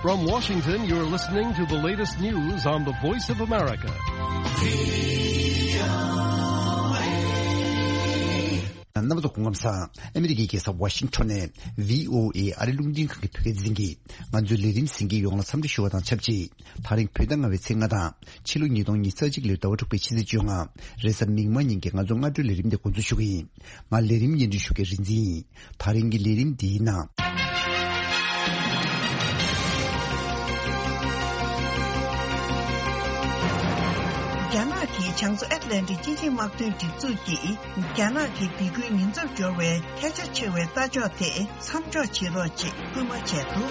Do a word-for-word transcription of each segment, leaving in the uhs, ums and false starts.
From Washington, you're listening to the latest news on the Voice of America. རྣམ་པ་ཚོ་སྐུ་ཁམས་བཟང་། ཨ་མི་རི་ཀའི་རྒྱལ་ས་ཝ་ཤིང་ཊོན་ནས་བྷི་ཨོ་ཨེ་ཨ་རི་རླུང་འཕྲིན་ཁང་གི་བོད་སྐད་སྡེ་ཚན་གྱིས་ང་ཚོའི་ལས་རིམ་གསན་མཁན་ཡོངས་ལ་འཚམས་འདྲི་ཞུ་བ་དང་ཆབས་ཅིག་ད་རིང་བོད་ཟླ་ལྔ་པའི་ཚེས་ལྔ་དང་ཕྱི་ལོ་ཉིས་སྟོང་ཉི་ཤུ་རྩ་གཅིག་ལོའི་ཟླ་བ་དྲུག་པའི་ཕྱི་ཚེས་བཅོ་ལྔ། རེས་གཟའ་མིག་དམར་ཉིན་གྱི་ང་ཚོ་སྔ་དྲོའི་ལས་རིམ་དེ་འགོ་འཛུགས་ཞུ་གི་ཡིན། ང་ལས་རིམ་སྙན་སྒྲོན་ཞུ་མཁན་རིག་འཛིན་ཡིན། ད་རིང་གི་ལས་རིམ་འདིའི་ནང་། རྒྱ་ནག་གིས་བྱང་མཚོ་ཨེཊ་ལན་ཊིག་སྤྱི་ཆིངས་དམག་དོན་སྒྲིག་འཛུགས་ཀྱིས་རྒྱ་ནག་གི་སྡིགས་སྐུལ་ཉེན་ཚབས་སྦྱོར་བའི་ཐལ་ཆ་ཆེ་བའི་ལྟ་ཕྱོགས་དེ་མཚམས་འཇོག་བྱེད་རོགས་ཅེས་སྐུལ་མ་བྱས་འདུག།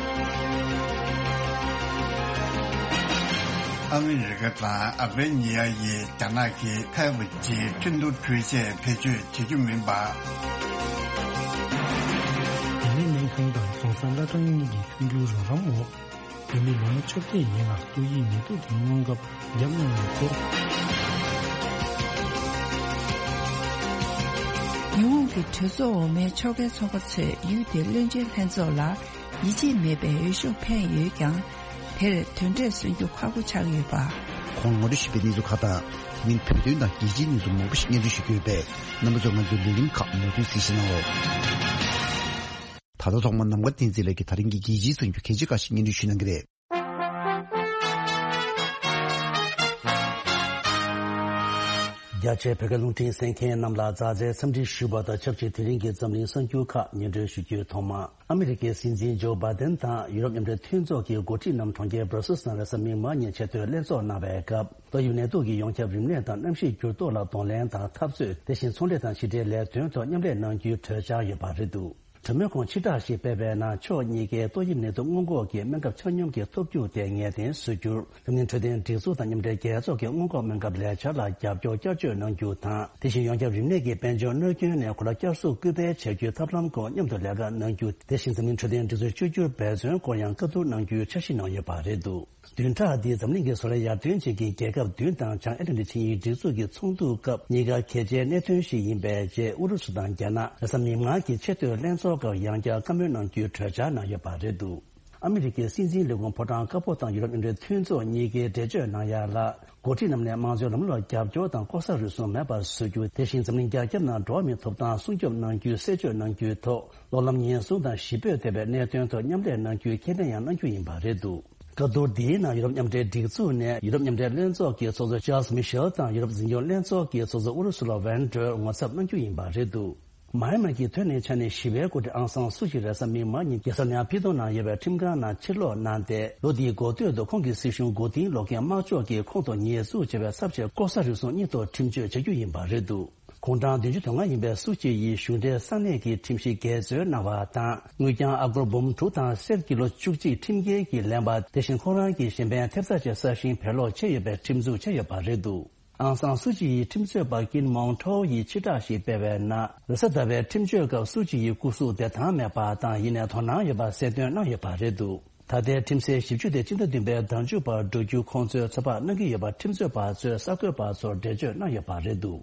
ཨ་མི་རི་ཀ་དང་ཨལ་བྷེ་ནི་ཡ་ཡིས་རྒྱ་ནག་གིས་ཕལ་པ་ཅིག་ཁྲིན་ཏུའུ་འགྲུལ་ཆས་བེད་སྤྱོད་བྱེད་རྒྱུ་མིན་པ། འདི་ནི་སྨན་ཁང་དང་རྫོང་སར་བླ་བྲང་གཉིས་ཀྱི་མཐུན་འགྱུར་རོགས་རམ་འོག་འདི་ནི་ལོ་ངོ་བཅོ་བརྒྱད་ཡན་ལ་ཏོག་དབྱིབས་ནད་དུག་གི་སྔོན་ཁབ་བརྒྱབ་གནང་ཡོད་ཚེ། ཉི་ཧོང་གི་གྲོས་ཚོགས་འོག་མའི་ཕྱོགས་འགལ་ཚོགས་པ་ཚོས་ཡུལ་དེའི་བློན་ཆེན་ལྷན་ཚོགས་ལ་ཡིད་ཆེས་མེད་པའི་འོས་ཤོག་འཕེན་ཡོད་ཀྱང་། དེར་དོན་འབྲས་སོན་རྒྱུ་ཁག་པོ་ཆགས་ཡོད་པ། ཁོང་ངོ་སྤྲོད་ཞུས་པའི་གནས་ཚུལ་ཁག་དང་། དེ་མིན་བོད་དོན་དང་རྒྱལ་སྤྱིའི་གནས་ཚུལ་མང་པོ་ཞིག་སྙན་སྒྲོན་ཞུ་རྒྱུ་ཡོད་པས། རྣམ་པ་ཚོས་ང་ཚོའི་ལས་རིམ་ཁག་མུ་མཐུད་གཟིགས་གཟིགས་གནང་རོགས། ད་ལྟ་ཐོག་མར་ནམ་མཁའ་བསྟན་འཛིན་ལགས་ཀྱིས་ད་རིང་གི་རྒྱལ་སྤྱིའི་གསར་འགྱུར་གལ་ཆེ་ཁག་ཅིག་སྙན་སྒྲོན་ཞུ་གནང་གི་རེད། རྒྱ་ཆེའི་བོད་སྐད་རླུང་འཕྲིན་གསན་མཁན་རྣམས་ལ་མཛའ་བརྩེའི་འཚམས་འདྲི་ཞུ་བ་དང་ཆབས་ཅིག་དེ་རིང་གི་འཛམ་གླིང་གསར་འགྱུར་ཁག་སྙན་སྒྲོན་ཞུ་རྒྱུའི་ཐོག་མ། ཨ་མི་རི་ཀའི་སྲིད་འཛིན་ཇོ་བྷའི་ཏན་དང་ཡུ་རོབ་མཉམ་འབྲེལ་མཐུན་ཚོགས་ཀྱི་འགོ་ཁྲིད་རྣམས་གྲོང་ཁྱེར་སྦྲ་སིལ་ནང་རེས་གཟའ་མིག་དམར་ཉིན་ཆེས་མཐོའི་ལྷན་ཚོགས་གནང་བའི་སྐབས། ཏོག་དབྱིབས་ནད་དུག་གི་ཡོངས་ཁྱབ་རིམས་ནད་དང་གནམ་གཤིས་འགྱུར་ལྡོག་ལ་གདོང་ལེན་དང་འཐབ་རྩོད། དེ་བཞིན་ཚོང་འབྲེལ་དང་ཕྱི་འབྲེལ་ལས་དོན་ཐོག་མཉམ་ལས་གནང་རྒྱུའི་གྲོས་འཆར་ཡོད་པ་རེད་འདུག། གྲོས་མོལ་ཁོངས་ཕྱིར་བསྒྲགས་ཤིག་སྤེལ་བའི་ནང་ཕྱོགས་གཉིས་ཀས་ཏོག་དབྱིབས་ནད་དུག་སྔོན་འགོག་གི་སྨན་ཁབ་ཆ་སྙོམས་ཀྱི་ཐོབ་རྒྱུ་དེ་ངེས་གཏན་བཟོ་རྒྱུར། འཛམ་གླིང་འཕྲོད་བསྟེན་སྒྲིག་འཛུགས་དང་མཉམ་འབྲེལ་རྒྱལ་ཚོགས་ཀྱི་སྔོན་འགོག་སྨན་ཁབ་ལས་འཆར་ལ་རྒྱབ་སྐྱོར་བསྐྱར་བཅོས་གནང་རྒྱུ་དང་། དེ་བཞིན་ཡོངས་ཁྱབ་རིམས་ནད་ཀྱི་དཔལ་འབྱོར་གནོད་སྐྱོན་ནས་གོ་ལ་བསྐྱར་གསོ་སྐུལ་སྤེལ་བྱ་རྒྱུའི་ཐབས་ལམ་སྐོར་མཉམ་དུ་ལས་ཀ་གནང་རྒྱུ། དེ་བཞིན་འཛམ་གླིང་འཕྲོད་བསྟེན་སྒྲིག་འཛུགས་བཅོས་བསྒྱུར་འབད་བརྩོན་སྐོར་ཡང་བཀའ་བསྡུར་གནང་རྒྱུའི་འཆར་གཞི་ནང་ཡོད་པ་རེད་འདུག། བདུན་ཕྲག་འདིའི་འཛམ་གླིང་གི་བཟོ་ལས་ཡར་ཐོན་ཅན་གྱི་རྒྱལ་ཁབ་བདུན་དང་བྱང་ཨེ་ཊ་ལན་ཊིག་ཆིངས་ཡིག་སྒྲིག་འཛུགས་ཀྱི་ཚོགས་འདུ་སྐབས་གཉིས་ཀ་གལ་ཆེའི་གནད་དོན་ཞིག་ཡིན་པའི་རྗེས། ཨུ་རུ་སུ་དང་རྒྱ་ནག་རེས་གཟའ་མིག་དམར་གྱི་ཆེས་མཐོའི་ལྷན་ཚོགས་སྐབས་ཡང་བསྐྱར་བཀའ་མོལ་གནང་རྒྱུའི་གྲོས་འཆར་གནང་ཡོད་པ་རེད་འདུག། ཨ་མི་རི་ཀའི་སྲིད་འཛིན་ལས་ཁུངས་ཕོ་བྲང་དཀར་པོ་དང་ཡུ་རོབ་མཉམ་འབྲེལ་མཐུན་ཚོགས་གཉིས་ཀས་འགྲེལ་བརྗོད་གནང་ཡ་ལ། འགོ་ཁྲིད་རྣམས་ནས་དམངས་གཙོའི་ལམ་ལུགས་ལ་རྒྱབ་སྐྱོར་དང་ལྐོག་ཟ་རུལ་སུངས་མེད་པར་བཟོ་རྒྱུ། དེ་བཞིན་འཛམ་གླིང་རྒྱ་ཁྱབ་ནང་འགྲོ་བ་མིའི་ཐོབ་ཐང་སྲུང་སྐྱོབ་གནང་རྒྱུའི་གསལ་བརྗོད་གནང་རྒྱུའི་ཐོག། གློག་ལམ་ཉེན་སྲུང་དང་ཞི་བོད་ཐེ་བའི་གནད་དོན་ཐོག་མཉམ་ལས་གནང་རྒྱུའི་ཁས་ལེན་ཡང་གནང་རྒྱུ་ཡིན་པ་རེད་འདུག། བཀའ་བསྡུར་འདིའི་ནང་ཡུ་རོབ་མཉམ་འབྲེལ་སྒྲིག་འཛུགས་ནས་ཡུ་རོབ་མཉམ་འབྲེལ་ལྷན་ཚོགས་ཀྱི་ཚོགས་གཙོ་ཅཱལ་སི་མི་ཤེལ་དང་ཡུ་རོབ་འཛིན་སྐྱོང་ལྷན་ཚོགས་ཀྱི་ཚོགས་གཙོ་ཨུ་རུ་སུ་ལ་ཝན་ཏྲོས་ངོ་ཚབ་གནང་རྒྱུ་ཡིན་པ་རེད་འདུག། མཱ་ཡན་མར་གྱི་ཐོན་ལས་ཆ་ནས་ཞི་བའི་འགོ་ཁྲིད་ཨང་སང་སུ་ཅི་རེས་གཟའ་མིག་དམར་ཉིན་རྒྱལ་ས་ནེ་ཕི་ཏོ་ནང་ཡོད་པའི་ཁྲིམས་ཁང་ནང་ཕྱིར་ལོག་གནང་སྟེ། ལོ་འདིའི་འགོ་སྟོད་དུ་ཁོང་གི་སྲིད་གཞུང་མགོ་རྟིང་སློག་མཁན་དམར་ཕྱོགས་ཀྱིས་ཁོང་དུ་ཉེས་འཛུགས་བྱས་པའི་ཚབས་ཆེའི་ལྐོག་ཟ་རུལ་སུངས་གཉིས་ཐོག་ཁྲིམས་གཅོད་བྱ་རྒྱུ་ཡིན་པ་རེད་འདུག། གུང་གྲངས་བདུན་ཅུ་དོན་ལྔ་ཡིན་པའི་སུ་ཅི་ཡིས་གཞུང་འབྲེལ་ས་གནས་ཀྱི་ཁྲིམས་གཞི་འགལ་འཛོལ་གནང་བ་དང་། དངུལ་རྐྱང་ཨ་སྒོར་འབུམ་དྲུག་དང་གསེར་གྱི་ལོ་བཅུ་གཅིག་ཁྲིམས་འགལ་གྱིས་ལེན་པ། དེ་བཞིན་ཁོང་རང་གི་གཞན་ཕན་ཐེབས་རྩ་ཆེ་ས་ཞིང་བེད་ལོག་བྱས་ཡོད་པའི་ཁྲིམས་འཛུགས་བྱས་ཡོད་པ་རེད་འདུག། ཨང་སང་སུ་ཅི་ཡི་ཁྲིམས་རྩོད་པ་ཀིན་མོང་ཁྲོའུ་ཡིས་ཕྱིར་བསྒྲགས་ཤིག་སྤེལ་བའི་ནང་། རེས་གཟའ་ཟླ་བའི་ཁྲིམས་གཅོད་སྐབས་སུ་ཅི་ཡི་སྐུ་གཟུགས་བདེ་ཐང་མེད་པ་དང་། ཡིན་ནའི་དོ་སྣང་ཡོད་པ་གསལ་སྟོན་གནང་ཡོད་པ་རེད་འདུག། ད་ལྟའི་ཁྲིམས་སའི་ཞིབ་དཔྱོད་དེ་སྤྱི་ཟླ་བདུན་པའི་ཟླ་མཇུག་བར་འགྲོ་རྒྱུ་ཁོང་ཚོས་ཚོད་དཔག་གནང་གི་ཡོད་པ་ཁྲིམས་རྩོད་པ་ཚོས་གསར་འགོད་པ་ཚོར་འགྲེལ་བརྗོད་གནང་ཡོད་པ་རེད་འདུག།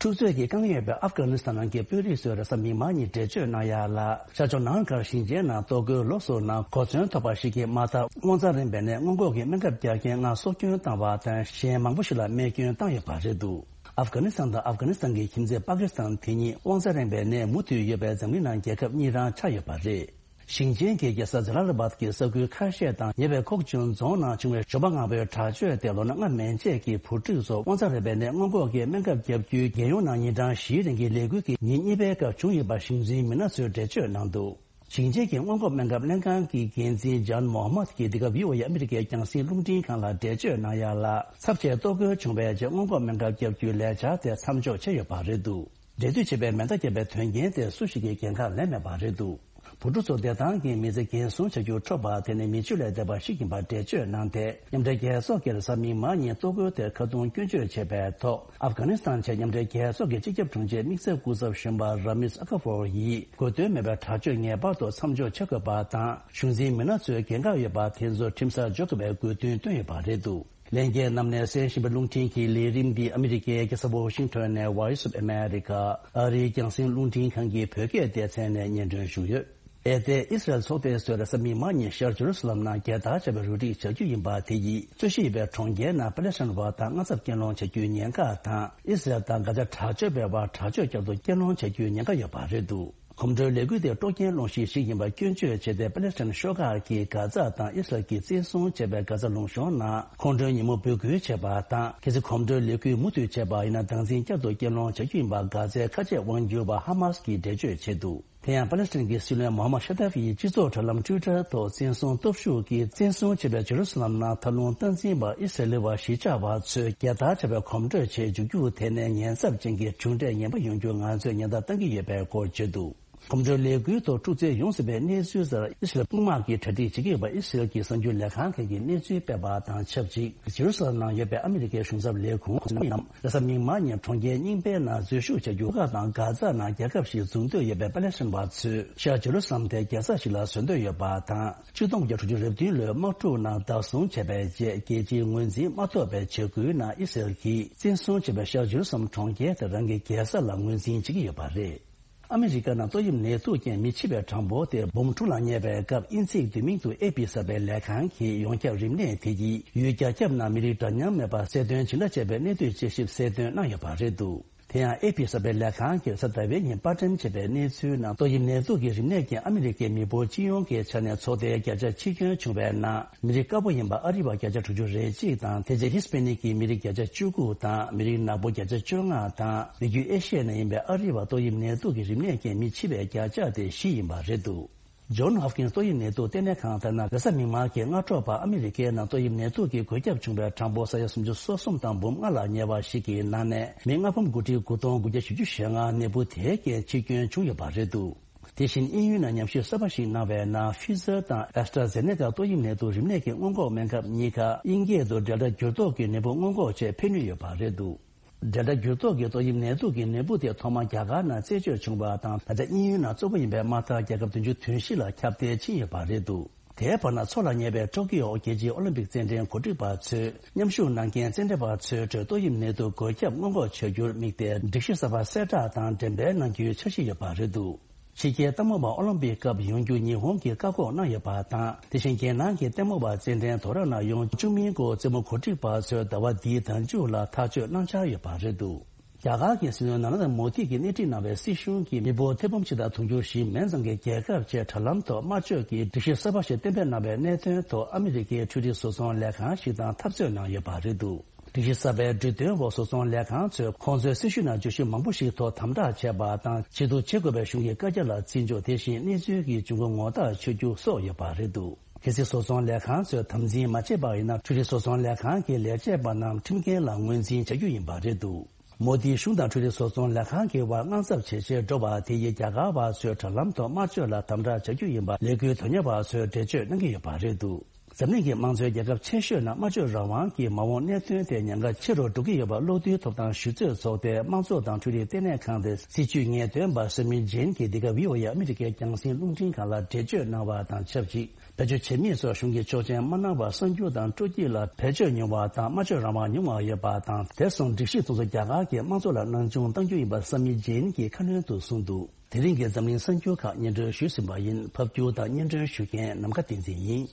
འཁྲུག་རྩོད་ཀྱིས་བཀང་ཡོད་པའི་ཨབ་གྷ་ནི་སི་ཐན་ནང་གི་དཔོན་རིགས་ཚོས་རེས་གཟའ་མིག་དམར་ཉིན་འགྲེལ་བརྗོད་གནང་ཡ་ལ། ཤར་ཕྱོགས་ནང་གར་ཞིང་ཆེན་ནང་ལྟོ་གོས་ལོགས་སུ་གནང་གོ་མཚོན་ཐོབ་པ་ཞིག་གིས་མ་མཐའ་དབང་རྩ་རིམ་པའི་ནད་སྔོན་འགོག་གི་སྨན་ཁབ་རྒྱག་མཁན་ལྔ་སྲོག་སྐྱོན་བཏང་བ་དང་། གཞན་མང་པོ་ཞིག་ལ་རྨས་སྐྱོན་བཏང་ཡོད་པ་རེད་འདུག། ཨབ་གྷ་ནི་སི་ཐན་དང་ཨབ་གྷ་ནི་སི་ཐན་གྱི་ཁྱིམ་མཚེས་པ་ཀི་སི་ཐན་དེ་གཉིས་དབང་རྩ་རིམ་པའི་ནད་མུ་མཐུད་ཡོད་པའི་འཛམ་གླིང་ནང་རྒྱལ་ཁབ་གཉིས་རང་ཆགས་ཡོད་པ་རེད། ཞིང་ཆེན་གྱི་རྒྱལ་ས་ཛ་ལ་ལ་བཱད་ཀྱི་ས་ཁུལ་ཁ་ཤས་དང་ཉེ་བའི་ཁོག་ཆུན་རྫོང་ནང་བྱུང་བའི་ཞོགས་པ་སྔ་པོའི་དྲག་སྤྱོད་དེ་ལོ་ན་ལྔ་མན་ཆད་ཀྱི་བུ་ཕྲུག་ཚོར་དབང་རྩ་རིམ་པའི་ནད་སྔོན་འགོག་གི་སྨན་ཁབ་བརྒྱབ་རྒྱུའི་རྒྱལ་ཡོངས་ནང་ཉིན་གྲངས་བཞིའི་རིང་གི་ལས་འགུལ་གྱི་ཉིན་གཉིས་པའི་སྐབས་བྱུང་ཡོད་པ་གཞུང་འཛིན་མི་སྣ་ཚོས་འགྲེལ་བརྗོད་གནང་འདུག། ཞིང་ཆེན་གྱི་སྔོན་འགོག་སྨན་ཁབ་ལྷན་ཁང་གི་འགན་འཛིན་ཇཱན་མོ་ཧ་མད་ཀྱིས་འདི་ག་བྷི་ཨོ་ཨེ་ཨ་མི་རི་ཀའི་རྒྱང་སྲིང་རླུང་འཕྲིན་ཁང་ལ་འགྲེལ་བརྗོད་གནང་ཡ་ལ། ཚབས་ཆེའི་ལྟོ་གོས་བྱུང་བའི་རྗེས་སྔོན་འགོག་སྨན་ཁབ་བརྒྱབ་རྒྱུའི་ལས་འཆར་དེ་མཚམས་འཇོག་བྱས་ཡོད་པ་རེད་འདུག། འབྲེལ་མཐུད་བྱས་པའི་མེ་མདའ་བརྒྱབ་པའི་དོན་རྐྱེན་དེ་སུ་ཞིག་གིས་འགན་ཁག་ལེན་མེད་པ་རེད་འདུག། བུ་ཕྲུག་ཚོ་བདེ་ཐང་གི་མི་ཚེ་འགན་སྲུང་བྱ་རྒྱུར་འཕྲོད་པ་དེ་ནི་མི་ཆོས་ལས་འདས་པ་ཞིག་ཡིན་པར་འགྲེལ་བརྗོད་གནང་སྟེ། མཉམ་འབྲེལ་རྒྱལ་ཚོགས་ཀྱིས་རེས་གཟའ་མིག་དམར་ཉིན་ལྟོ་གོས་དེ་ཁ་རྡུང་སྐྱོན་བརྗོད་བྱས་པའི་ཐོག། ཨབ་གྷ་ནི་སི་ཐན་ཆེད་མཉམ་འབྲེལ་རྒྱལ་ཚོགས་ཀྱི་སྤྱི་ཁྱབ་དྲུང་ཆེ་དམིགས་བསལ་སྐུ་ཚབ་གཞོན་པ་ར་མིས་ཨ་ཁ་ཕོར་ཡིས། དགོས་དོན་མེད་པའི་དྲག་སྤྱོད་ངེས་པར་དུ་མཚམས་འཇོག་བྱེད་དགོས་པ་དང་། གཞུང་འཛིན་མི་སྣ་ཚོས་འགན་ཁག་ཡོད་པ་དེ་ཚོ་ཁྲིམས་སར་འཇོག་དགོས་པའི་དགོས་འདུན་བཏོན་ཡོད་པ་རེད་འདུག། ལྷན་རྒྱས་རྣམས་ནས་གསན་བཞིན་པའི་རླུང་འཕྲིན་གྱི་ལས་རིམ་འདི་ཨ་མི་རི་ཀའི་རྒྱལ་ས་ཝོ་ཤིང་ཊོན་ནས་Voice of America ཨ་རིའི་རྒྱང་སྲིང་རླུང་འཕྲིན་ཁང་གི་བོད་སྐད་སྡེ་ཚན་ནས་སྙན་སྒྲོན་ཞུས་ཡོད། ཨེ་ཏེ་ཨི་སི་རལ་ཚོགས་པའི་སྲོལ་རེས་གཟའ་མིག་དམར་ཉིན་ཤར་ཇེ་རུ་སི་ལམ་ནང་རྒྱལ་དར་བྱ་བའི་རུ་སྒྲིག་བྱ་རྒྱུ་ཡིན་པ་དེ་ཡིས་རྩོད་གཞི་ཡོད་པའི་གྲོང་ཁྱེར་ནང་པ་ལེ་སི་ཐན་བ་དང་དངངས་འཚབ་སྐྱེལ་སློང་བྱ་རྒྱུའི་ཉེན་ཁ་དང་། ཨི་སི་རལ་དང་གྷ་ཛ་དྲག་སྤྱོད་པའི་བར་དྲག་སྤྱོད་བསྐྱར་དུ་སྐྱེལ་སློང་བྱ་རྒྱུའི་ཉེན་ཁ་ཡོད་པ་རེད་འདུག་གོམ་བགྲོད་ལས་འགུལ་དེ་དཀྲོག་རྐྱེན་སློང་གཞི་ཞིག་ཡིན་པ་སྐྱོན་བརྗོད་བྱས་ཏེ། པ་ལེ་སི་ཐན་ཤོག་ཁག་གིས་གྷ་ཛ་དང་ཨི་སི་རལ་གྱིས་བཙན་བཟུང་བྱས་པའི་གྷ་ཛ་ལུང་གཤོང་ནང་ཁོང་ཁྲོའི་ཉིན་མོ་འབོད་སྐུལ་བྱས་པ་དང་། གལ་སྲིད་གོམ་བགྲོད་ལས་འགུལ་མུ་མཐུད་བྱས་པ་ཡིན་ན། སྡང་འཛིན་བསྐྱར་དུ་སྐྱེལ་སློང་བྱ་རྒྱུ་ཡིན་པ་གྷ་ཛའི་ཁ་ཆེ་དབང་སྒྱུར་བ་ཧ་མཱ་སི་གིས་འགྲེལ་བརྗོད་བྱས་འདུག་དེ་ཡང་པ་ལེ་སི་ཐན་གྱི་སྲིད་བློན་མོ་ཧམ་མད་ཤ་ཏ་ཧྥི་ཡིས་སྤྱི་ཚོགས་དྲ་ལམ་ཊུའི་ཊར་ཐོག་བཙན་བཟུང་སྟོབས་ཤུགས་ཀྱིས་བཙན་བཟུང་བྱས་པའི་ཇེ་རུ་སི་ལམ་ནང་མཐའ་ལྷུང་སྟངས་འཛིན་པ་ཨི་སི་རེལ་བ་གཞིས་ཆགས་པ་ཚོས་རྒྱལ་དར་བྱ་བའི་གོམ་བགྲོད་ཆེད་འཇུག་རྒྱུ་དེ་ནི་ཉེན་ཚབས་ཅན་གྱི་གྲུབ་འབྲས་ངན་པ་ཡོང་རྒྱུར་ང་ཚོས་ཉེན་བརྡ་བཏང་གི་ཡོད་པའི་སྐོར་བརྗོད་འདུག་གོམ་བགྲོད་ལས་འགུལ་ཐོག་འཁྲུག་རྩོད་ཡོང་སྲིད་པའི་གནས་ཚུལ་ལྟར། ཨི་སི་རེལ་དཔུང་དམག་གིས་གྲ་སྒྲིག་བྱེད་ཀྱི་ཡོད་པ་ཨི་སི་རེལ་གྱི་གསར་འགྱུར་ལས་ཁང་ཁག་གིས་གནས་ཚུལ་སྤེལ་བ་དང་ཆབས་ཅིག་ཇེ་རུ་སཱ་ལེམ་ནང་ཡོད་པའི་ཨ་མི་རི་ཀའི་གཞུང་ཚབ་ལས་ཁུངས་ནམ་ཡང་རེས་གཟའ་མིག་དམར་ཉིན་གྲོང་ཁྱེར་རྙིང་པའི་ནང་འཛུལ་ཞུགས་བྱ་རྒྱུ་ཁག་དང་། གྷ་ཛ་ནང་རྒྱལ་ཁབ་ཞིག་འཛུགས་འདོད་ཡོད་པའི་པ་ལེ་སི་ཐན་བ་ཚོས་ཤར་ཇེ་རུ་སཱ་ལེམ་དེ་རྒྱལ་ས་ཞིག་ལ་བཟོ་འདོད་ཡོད་པ་དང་། ཆིག་སྟོང་དགུ་བརྒྱ་དྲུག་ཅུ་རེ་བདུན་ལོའི་དམག་འཁྲུག་ནང་བདག་བཟུང་བྱས་པའི་རྗེས། རྒྱལ་སྤྱིའི་ངོས་འཛིན་མ་ཐོབ་པའི་བྱ་འགུལ་ནང་ཨི་སི་རེལ་གྱིས་བཙན་བཟུང་བྱས་པའི་ཤར་ཇེ་རུ་སཱ་ལེམ་གྲོང་ཁྱེར་དེ་རང་གི་རྒྱལ་ས་ལ་ངོས་འཛིན་བྱེད་ཀྱི་ཡོད་པ་རེད། ཨ་མི་རི་ཀ་ནང་ཏོག་དབྱིབས་ནད་དུག་རྐྱེན་མི་འཆི་བའི་གྲངས་འབོར་དེ་འབུམ་དྲུག་ལ་སླེབས་པའི་སྐབས། དབྱིན་ཚིག་བསྡུས་མིང་དུ་ཨེ་པི་ཟེར་བའི་ལས་ཁང་གིས་ཡོངས་ཁྱབ་རིམས་ནད་དེ་ཡིས་ཡུལ་རྒྱ་ཁྱབ་ནང་མི་རིགས་འདྲ་མཉམ་མེད་པར་གསལ་སྟོན་ཇི་འདྲ་བྱས་པའི་གནད་བསྡུས་དཔྱད་ཞིབ་གསལ་སྟོན་གནང་ཡོད་པ་རེད་འདུག་དེ་ཡང་ཨེ་པི་ཟེར་བའི་ལས་ཁང་གིས་གཟའ་ཟླ་བའི་ཉིན་པར་སྐྲུན་བྱས་པའི་གནས་ཚུལ་ནང་། ཏོག་དབྱིབས་ནད་དུག་གི་རིམས་ནད་ཀྱིས་ཨ་མི་རི་ཀའི་མི་འབོར་སྤྱི་ཡོངས་ཀྱི་ཆ་ནས་ཚོགས་སྡེའི་བརྒྱ་ཆ་ཆིག་སྐྱོན་བྱུང་བའི་ནང་། མི་རིགས་དཀར་པོ་ཡིན་པ་ཨ་རི་བ་བརྒྱ་ཆ་དྲུག་ཅུ་རེ་གཅིག་དང་། དེ་རྗེས་ཧི་སི་པེ་ནིག་གི་མི་རིགས་བརྒྱ་ཆ་བཅུ་དགུ་དང་། མི་རིགས་ནག་པོ་བརྒྱ་ཆ་བཅོ་ལྔ་དང་། མི་རྒྱུད་ཨེ་ཤི་ཡའི་ནང་ཡིན་པའི་ཨ་རི་བ་ཏོག་དབྱིབས་ནད་དུག་གི་རིམས་ནད་ཀྱིས་མི་འཆི་བའི་བརྒྱ་ཆ་དེ་བཞི་ཡིན་པ་རེད་འདུག་ཇོན་ཧོབ་ཀིན་སི་ཏོག་དབྱིབས་ནད་དུག་ལྟེ་གནས་ཁང་ལྟར་ན། རེས་གཟའ་མིག་དམར་གྱི་སྔ་དྲོ་བར་ཨ་མི་རི་ཀའི་ནང་ཏོག་དབྱིབས་ནད་དུག་གི་འགོས་ཁྱབ་བྱུང་བའི་གྲངས་འབོར་ས་ཡ་སུམ་ཅུ་སོ་གསུམ་དང་འབུམ་ལྔ་ལ་ཉེ་བ་ཞིག་གི་ནང་ནས། མི་ལྔ་འབུམ་དགུ་ཁྲི་དགུ་སྟོང་དགུ་བརྒྱ་བཞི་བཅུ་ཞེ་ལྔ་ནད་འབུ་དེའི་རྐྱེན་འཆི་སྐྱོན་བྱུང་ཡོད་པ་རེད་འདུག་དེ་བཞིན་དབྱིན་ཡུལ་ནང་ཉམས་ཞིབ་གསར་པ་ཞིག་གནང་བའི་ནང་། ཕི་ཛར་དང་ཨེ་སི་ཊ་ཛེ་ནེ་ཀ་ཏོག་དབྱིབས་ནད་དུག་རིམས་ནད་ཀྱི་སྔོན་འགོག་སྨན་ཁབ་གཉིས་ཀ་དབྱིན་སྐད་དུ་ཌེལ་ཊ་འགྱུར་ལྡོག་གི་ནད་འབུ་སྔོན་འགོག་ཆེད་ཕན་ནུས་ཡོད་པ་རེད་འདུག་ཌེལ་ཊ་འགྱུར་ལྡོག་གི་ཏོག་དབྱིབས་ནད་དུག་གི་ནད་འབུ་དེ་ཐོག་མར་རྒྱ་གར་ནང་རྩད་གཅོད་བྱུང་བ་དང་། ད་ཆ་དབྱིན་ཡུལ་ནང་གཙོ་བོ་ཡིན་པའི་དམག་འཐབ་རྒྱལ་ཁབ་བདུན་ཅུ་དོན་བཞི་ལ་ཁྱབ་གདལ་ཕྱིན་ཡོད་པ་རེད་འདུག་དེའི་བར་ན། འཚོགས་ལ་ཉེ་བའི་ཀྲོ་ཀི་ཡོ་རྒྱལ་སྤྱིའི་ཨོ་ལིམ་པིག་རྩེད་འགྲན་གོ་སྒྲིག་པ་ཚོས། མཉམ་ཞུགས་གནང་མཁན་རྩེད་འགྲན་པ་ཚོའི་ཁྲོད་ཏོག་དབྱིབས་ནད་དུག་འགོས་ཁྱབ་སྔོན་འགོག་བྱ་རྒྱུར་དམིགས་ཏེ། སྒྲིག་གཞི་གསར་པ་གསལ་བསྒྲགས་དང་འགྲེམས་སྤེལ་གནང་རྒྱུའི་འཆར་གཞི་ཡོད་པ་རེད་འདུག་ཕྱི་རྒྱལ་སྟག་མོ་པ་ཨོ་ལིམ་པིག་སྐབས་ཡོང་རྒྱུ་ཉི་ཧོང་གིས་བཀག་འགོག་གནང་ཡོད་པ་དང་། དེ་བཞིན་རྒྱལ་ནང་གི་ལྟད་མོ་བ་རྩེད་འགྲན་དོ་ར་ནང་ཡོང་བཅུག་མིན་སྐོར་རྩེད་མོ་གོ་སྒྲིག་པ་ཚོས་ཟླ་བ་འདིའི་ཟླ་མཇུག་ལ་ཐག་གཅོད་གནང་འཆར་ཡོད་པ་རེད་འདུག་རྒྱ་གར་གྱི་སྲིད་བློན་ནཱ་རེན་དྲ་མོ་དི་གིས་སྣེ་ཁྲིད་གནང་བའི་སྲིད་གཞུང་གིས་མི་འབོར་ཐེར་འབུམ་གཅིག་དང་དུང་ཕྱུར་བཞི་མན་ཙམ་གྱི་རྒྱལ་ཁབ་ཆེད་དྲ་ལམ་ཐོག་དམར་མཆོད་ཀྱི་སྒྲིག་གཞི་གསར་པ་ཞིག་གཏན་འབེབས་གནང་བའི་གནད་དོན་ཐོག་ཨ་མི་རི་ཀའི་འཕྲུལ་རིག་བཟོ་ཚོང་ལས་ཁང་ཞིག་དང་འཐབ་རྩོད་གནང་ཡོད་པ་རེད་འདུག་སྒྲིག་གཞི་གསར་པའི་འབྲུ་དོན་འོག་བཟོ་ཚོང་ལས་ཁང་ཚོས་ཁོང་ཚོའི་སྲི་ཞུ་ནང་བརྗོད་གཞི་མང་པོ་ཞིག་ཐོག་དམ་དྲག་བྱས་པ་དང་། བྱེད་དུ་བྱེད་དགོས་པའི་གཞུང་གི་བཀའ་རྒྱ་ལ་བརྩི་འཇོག་དེ་བཞིན་གནས་ཚུལ་གྱི་འབྱུང་ཁུངས་ངོ་ཐག་ཆོད་རྒྱུ་སོགས་ཡོད་པ་རེད་འདུག་གལ་སྲིད་བཟོ་ཚོང་ལས་ཁང་ཚོས་དམ་འཛིན་མ་བྱས་པ་ཡིན་ན། འཕྲུལ་རིག་བཟོ་ཚོང་ལས་ཁང་གི་ལས་བྱེད་པ་རྣམས་ཁྲིམས་འགལ་ལ་ངོས་འཛིན་བྱ་རྒྱུ་ཡིན་པ་རེད་འདུག་མོ་དིའི་གཞུང་དང་འཕྲུལ་རིག་བཟོ་ཚོང་ལས་ཁང་གི་དབར་དངངས་འཚབ་ཇེ་ཆེར་འགྲོ་བ་དེ་ཡིས་རྒྱ་གར་བ་ཚོས་དྲ་ལམ་ཐོག་དམར་མཆོད་ལ་དམ་དྲག་བྱ་རྒྱུ་ཡིན་པ་ལས་འགུལ་དོན་གཉེར་བ་ཚོས་འགྲེལ་བརྗོད་གནང་གི་ཡོད་པ་རེད་འདུག་འཛམ་གླིང་གི་དམངས་གཙོའི་རྒྱལ་ཁབ་ཆེ་ཤོས་ནང་དམར་མཆོད་རང་དབང་གི་མ་འོངས་གནད་དོན་དེ་ཉེན་ཁ་ཆེ་རུ་འགྲོ་གི་ཡོད་པ་གློག་རྡུལ་ཐོབ་ཐང་ཞུ་རྩོད་ཚོགས་སྡེའི་དམངས་གཙོ་དང་འཕྲུལ་རིག་ལྟེ་གནས་ཁང་དེའི་སྲིད་བྱུས་ངེས་སྟོན་པ་སོ་མི་ཇིན་གྱིས་འདི་ག་བྷི་ཨོ་ཨེ་ཨ་མི་རི་ཀའི་རྒྱང་སྲིང་རླུང་འཕྲིན་ཁང་ལ་འགྲེལ་བརྗོད་གནང་བ་དང་ཆབས་ཅིག་བེད་སྤྱོད་བྱེད་མིན་སོགས་གཞུང་གིས་ཆོག་མཆན་མ་གནང་བར་གསར་འགྱུར་དང་སྤྲོ་སྐྱིད་ལ་བེད་སྤྱོད་ཉུང་བ་དང་དམར་མཆོད་རང་དབང་ཉུང་བ་ཡོད་པ་དང་། དེ་སོང་སྒྲིག་གཞི་དེ་ཚོ་རྒྱ་གར་གྱི་དམངས་གཙོ་ལ་སྣང་ཆུང་གཏང་རྒྱུ་ཡིན་པ་སོ་མི་ཇིན་གྱིས་ཁ་སྣོན་དུ་གསུངས་འདུག་དེ་རིང་གི་འཛམ་གླིང་གསར་འགྱུར་ཁག་སྙན་སྒྲོན་ཞུས་ཟིན་པ་ཡིན། ཕབ་སྒྱུར་དང་སྙན་སྒྲོན་ཞུ་མཁན་ནམ་མཁའ་བསྟན་འཛིན་ཡིན།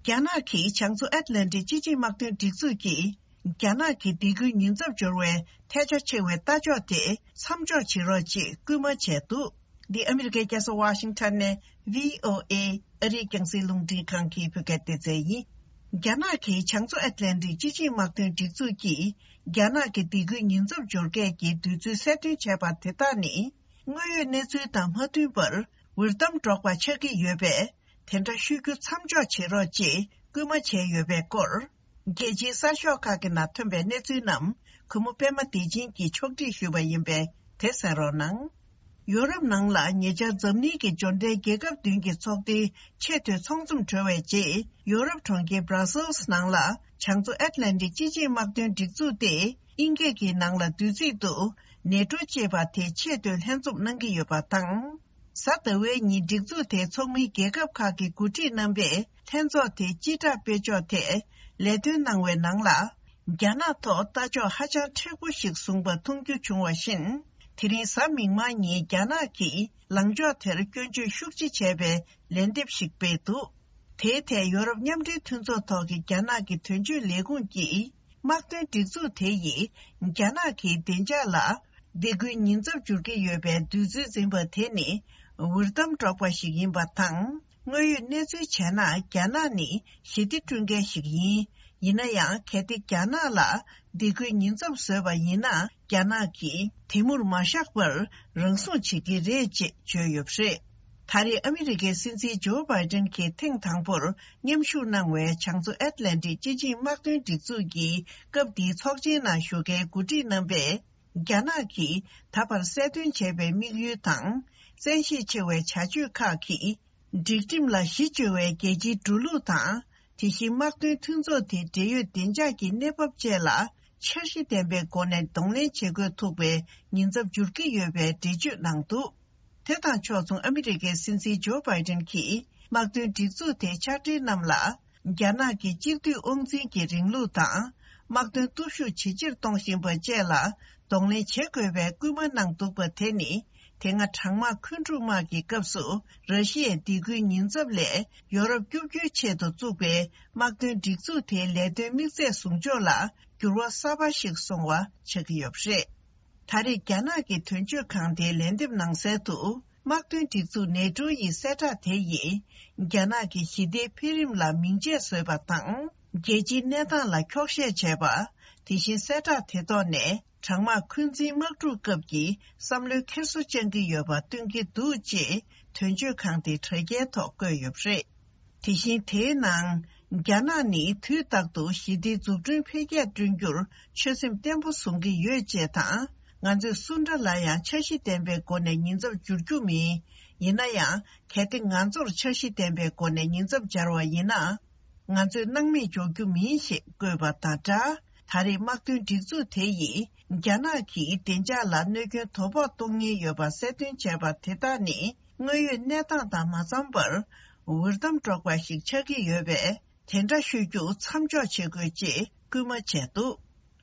རྒྱ་ནག་གིས་བྱང་མཚོ་ཨེཊ་ལན་ཊིག་སྤྱི་ཆིངས་དམག་དོན་སྒྲིག་འཛུགས་ཀྱིས། རྒྱ་ནག་གི་སྡིགས་སྐུལ་ཉེན་ཚབས་སྦྱོར་བའི་ཐལ་ཆ་ཆེ་བའི་ལྟ་ཕྱོགས་དེ་མཚམས་འཇོག་བྱེད་རོགས་ཅེས་སྐུལ་མ་བྱས་འདུག་འདི་ཨ་མི་རི་ཀའི་རྒྱལ་ས་ཝ་ཤིང་ཊོན་ནས་བྷི་ཨོ་ཨེ་ཨ་རིའི་རྒྱང་སྲིང་རླུང་འཕྲིན་ཁང་གི་བོད་སྐད་སྡེ་ཚན་ཡིན། རྒྱ་ནག་གིས་བྱང་མཚོ་ཨེཊ་ལན་ཊིག་སྤྱི་ཆིངས་དམག་དོན་སྒྲིག་འཛུགས་ཀྱིས་རྒྱ་ནག་གི་སྡིགས་སྐུལ་ཉེན་ཚབས་སྦྱོར་གས་ཀྱི་དུས་ཚོད་གསལ་སྟོན་བྱས་པ་དེ་དག་ནི། དངོས་ཡོད་གནས་ཚུལ་དང་མ་མཐུན་པར་འུར་གཏམ་སྒྲོག་པ་ཆགས་ཀྱི་ཡོད་པས། དེ་འདྲ་ཤོད་རྒྱུ་མཚམས་འཇོག་བྱེད་རོགས་ཅེས་སྐུལ་མ་བྱས་ཡོད་པའི་སྐོར། རྒྱལ་སྤྱིའི་གསར་ཤོག་ཁག་གི་ནང་ཐོན་པའི་གནས་ཚུལ་རྣམས་གུས་མོ་པད་མ་བདེ་ཆེན་གྱིས་ཕྱོགས་སྒྲིག་ཞུས་པ་ཡིན་པས་དེ་གསན་རོགས་གནང་། ཡོ་རོབ་ནང་ལ་ཉེ་ཆར་འཛམ་གླིང་གི་འབྱོར་ལྡན་རྒྱལ་ཁབ་བདུན་གྱི་ཚོགས་སྡེའི་ཆེས་མཐོའི་ཚོགས་འཛོམས་གྲོལ་བའི་རྗེས། ཡོ་རོབ་གྲོང་ཁྱེར་Brussels་ནང་ལ་བྱང་མཚོ་ཨེཊ་ལན་ཊིག་སྤྱི་ཆིངས་དམག་དོན་སྒྲིག་འཛུགས་ཏེ། དབྱིན་སྐད་ཀྱི་ནང་ལ་བསྡུས་ཚིག་ཏུ་ནེ་ཊོ་ཅེས་པ་དེ་ཆེས་མཐོའི་ལྷན་འཛོམས་གནང་གི་ཡོད་པ་དང་། གཟའ་ཟླ་བའི་ཉིན་སྒྲིག་འཛུགས་དེའི་ཚོགས་མི་རྒྱལ་ཁབ་ཁག་གི་འགོ་ཁྲིད་རྣམ་པས་ལྷན་ཚོགས་དེའི་སྤྱི་བསྒྲགས་སྤེལ་ཕྱོགས་ཐད་ལས་དོན་གནང་བའི་ནང་ལ། རྒྱ་ནག་ཐོག་ལྟ་ཕྱོགས་ཧ་ཅང་མཁྲེགས་པོ་ཞིག་བཟུང་པ་མཐོང་རྒྱུ་བྱུང་བ་བཞིན། དེ་རིང་གཟའ་མིག་དམར་ཉིན་རྒྱ་ནག་གིས་ལངས་ཕྱོགས་དེར་སྐྱོན་བརྗོད་ཤུགས་ཆེ་བྱས་པའི་ལན་འདེབས་ཤིག་སྤེལ་འདུག་དེའི་ཐད་ཡོ་རོབ་མཉམ་འབྲེལ་མཐུན་ཚོགས་ཐོག་གི་རྒྱ་ནག་གི་དོན་གཅོད་ལས་ཁུངས་ཀྱིས། དམག་དོན་སྒྲིག་འཛུགས་དེ་ཡིས་རྒྱ་ནག་གི་བདེ་འཇགས་ལ་སྡིགས་སྐུལ་ཉེན་ཚབས་འཇོག་གི་ཡོད་པའི་འདོད་ཚུལ་འཛིན་པ་དེ་ནི་འུར་གཏམ་སྒྲོག་པ་ཞིག་ཡིན་པ་དང་། དངོས་ཡོད་གནས་ཚུལ་བྱས་ན་རྒྱ་ནག་ནི་ཞི་བདེ་བསྐྲུན་མཁན་ཞིག་ཡིན། ཡིན་ན་ཡང་། གལ་ཏེ་རྒྱ་ནག་ལ་སྡིགས་སྐུལ་ཉེན་ཚབས་བཟོས་པ་ཡིན་ན། རྒྱ་ནག་གིས་དེ་མུར་མ་བཞག་པར་རང་སྲུང་བྱེད་ཀྱི་རེད་ཅེས་བརྗོད་ཡོད་པ་རེད། ད་རེས་ཨ་མི་རི་ཀའི་སྲིད་འཛིན་ཇོ་བྷའི་ཏན་གྱིས་ཐེངས་དང་པོར་མཉམ་ཞུགས་གནང་བའི་བྱང་མཚོ་ཨེཊ་ལན་ཊིག་སྤྱི་ཆིངས་དམག་དོན་སྒྲིག་འཛུགས་ཀྱི་སྐབས་འདིའི་ཚོགས་ཆེན་ནང་ཞུགས་མཁན་འགོ་ཁྲིད་རྣམ་པས། རྒྱ་ནག་གིས་ད་བར་གསལ་སྟོན་བྱས་པའི་དམིགས་ཡུལ་དང་། བཙན་ཤེད་ཆེ་བའི་བྱ་སྤྱོད་ཁག་གིས། སྒྲིག་ཁྲིམས་ལ་གཞི་བཅོལ་བའི་རྒྱལ་སྤྱིའི་འགྲོ་ལུགས་དང་། དེ་བཞིན་དམག་དོན་མཐུན་ཚོགས་དེའི་འབྲེལ་ཡོད་བདེ་འཇགས་ཀྱི་གནས་བབ་བཅས་ལ་འཆར་གཞི་ལྡན་པའི་སྒོ་ནས་གདོང་ལེན་བྱེད་དགོས་ཐུག་པའི་ཉེན་ཚབས་འགྱུར་གྱི་ཡོད་པའི་འགྲེལ་བརྗོད་གནང་འདུག་དེ་དང་ཕྱོགས་མཚུངས། ཨ་མི་རི་ཀའི་སྲིད་འཛིན་ཇོ་བྷའི་ཏན་གྱིས་དམག་དོན་སྒྲིག་འཛུགས་དེའི་ཕྱག་སྦྲེལ་རྣམས་ལ། རྒྱ་ནག་གི་གཅིག་སྡུད་དབང་འཛིན་གྱི་རིང་ལུགས་དང་། དམག་དོན་སྟོབས་ཤུགས་ཇེ་ཆེར་གཏོང་བཞིན་པ་བཅས་ལ་གདོང་ལེན་བྱེད་དགོས་པའི་སྐུལ་མ་གནང་འདུག་པ་དེ་ནི། དེ་སྔ་གྲང་དམག་འཁོན་འཁྲུག་དམག་གི་སྐབས་སུ། ར་ཤི་ཡའི་སྡིགས་སྐུལ་ཉེན་ཚབས་ལས་ཡོ་རོབ་སྐྱོབ་རྒྱུའི་ཆེད་དུ་བཙུགས་པའི་དམག་དོན་སྒྲིག་འཛུགས་དེའི་ལས་དོན་དམིགས་ཚད་ཟུང་འཇོག་ལ་འགྱུར་བ་གསར་པ་ཞིག་སོང་བ་ཆགས་ཀྱི་ཡོད་པ་རེད། ད་རེས་རྒྱ་ནག་གི་དོན་གཅོད་ཁང་དེའི་ལན་འདེབས་ནང་གསལ་དུ། དམག་དོན་སྒྲིག་འཛུགས་ནེ་ཊོ་ཡི་གསལ་བསྒྲགས་དེ་ཡིས། རྒྱ་ནག་གི་ཞི་བདེའི་འཕེལ་རིམ་ལ་མིང་ཆད་བཟོས་པ་དང་། རྒྱལ་སྤྱིའི་གནས་སྟངས་ལ་འཁྱོག་བཤད་བྱས་པ། དེ་བཞིན་གསལ་བསྒྲགས་དེ་ཐོག་ནས། གྲང་དམག་འཁོན་འཛིན་དམག་འཁྲུག་སྐབས་ཀྱི་བསམ་བློའི་འཁྱེར་སོ་བཅང་གི་ཡོད་པ་སྟོན་གྱི་འདུག་ཅེས་དོན་གཅོད་ཁང་དེའི་དྲ་རྒྱའི་ཐོག་བཀོད་ཡོད་པ་རེད། དེ་བཞིན་དེའི་ནང་། རྒྱ་ནག་ནི་དུས་རྟག་ཏུ་ཞི་བདེའི་འཛུགས་སྐྲུན་འཕེལ་རྒྱས་བསྐྲུན་རྒྱུར་ཆོད་སེམས་བརྟན་པོ་བཟུང་གི་ཡོད་ཅེས་དང་། ང་ཚོས་སུ་འདྲ་ལ་ཡང་འཆར་གཞི་ལྡན་པའི་སྒོ་ནས་ཉེན་ཚབས་འཇོག་རྒྱུ་མིན། ཡིན་ན་ཡང་། གལ་ཏེ་ང་ཚོར་འཆར་གཞི་ལྡན་པའི་སྒོ་ནས་ཉེན་ཚབས་སྦྱར་བ་ཡིན་ན། ང་ཚོས་སྣང་མེད་འཇོག་རྒྱུ་མིན་ཞེས་བཀོད་པ་དང་སྦྲགས། ད་རེས་དམག་དོན་སྒྲིག་འཛུགས་དེ་ཡིས་རྒྱ་ནག་གིས་བདེ་འཇགས་ལ་གནོད་སྐྱོན་དོ་ཕོག་གཏོང་ཉེན་ཡོད་པ་གསལ་སྟོན་བྱས་པ་དེ་དག་ནི། དངོས་ཡོད་གནས་སྟངས་དང་མ་འཚམས་པར། འུར་གཏམ་སྒྲོག་པ་ཞིག་ཆགས་ཀྱི་ཡོད་པས། དེ་འདྲ་ཤོད་རྒྱུ་མཚམས་འཇོག་བྱེད་དགོས་ཅེས་སྐུལ་མ་བྱས་འདུག་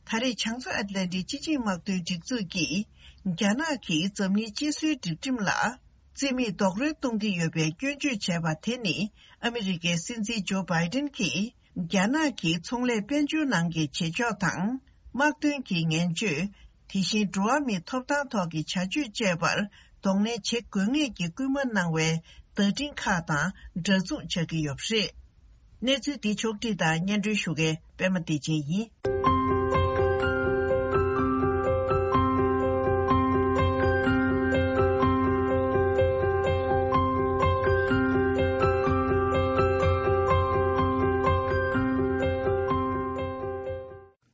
ད་རེས་བྱང་མཚོ་ཨེཊ་ལན་ཊིག་སྤྱི་ཆིངས་དམག་དོན་སྒྲིག་འཛུགས་ཀྱིས། རྒྱ་ནག་གིས་འཛམ་གླིང་སྤྱི་སྲོལ་སྒྲིག་ཁྲིམས་ལ། རྩིས་མེད་རྡོག་རོལ་གཏོང་གི་ཡོད་པའི་སྐྱོན་བརྗོད་བྱས་པ་དེ་ནི། ཨ་མི་རི་ཀའི་སྲིད་འཛིན་ཇོ་བྷའི་ཏན་གྱིས། རྒྱ་ནག་གི་ཚོང་ལས་དཔལ་འབྱོར་ནང་གི་བྱེད་ཕྱོགས་དང་། དམག་དོན་གྱི་ངན་བྱུས། དེ་བཞིན་འགྲོ་བ་མིའི་ཐོབ་ཐང་ཐོག་གི་བྱ་སྤྱོད་བཅས་པར་གདོང་ལེན་བྱེད་དགོས་ངེས་ཀྱི་སྐུལ་མ་གནང་བའི་བརྡ་འཕྲིན་ཁག་དང་འདྲ་མཚུངས་ཆགས་ཀྱི་ཡོད་པ་རེད། གནས་ཚུལ་འདི་ཕྱོགས་བསྒྲིགས་དང་སྙན་སྒྲོན་ཞུ་མཁན་པད་མ་བདེ་ཆེན་ཡིན།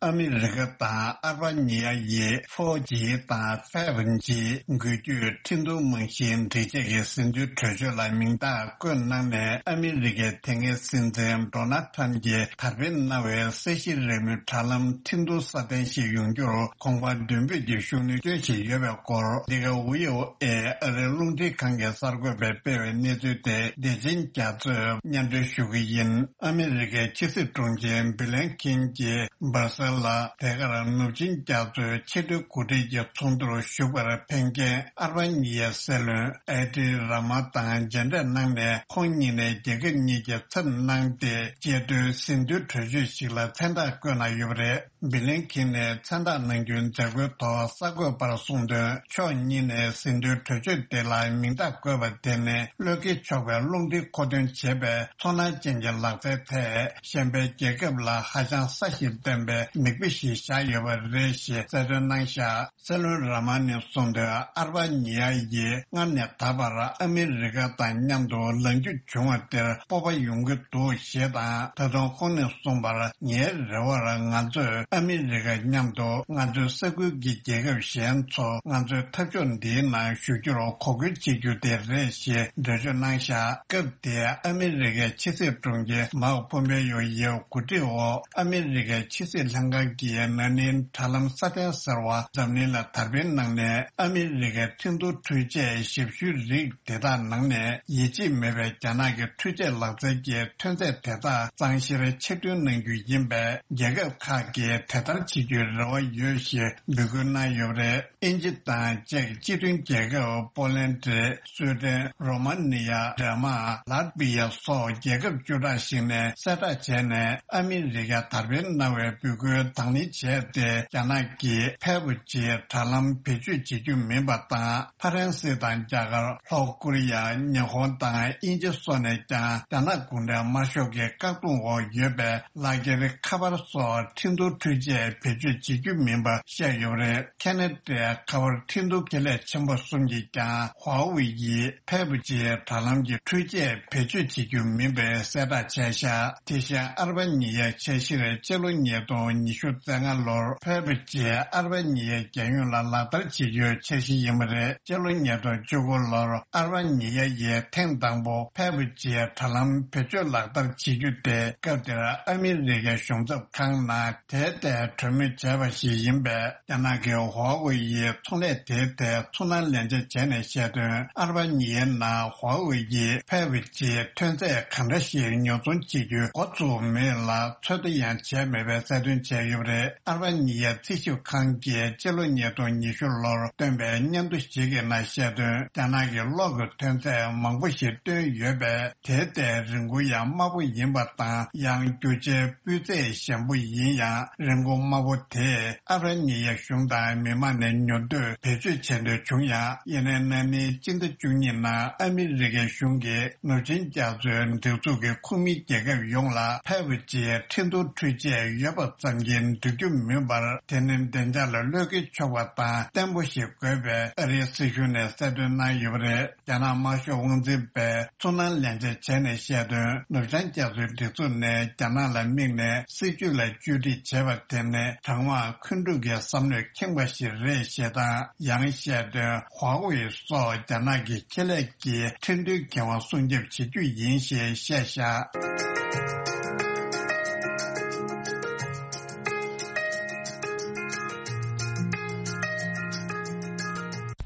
ཨ་མི་རི་ཀ་དང་ཨལ་བྷ་ཉི་ཡ་ཡིས་ཕོ་ཇི་དང་ཕེབ་ཇི་འགུལ་སྐྱོད་ཁྲིན་ཏུའུ་རྨང་གཞིའི་སྒྲིག་ཆས་ཀྱི་ཟིན་ཐོའི་གྲོས་ཆོད་ལ་མིང་རྟགས་བཀོད་གནང་ནས། ཨ་མི་རི་ཀའི་དེ་སྔའི་སྲིད་འཛིན་ཌོ་ནལ་ཁྲམ་གྱིས་དར་སྤེལ་གནང་བའི་ས་གཞི་རིང་མོའི་དྲ་ལམ་ཁྲིན་ཏུའུ་སྲ་བརྟན་ཞིག་ཡོང་རྒྱུར་གོང་འཕེལ་མདུན་སྤོས་ཀྱི་ཤུགས་སྣོན་བསྐྱོན་བཞིན་ཡོད་པའི་སྐོར། འདི་ག་ཝི་ཨོ་ཨེ་ཨ་རིའི་རླུང་འཕྲིན་ཁང་གི་གསར་འགོད་པས་སྤེལ་བའི་གནས་ཚུལ་དེ། བདེ་ཆེན་རྒྱ་མཚོས་སྙན་སྒྲོན་ཞུ་གི་ཡིན། ཨ་མི་རི་ཀའི་ཕྱི་སྲིད་དྲུང་ཆེ་བྷི་ལན་ཁིན་གྱིས་སྦར་སེལ་ལ། དེ་གར་ནུབ་ཆིངས་རྒྱ་མཚོའི་ཕྱི་འབྲེལ་འགོ་ཁྲིད་ཀྱི་ཚོགས་འདུར་ཞུགས་པར་ཕེབས་མཁན་ཨལ་བྷ་ཉི་ཡའི་སྲིད་བློན་ཨེ་ཏི་ར་མ་དང་མཇལ་འཕྲད་གནང་ནས། ཁོང་གཉིས་ནས་རྒྱལ་ཁབ་གཉིས་ཀྱི་ཚབ་གནང་སྟེ། བཅད་ཁྲོའི་ཟིན་ཐོའི་གྲོས་ཆོད་ཞིག་ལ་མཚན་རྟགས་བཀོད་གནང་ཡོད་པ་རེད། བྷི་ལན་ཁིན་ནས་མཚན་རྟགས་གནང་རྒྱུའི་མཛད་སྒོའི་ཐོག་གསར་འགོད་པར་གསུངས་དོན། ཕྱོགས་གཉིས་ནས་ཟིན་ཐོའི་གྲོས་ཆོད་དེ་ལ་མིང་རྟགས་བཀོད་པ་དེ་ནི། བློས་འགེལ་ཆོག་པའི་རླུང་འཕྲིན་མཁོ་འདོན་བྱེད་པའི་ཚོར་སྣང་ཅན་གྱི་ལག་རྩལ་ཐད། གཞན་པའི་རྒྱལ་ཁབ་ལ་ཧ་ཅང་སྲ་ཞིང་བརྟན་པའི་མིག་དཔེ་ཞིག་བཞག་ཡོད་པ་རེད་ཞེས་གསལ་སྟོན་གནང་བཞག་སྲིད་བློན་ར་མ་ནས་གསུངས་དོན། ཨལ་བྷ་ཉི་ཡ་ཡིས་སྔར་ནས་ད་བར་ཨ་མི་རི་ཀ་དང་མཉམ་དུ་ལངས་རྒྱུ་བྱུང་བ་དེར་སྤོབས་པ་ཡོང་གི་འདུག་ཞེས་དང་། ད་དུང་ཁོང་ནས་གསུངས་པར། ངའི་རེ་བར་ང་ཚོས་ཨ་མི་རི་ཀ་མཉམ་དུ་ང་ཚོའི་ས་ཁུལ་གྱི་རྒྱལ་ཁབ་གཞན་ཚོ་ང་ཚོའི་འཐབ་ཕྱོགས་འདིའི་ནང་ཞུགས་རྒྱུར་གོ་སྐུལ་བྱེད་རྒྱུ་དེ་རེད་ཞེས་འགྲེལ་བརྗོད་གནང་བཞག་སྐབས་དེར་ཨ་མི་རི་ཀའི་ཕྱི་སྲིད་དྲུང་ཆེ་མཱོ་ཕོམ་པེ་ཡོ་ཡིས་གོ་སྒྲིག་འོག་ཨ་མི་རི་ཀའི་ཕྱི་སྲིད་ལྷན་ ཁང་གིས་ན་ནིང་དྲ་ལམ་སྲ་བརྟན་ཟེར་བ་འཛམ་གླིང་ལ་དར་སྤེལ་གནང་ནས། ཨ་མི་རི་ཀའི་ཁྲིན་ཏུའུ་འཕྲུལ་ཆས་ཞབས་ཞུའི་རིགས་དེ་དག་ནང་ནས་ཡིད་ཆེས་མེད་པའི་རྒྱ་ནག་གི་འཕྲུལ་ཆས་ལག་རྩལ་གྱི་ཐོན་རྫས་དེ་དག་གཙང་བཤེར་ཕྱིར་ཐོན་གནང་རྒྱུ་ཡིན་པས། རྒྱལ་ཁབ་ཁག་གིས་དེ་ལྟར་བྱེད་རྒྱུའི་རེ་བ་ཡོད་ཞེས་འབོད་སྐུལ་གནང་ཡོད་པ་རེད། དབྱིན་ཇི་དང་ཅེཀ་སྤྱི་མཐུན་རྒྱལ་ཁབ། པོ་ལན་ཌི། སུའེ་ཏན། རོ་མ་ནི་ཡ། ཌེན་མཱག། ལཱ་ཏི་བི་ཡ་སོགས་རྒྱལ་ཁབ་བཅུ་ཕྲག་ཞིག་ནས་གསལ་བསྒྲགས་བྱས་ནས། ཨ་མི་རི་ཀར་དར་སྤེལ་གནང་བའི་འབོད་སྐུལ་དང་ལེན་བྱས་ཏེ། རྒྱ་ནག་གིས་ཕལ་པོ་ཆེའི་དྲ་ལམ་བེད་སྤྱོད་བྱེད་རྒྱུ་མིན་པ་དང་། ཕ་རན་སི་དང་རྒྱ་གར། ལྷོ་ཀོ་རི་ཡ། ཉི་ཧོང་དང་དབྱིན་ཇི་སོགས་ནས་ཀྱང་རྒྱ་ནག་གུང་ཁྲན་དམར་ཤོག་གི་བཀག་སྡོམ་འོག་ཡོད་པའི་ལག་འཁྱེར། ཁ་པར་སོགས་ཁྲིན་ཏུའུ་འཕྲུལ་ཆས་བེད་སྤྱོད་བྱེད་རྒྱུ་མིན་པ་བཤད་ཡོད་པ་རེད། ཁེ་ན་ཌའི་ཁ་པར་ཁྲིན་ཏུའུ་ཁེ་ལས་ཆེན་པོ་གསུམ་གྱིས་ཀྱང་ཧྭ་ཝེ་ཡིས་ཕལ་པོ་ཆེའི་དྲ་ལམ་གྱི་འཕྲུལ་ཆས་བེད་སྤྱོད་བྱེད་རྒྱུ་མིན་པའི་གསལ་བསྒྲགས་བྱས་ཤག་དེ་བཞིན་ཨལ་བྷ་ཉི་ཡའི་འཆར་གཞིར་སྤྱི་ལོ་ཉིས་སྟོང་ཉི་ཤུ་རྩ་ལྔ་ལོར་ཕལ་པོ་ཆེ་ཨལ་བྷ་ཉི་ཡའི་རྒྱལ་ཡོངས་ལ་ལག་བསྟར་བྱེད་རྒྱུའི་འཆར་གཞི་ཡིན་པ་རེད། སྤྱི་ལོ་ཉིས་སྟོང་བཅུ་དགུ་ལོར་ཨལ་བྷ་ཉི་ཡ་ཡིས་ཐེངས་དང་པོ་ཕལ་པོ་ཆེའི་དྲ་ལམ་བེད་སྤྱོད་ལག་བསྟར་བྱེད་རྒྱུ་དེ། སྐབས་དེར་ཨ་མི་རི་ཀའི་གཞུང་ཚབ་ཁང་ནང་དེ་ལྟའི་གྲོས་མོལ་བྱས་པ་ཞིག་ཡིན་པས། རྒྱ་ནག་གི་ཧྭ་ཝེ་ཡིས་ཚོང་ལས་དེའི་ཐད་ཚུར་སྣང་ལེན་ཆ་བྱས་ནས་བཤད་དོན། ཨལ་བྷ་ཉི་ཡའི་ནང་ཧྭ་ཝེ་ཡིས་ཕལ་པོ་ཆེའི་ཐོན་རྫས་གང་འདྲ་ཞིག་ཉོ་ཚོང་བྱེད་རྒྱུའི་འགོ་བཙུགས་མེད་ལ། ཚོད་ལྟ་ཡང་བྱས་མེད་པའི་གསལ་སྟོན་བྱས་ཡོད་པ་རེད། ཨལ་བྷ་ཉི་ཡའི་རྩིས་ཞིབ་ཁང་གིས་སྤྱི་ལོ་ཉིས་སྟོང་ཉི་ཤུ་ལོར་བཏོན་པའི་སྙན་ཐོ་ཞིག་གི་ནང་བཤད་དོན། རྒྱ་ནག་གིས་གློག་གི་ཐོན་རྫས་མང་པོ་ཞིག་བཏོན་ཡོད་པས། དེའི་ཐད་རིན་གོང་ཡང་དམའ་པོ་ཡིན་པ་དང་། ཡང་རྒྱུ་ཆའི་སྤུས་ཚད་ཞན་པོ་ཡིན་ཡང་། རིན་གོང་དམའ་པོ་དེས་ཨ་བྷ་ནི་ཡའི་གཞུང་དང་མི་མང་ནས་ཉོ་འདོད་བེད་སྤྱོད་བྱེད་འདོད་བྱུང་ཡང་། ཡིན་ནའི་ན་ནིང་སྤྱི་ཟླ་བཅུ་གཉིས་ནང་ཨ་མི་རི་ཀའི་གཞུང་གིས་ནུབ་ཆིངས་རྒྱ་མཚོའི་སྒྲིག་འཛུགས་ཀྱི་ཁོངས་མི་རྒྱལ་ཁབ་ཡོངས་ལ་ཕལ་པོ་ཆེའི་ཁྲིན་ཏུའུ་འཕྲུལ་ཆས་ཡོད་པ་ཙམ་གྱིས་འགྲིག་རྒྱུ་མིན་པར། དེ་ནི་བདེ་འཇགས་ལ་བློས་འགེལ་ཆོག་པ་དང་བརྟན་པོ་ཞིག་དགོས་པའི་ཨ་རིའི་སྲིད་གཞུང་ནས་གསལ་སྟོན་གནང་ཡོད་པ་རེད། རྒྱ་ནག་དམར་ཤོག་དབང་འཛིན་པས་ཚུར་སྣང་ལེན་ཆ་བྱས་ནས་བཤད་དོན། ནུབ་བྱང་རྒྱ་མཚོའི་སྒྲིག་འཛུགས་ནས་རྒྱ་ནག་ལ་དམིགས་ནས་སྲིད་ཇུས་ལ་བཅོས་སྒྲིག་བྱས་པ་དེ་ནི་གྲང་དམག་འཁོན་འཁྲུག་གི་བསམ་བློས་ཁེངས་པ་ཞིག་རེད་ཞེས་དང་། ཡང་བཤད་དོན། ཧྭ་ཝེ་སོགས་རྒྱ་ནག་གི་ཆེད་ལས་ཀྱི་ཁྲིན་ཏུའུ་འགན་དབང་སྲུང་སྐྱོབ་བྱེད་རྒྱུ་ཡིན་ཞེས་བཤད་བཞག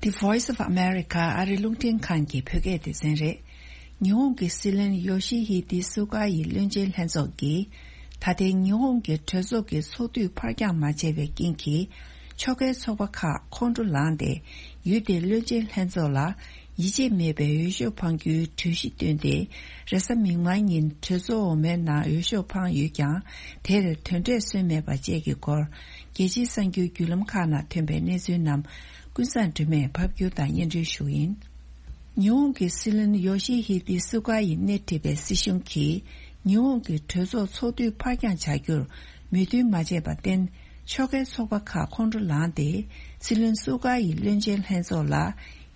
The Voice of America ཨ་རི་རླུང་འཕྲིན་ཁང་གི་བོད་སྐད་སྡེ་ཚན་རེད། ཉི་ཧོང་གི་སྲིད་བློན་ཡོ་ཤི་ཧི་དི་སུ་ག་ཡི་བློན་ཆེན་ལྷན་ཚོགས་ཀྱིས། ད་ཐེངས་ཉི་ཧོང་གི་གྲོས་ཚོགས་ཀྱི་ཚོགས་དུས་ཕར་འགྱངས་མ་བྱས་པའི་རྐྱེན་གྱིས། ཕྱོགས་འགལ་ཚོགས་པ་ཁག་ཁོང་ཁྲོ་ལངས་ཏེ། ཡུལ་དེའི་བློན་ཆེན་ལྷན་ཚོགས་ལ། ཡིད་ཆེས་མེད་པའི་འོས་ཤོག་འཕང་རྒྱུའི་གྲོས་གཞི་བཏོན་ཏེ། རེས་གཟའ་མིག་དམར་ཉིན་གྲོས་ཚོགས་འོག་མའི་ནང་འོས་ཤོག་འཕངས་ཡོད་ཀྱང་། དེར་དོན་འབྲས་སོན་མེད་པ་བཅས་ཀྱི་སྐོར། རྒྱལ་སྤྱིའི་གསར་འགྱུར་བརྒྱུད་ལམ་ཁག་ནང་ཐོན་པའི་གནས་ཚུལ་རྣམས། ཀུན་བཟང་སྒྲོལ་མས་ཕབ་སྒྱུར་དང་སྙན་སྒྲོན་ཞུ་གི་ཡིན། ཉི་ཧོང་གི་སྲིད་བློན་ཡོ་ཤི་ཧི་དི་སུ་ག་ཡིས་སྣེ་ཁྲིད་པའི་སྲིད་གཞུང་གིས། ཉི་ཧོང་གི་གྲོས་ཚོགས་ཚོགས་དུས་ཕར་འགྱངས་བྱ་རྒྱུར་མོས་མཐུན་མ་བྱས་པར་བརྟེན། ཕྱོགས་འགལ་ཚོགས་པ་ཁག་ཁོང་ཁྲོ་ལངས་ཏེ། སྲིད་བློན་སུ་ག་ཡི་བློན་ཆེན་ལྷན་ཚོགས་ལ།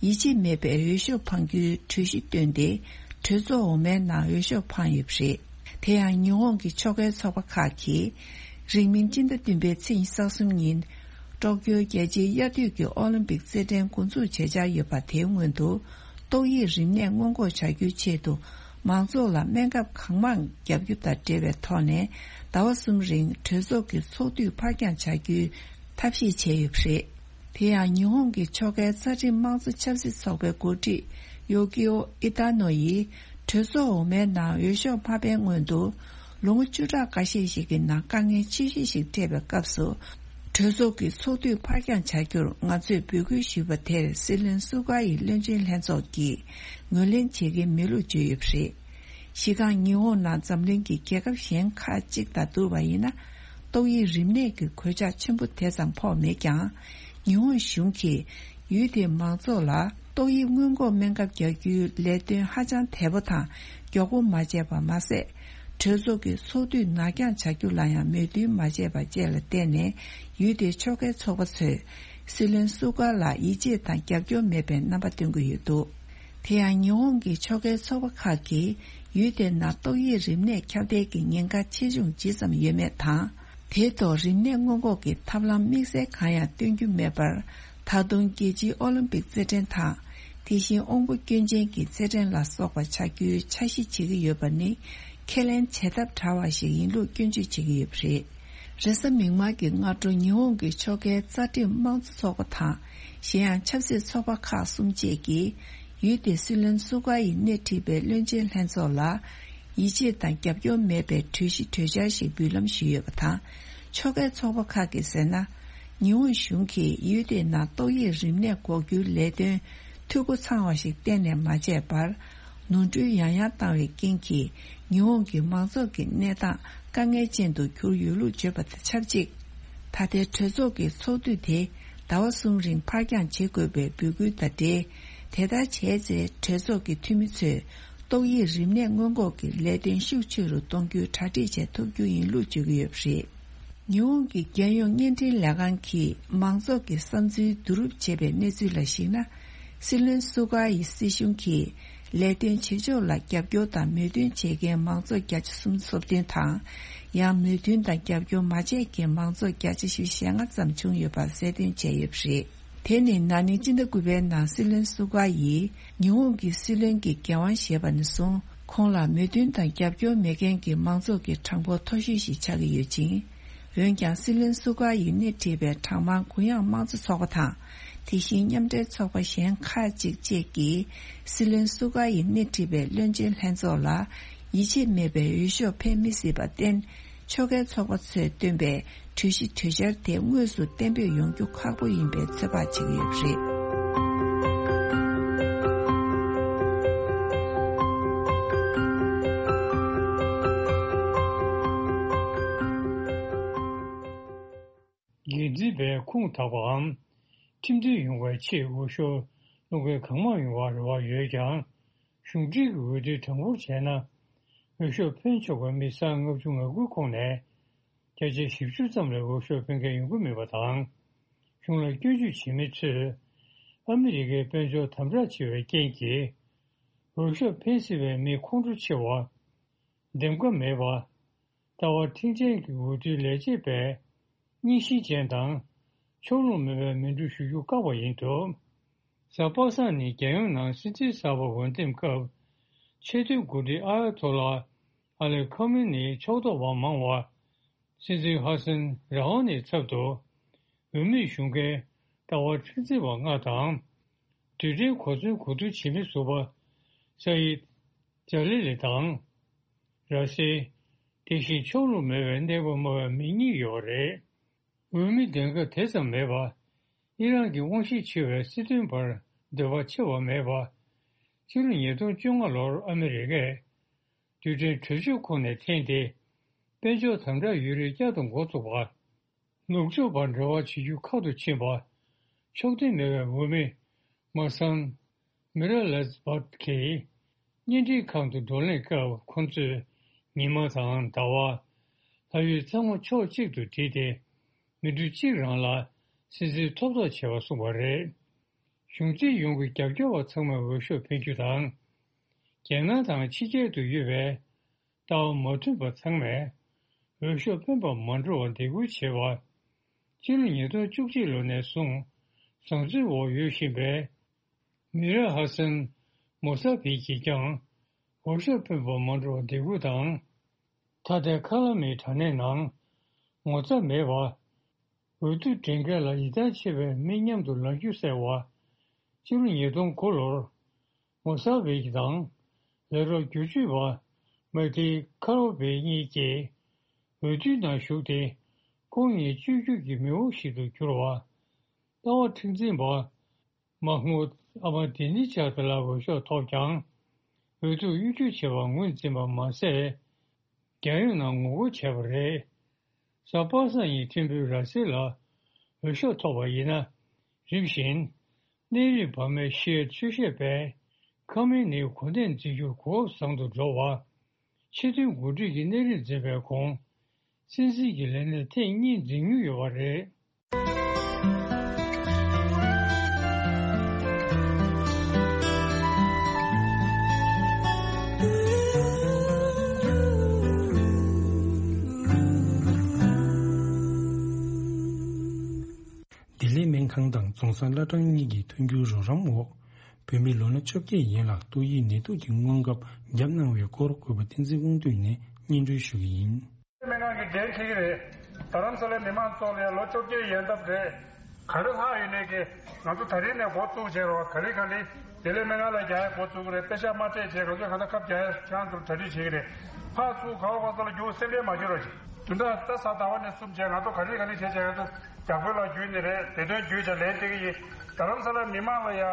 ཡིད་ཆེས་མེད་པའི་འོས་ཤོག་འཕང་རྒྱུའི་གྲོས་གཞི་བཏོན་ཏེ། གྲོས་ཚོགས་འོག་མའི་ནང་འོས་ཤོག་འཕངས་ཡོད་པ་རེད། དེ་ཡང་ཉི་ཧོང་གི་ཕྱོགས་འགལ་ཚོགས་པ་ཁག་གིས། རིང་མིན་སྤྱི་ཟླ་བདུན་པའི་ཚེས་ཉི་ཤུ་རྩ་གསུམ་ཉིན། ཀྲོག་ཀྱོའི་རྒྱལ་སྤྱིའི་དབྱར་དུས་ཀྱི་ཨོ་ལིམ་པིག་རྩེད་འགྲན་འགོ་འཛུགས་བྱེད་འཆར་ཡོད་པ་དེའི་སྔོན་དུ། ཏོག་དབྱིབས་རིམས་ནད་སྔོན་འགོག་བྱ་རྒྱུའི་ཆེད་དུ། མང་ཚོགས་ལ་སྨན་ཁབ་གང་མང་བརྒྱབ་རྒྱུ་དང་འབྲེལ་བའི་ཐོག་ནས། ཟླ་བ་གསུམ་རིང་གྲོས་ཚོགས་ཀྱི་ཚོགས་དུས་ཕར་འགྱངས་བྱ་རྒྱུའི་ཐབས་ཤེས་བྱས་ཡོད་པ་རེད། དེ་ཡང་ཉི་ཧོང་གི་ཕྱོགས་འགལ་རྩ་ཁྲིམས་དམངས་གཙོ་ཆབ་སྲིད་ཚོགས་པའི་འགོ་ཁྲིད་ཡོ་ཀི་ཨོ་ཨི་ཏཱ་ནོ་ཡིས། གྲོས་ཚོགས་འོག་མའི་ནང་འོས་ཤོག་མ་འཕེན་སྔོན་དུ། ལོ་ངོ་བཅུ་ཕྲག་འགའ་ཤས་ཤིག་གི་ནང་དཀའ་ངལ་ཆེ་ཤོས་ཤིག་འཕྲད་པའི་སྐབས་སུ། གྲོས་ཚོགས་ཀྱི་ཚོགས་དུས་ཕར་འགྱངས་བྱ་རྒྱུར་ང་ཚོས་འབོད་སྐུལ་ཞུས་པ་དེར། སྲིད་བློན་སུ་ག་ཡི་བློན་ཆེན་ལྷན་ཚོགས་ཀྱིས་ངོས་ལེན་བྱེད་ཀྱིན་མེད་ལུགས་བརྗོད་ཡོད་པ་རེད། གཞི་རྐང་ཉི་ཧོང་ནང་འཛམ་གླིང་གི་རྒྱལ་ཁབ་གཞན་ཁག་ཅིག་དང་བསྡུར་བ་ཡིན་ན། ཏོག་དབྱིབས་རིམས་ནད་ཀྱི་གོད་ཆག་ཆེན་པོ་དེ་ཙམ་ཕོག་མེད་ཀྱང་། ཉི་ཧོང་གཞུང་གིས་ཡུལ་དེའི་མང་ཚོགས་ལ་ཏོག་དབྱིབས་སྔོན་འགོག་སྨན་ཁབ་རྒྱག་རྒྱུའི་ལས་དོན་ཧ་ཅང་དལ་པོ་དང་མགྱོགས་པོ་མ་བྱས་པ་མ་ཟད། གྲོས་ཚོགས་ཀྱི་ཚོགས་དུས་ནར་འགྱངས་བྱ་རྒྱུ་ལ་ཡང་མོས་མཐུན་མ་བྱས་པ་བཅས་ལ་བརྟེན་ནས། ཡུལ་དེའི་ཕྱོགས་འགལ་ཚོགས་པ་ཚོས་སྲིད་བློན་སུ་ག་ལ་ཡིད་ཆེས་དང་རྒྱབ་སྐྱོར་མེད་པའི་རྣམ་པ་སྟོན་གྱི་ཡོད་འདུག་དེ་ཡང་ཉི་ཧོང་གི་ཕྱོགས་འགལ་ཚོགས་པ་ཁག་གིས་ཡུལ་དེ་ནང་ཏོག་དབྱིབས་རིམས་ནད་ཁྱབ་གདལ་གྱི་ཉེན་ཁ་ཆེ་ཆུང་ཇི་ཙམ་ཡོད་མེད་དང་། དེའི་ཐོག་རིམས་ནད་སྔོན་འགོག་གི་ཐབས་ལམ་དམིགས་བསལ་གང་ཡང་སྟོན་རྒྱུ་མེད་པར། ད་དུང་རྒྱལ་སྤྱིའི་ཨོ་ལིམ་པིག་རྩེད་འགྲན་དང་། དེ་བཞིན་དབང་པོ་སྐྱོན་ཅན་གྱི་རྩེད་འགྲན་ལ་སོགས་པ་བྱ་རྒྱུའི་འཆར་གཞི་བྱེད་ཀྱི་ཡོད་པ་ནི། ཁས་ལེན་བྱེད་ཐབས་བྲལ་བ་ཞིག་ཡིན་ལུགས་སྐྱོན་བརྗོད་བྱེད་ཀྱི་ཡོད་པ་རེད། རེས་གཟའ་མིག་དམར་གྱི་སྔ་དྲོ་ཉི་ཧོང་གི་ཕྱོགས་འགལ་རྩ་ཁྲིམས་དམངས་གཙོ་ཚོགས་པ་དང་གཞན་ཡང་ཆབ་སྲིད་ཚོགས་པ་ཁག་གསུམ་བཅས་ཀྱིས་ཡུལ་དེའི་སྲིད་བློན་སུ་ཀ་ཡིས་སྣེ་ཁྲིད་པའི་བློན་ཆེན་ལྷན་ཚོགས་ལ་ཡིད་ཆེས་དང་རྒྱབ་སྐྱོར་མེད་པའི་གྲོས་གཞི་གྲོས་འཆར་ཞིག་འབུལ་ལམ་ཞུས་ཡོད་པ་དང་། ཕྱོགས་འགལ་ཚོགས་པ་ཁག་གིས་ཟེར་ན། ཉི་ཧོང་གཞུང་གིས་ཡུལ་དེའི་ནང་ཏོག་དབྱིབས་རིམས་ནད་འགོག་རྒྱུའི་ལས་དོན་འཐུས་སྒོ་ཚང་བ་ཞིག་གཏན་ནས་མ་བྱས་པར། ནོར་འཁྲུལ་ཡང་ཡང་བཏང་བའི་རྐྱེན་གྱིས་ཉི་ཧོང་གི་མང་ཚོགས་ཀྱི་གནས་སྟངས་དཀའ་ངལ་ཅན་དུ་གྱུར་ཡོད་ལུགས་བརྗོད་པ་དང་ཆབས་ཅིག་ད་ལྟའི་གྲོས་ཚོགས་ཀྱི་ཚོགས་དུས་དེ་ཟླ་བ་གསུམ་རིང་ཕར་འགྱངས་བྱེད་དགོས་པའི་འབོད་སྐུལ་དང་འབྲེལ། དེ་ལྟར་བྱས་ཚེ་གྲོས་ཚོགས་ཀྱི་འཐུས་མི་ཚོས་ཏོག་དབྱིབས་རིམས་ནད་སྔོན་འགོག་གི་ལས་དོན་ཤུགས་ཆེ་རུ་གཏོང་རྒྱུའི་གྲ་སྒྲིག་བྱེད་ཐུབ་རྒྱུ་ཡིན་ལུགས་བརྗོད་ཀྱི་ཡོད་པ་རེད། ཉི་ཧོང་གི་རྒྱལ་ཡོངས་བརྙན་འཕྲིན་ལས་ཁང་གིས་མང་ཚོགས་ཀྱི་བསམ་ཚུལ་བསྡུ་རུབ་བྱས་པའི་གནས་ཚུལ་ལ་གཞིགས་ན། སྲིད་བློན་སུ་ཀ་ཡི་སྲིད་གཞུང་གིས་ལས་དོན་བྱེད་ཕྱོགས་ལ་རྒྱབ་སྐྱོར་དང་མོས་མཐུན་བྱེད་མཁན་མང་ཚོགས་བརྒྱ་ཆ་སུམ་ཅུ་སོ་བདུན་དང་། ཡང་མོས་མཐུན་དང་རྒྱབ་སྐྱོར་མ་བྱས་མཁན་མང་ཚོགས་བརྒྱ་ཆ་བཞི་བཅུ་ཞེ་ལྔ་ཙམ་བྱུང་ཡོད་པ་གསལ་སྟོན་བྱས་ཡོད་པ་རེད། དེ་ནི་ན་ནིང་སྤྱི་ཟླ་དགུ་པའི་ནང་སྲིད་བློན་སུ་ཀ་ཡིས་ཉི་ཧོང་གི་སྲིད་བློན་གྱི་འགན་དབང་བཞེས་པ་ནས་བཟུང་ཁོང་ལ་མོས་མཐུན་དང་རྒྱབ་སྐྱོར་མེད་མཁན་གྱི་མང་ཚོགས་ཀྱི་གྲངས་འབོར་མཐོ་ཤོས་ཤིག་ཆགས་ཀྱི་ཡོད་ཅིང་། འོན་ཀྱང་སྲིད་བློན་སུ་ཀ་ཡིས་སྣེ་ཁྲིད་པའི་གྲངས་མང་གུ་ཡངས་དམངས་གཙོ་ཚོགས་པ་དང་། དེ་བཞིན་མཉམ་འབྲེལ་ཚོགས་པ་གཞན་ཁག་ཅིག་བཅས་ཀྱིས་སྲིད་བློན་སུ་ཀ་ཡིས་སྣེ་ཁྲིད་པའི་བློན་ཆེན་ལྷན་ཚོགས་ལ་ཡིད་ཆེས་མེད་པའི་འོས་ཤོག་འཕེན་མི་སྲིད་པར་བརྟེན། ཕྱོགས་འགལ་ཚོགས་པ་ཚོས་བཏོན་པའི་གྲོས་གཞི་གྲོས་འཆར་དེ་དངོས་སུ་གཏན་འབེབས་ཡོང་རྒྱུ་ཁག་པོ་ཡིན་པའི་ཚོད་དཔག་བྱེད་ཀྱི་ཡོད་པ་རེད། འགན་འཛིན་པས་ཁུངས་དག་པའམ། ཁྲིམས་མཐུན་ཡོང་བའི་ཆེད་འོས་ཤོག་སློང་མཁན་གང་མང་ཡོང་བར་རེ་བ་ཡོད་ཀྱང་། གཞུང་འབྲེལ་གྱི་འོས་བསྡུའི་གྲངས་འབོར་བྱས་ན། འོས་ཤོག་འཕེན་ཆོག་པའི་མི་སྟོང་ལྔ་བཅུ་ང་དགུའི་ཁོངས་ནས། བརྒྱ་ཆ་བཞི་བཅུ་ཙམ་ལས་འོས་ཤོག་འཕེན་མཁན་ཡོང་གི་མེད་པ་དང་། གཞུང་ལ་སྐྱོན་བརྗོད་བྱེད་མི་ཚོས། ཨ་མི་རི་ཀའི་དཔལ་འབྱོར་དམ་དྲག་ཆེ་བའི་རྐྱེན་གྱིས། འོས་ཤོག་འཕེན་སྲིད་པའི་མི་ཁོང་ཁྲོ་ཆེ་བ། འདེམས་ཀ་མེད་པ། ལྟ་བ་མཁྲེགས་ཅན་གྱི་འོས་བསྡུའི་ལས་བྱེད་པས་རྙིང་ཞེན་ཅན་དང་ཕྱོགས་ལྷུང་མེད་པའི་མི་འགྲོ་ཞུ་རྒྱུ་བཀག་པ་ཡིན་འདུག་གཟའ་པ་སངས་ཉིན་རྒྱལ་ཡོངས་ནང་སྲིད་འཛིན་གསར་པ་འོས་འདེམས་སྐབས་ཆེས་མཐོའི་འགོ་ཁྲིད་ཨ་ཡ་ཐོ་ལ་ཨ་ལི་ཁོ་མེ་ནིའི་ཕྱོགས་གཏོགས་པ་མང་བ་སྲིད་འཛིན་ཧ་སན་ར་ཧ་ནིའི་ཚབ་ཏུ་འོས་མིར་ཞུགས་མཁན་ལྟ་བ་མཁྲེགས་འཛིན་པ་ལྔ་དང་། རྡུལ་ཕྲན་གོ་མཚོན་གོ་བསྡུར་བྱེད་མི་ཟུར་པ་ས་ཡིད། ཇ་ལི་ལི་དང་། ར་སེ། དེ་བཞིན་ཕྱོགས་ལྷུང་མེད་པའི་གནས་བབ་སྨྲ་བའི་མི་གཉིས་ཡོད་པ་རེད། འོས་མི་འདེམས་ཀ་དེ་ཙམ་མེད་པ། ཨི་རན་གྱི་དབང་ཤེད་ཆེ་བའི་སྲིད་དོན་པར་འདོད་པ་ཆེ་བ་མེད་པ། ཕྱི་ལོ་ཉིས་སྟོང་བཅོ་ལྔ་ལོར་ཨ་མི་རི་ཀས་རྡུལ་ཕྲན་གྲོས་ཆོད་ཁོངས་ནས་འཐེན་ཏེ། དཔལ་འབྱོར་དམ་དྲག་ཡོད་རིགས་བསྐྱར་དུ་འགོ་བཙུགས་པ། ནུབ་ཕྱོགས་པར་འབྲེལ་བ་བྱེད་རྒྱུ་ཁག་ཏུ་ཕྱིན་པ། ཕྱོགས་མཐུན་མེད་པའི་འོས་མི་མ་སན་མི་ར་ལེ་སྦར་གྱིས་བརྙན་འཕྲིན་ཁང་དུ་བགྲོ་གླེང་སྐབས་ཁོ་ཚོས་ཉི་མ་དང་ཟླ་བ། ལྷ་ཡུལ་ཚང་མ་ཕྱོགས་གཅིག་ཏུ་བསྒྲིལ་ཏེ་མི་འགྲོ་གཅིག་རང་ལ་སྲིད་འཛིན་ཐོབ་ཐང་བྱེད་པ་གསུངས་པ་རེད། གཞུང་འཛིན་ཡོངས་ཀྱི་རྒྱབ་སྐྱོར་བ་ཚང་མས་འོས་ཤོག་འཕེན་རྒྱུ་དང་། རྒྱལ་ནང་དང་ཕྱི་རྒྱལ་དུ་ཡོད་པའི་ལྟ་བ་མ་མཐུན་པ་ཚང་མས་འོས་ཤོག་འཕེན་པར་མ་འགྲོ་བར་འདེད་སྐུལ་བྱས་པ། ཕྱི་ལོ་ཉིས་སྟོང་བཅུ་གཅིག་ལོ་ནས་བཟུང་བཟང་བཙོན་འོག་ཡོད་བཞིན་པའི་མི་ར་ཧ་སན་མོ་ས་བྷི་གིས་ཀྱང་འོས་ཤོག་འཕེན་པར་མ་འགྲོ་བར་འདེད་སྐུལ་དང་། ད་ལྟའི་ཁ་ལ་མིའི་དྲ་གནས་ནང་ངོ་ཚ་མེད་པ། འོས་བསྡུ་སྒྲིག་འགལ་ལ་ཡིད་ཐང་ཆད་པའི་མི་མཉམ་དུ་ལངས་རྒྱུ་ཟེར་བ། ཕྱི་ལོ་ཉིས་སྟོང་དགུ་ལོར་མོ་ས་བྷི་གི་དང་ལས་རོགས་བསྒྱུར་བཅོས་པ་མེག་ཏི་ཁ་རོ་བྷི་གཉིས་ཀྱིས་འོས་བསྡུའི་ནང་ཞུགས་ཏེ་ཁོང་གཉིས་བཅོས་བསྒྱུར་གྱི་མེས་པོ་ཞིག་ཏུ་གྱུར་བ། ལྟ་བ་མཁྲེགས་འཛིན་པ་མ་ཧྨུད་ཨ་མ་དི་ནི་ཇཱད་ལ་འོས་ཤོག་ཐོབ་ཀྱང་འོས་བསྡུ་གཡོ་སྒྱུ་བྱས་པ་ངོས་འཛིན་པ་མ་ཟད། རྒྱལ་ཡོངས་ནང་ངོ་རྒོལ་བྱས་པ་རེད། གཟའ་པ་སངས་ཉིན་ཐེམ་ཕུའི་ར་སེལ་ལ་འོས་ཤོག་ཐོབ་པ་ཡིན་ན། རིམ་བཞིན་གནས་རིམ་བར་མའི་ཤི་ཡའི་ཆོས་བཤད་པས་ཁ་མེ་ནིའི་གོ་གནས་འཛིན་རྒྱུར་གོ་སྐབས་བཟང་དུ་འགྲོ་བ། ཕྱི་དོན་འགོ་ཁྲིད་ཀྱི་གནས་རིམ་འཛིན་པའི་གོང་། སྲིད་འཛིན་གྱི་ལས་གནས་ཐེངས་གཉིས་འཛིན་མྱོང་ཡོད་པ་རེད། ལྡི་ལི་སྨན་ཁང་དང་རྫོང་སར་བླ་བྲང་གཉིས་ཀྱི་མཐུན་འགྱུར་རོགས་རམ་འོག་བོད་མི་ལོ་ན་བཅོ་བརྒྱད་ཡན་ལ་ཏོག་དབྱིབས་ནད་དུག་གི་སྔོན་འགོག་བརྒྱབ་གནང་བའི་སྐོར་གུས་པ་བསྟན་འཛིན་དབང་འདུས་ནས་སྙན་སྒྲོན་ཞུ་གི་ཡིན། སྨན་ཁང་གི་འགན་འཁྱེར་གྱི་རེད། རྡ་རམ་ས་ལའི་མི་མང་ཚོ་ལ་ལོ་བཅོ་བརྒྱད་ཡན་འདབ་རེད། ག་རེ་ལྷག་ཡོད་ནས་ཀྱི་ང་ཚོ་ད་རིང་ནས་འགོ་བཙུགས་བྱས་རོགས། ག་ལེ་ག་ལེ་དེ་ལས་སྨན་ཁང་ལ་རྒྱག་ཡ་འགོ་བཙུགས་རེད། པེ་ཤག་མ་སྤྲད་བྱས་ང་ཚོས་གང་ལྟར་ཁབ་རྒྱག་ཡ་ཁྱེད་རང་ཚོར་གྲ་སྒྲིག་བྱེད་ཀྱི་རེད། ཕར་ཚུར་ག་བ་ག་ས་ལ་རྒྱུག་སེམས་ཁྲལ་མ་བྱེད་རོགས་བྱེད། དུས་འདྲ་ད་གཟའ་ཟླ་བ་ནས་གསུམ་བྱས་ང་ཚོ་ག་ལེ་ག་ལེ་བྱས་བྱས་ང་ཚོ་རྒྱག་དཔོན་ལ་བརྒྱུད་ནས་རེད། བདེ་དོན་བརྒྱུད་བྱས་ལན་སྤྲད་ཀྱི་ཡིན། རྡ་རམ་ས་ལ་མི་མང་ལ་ཡ་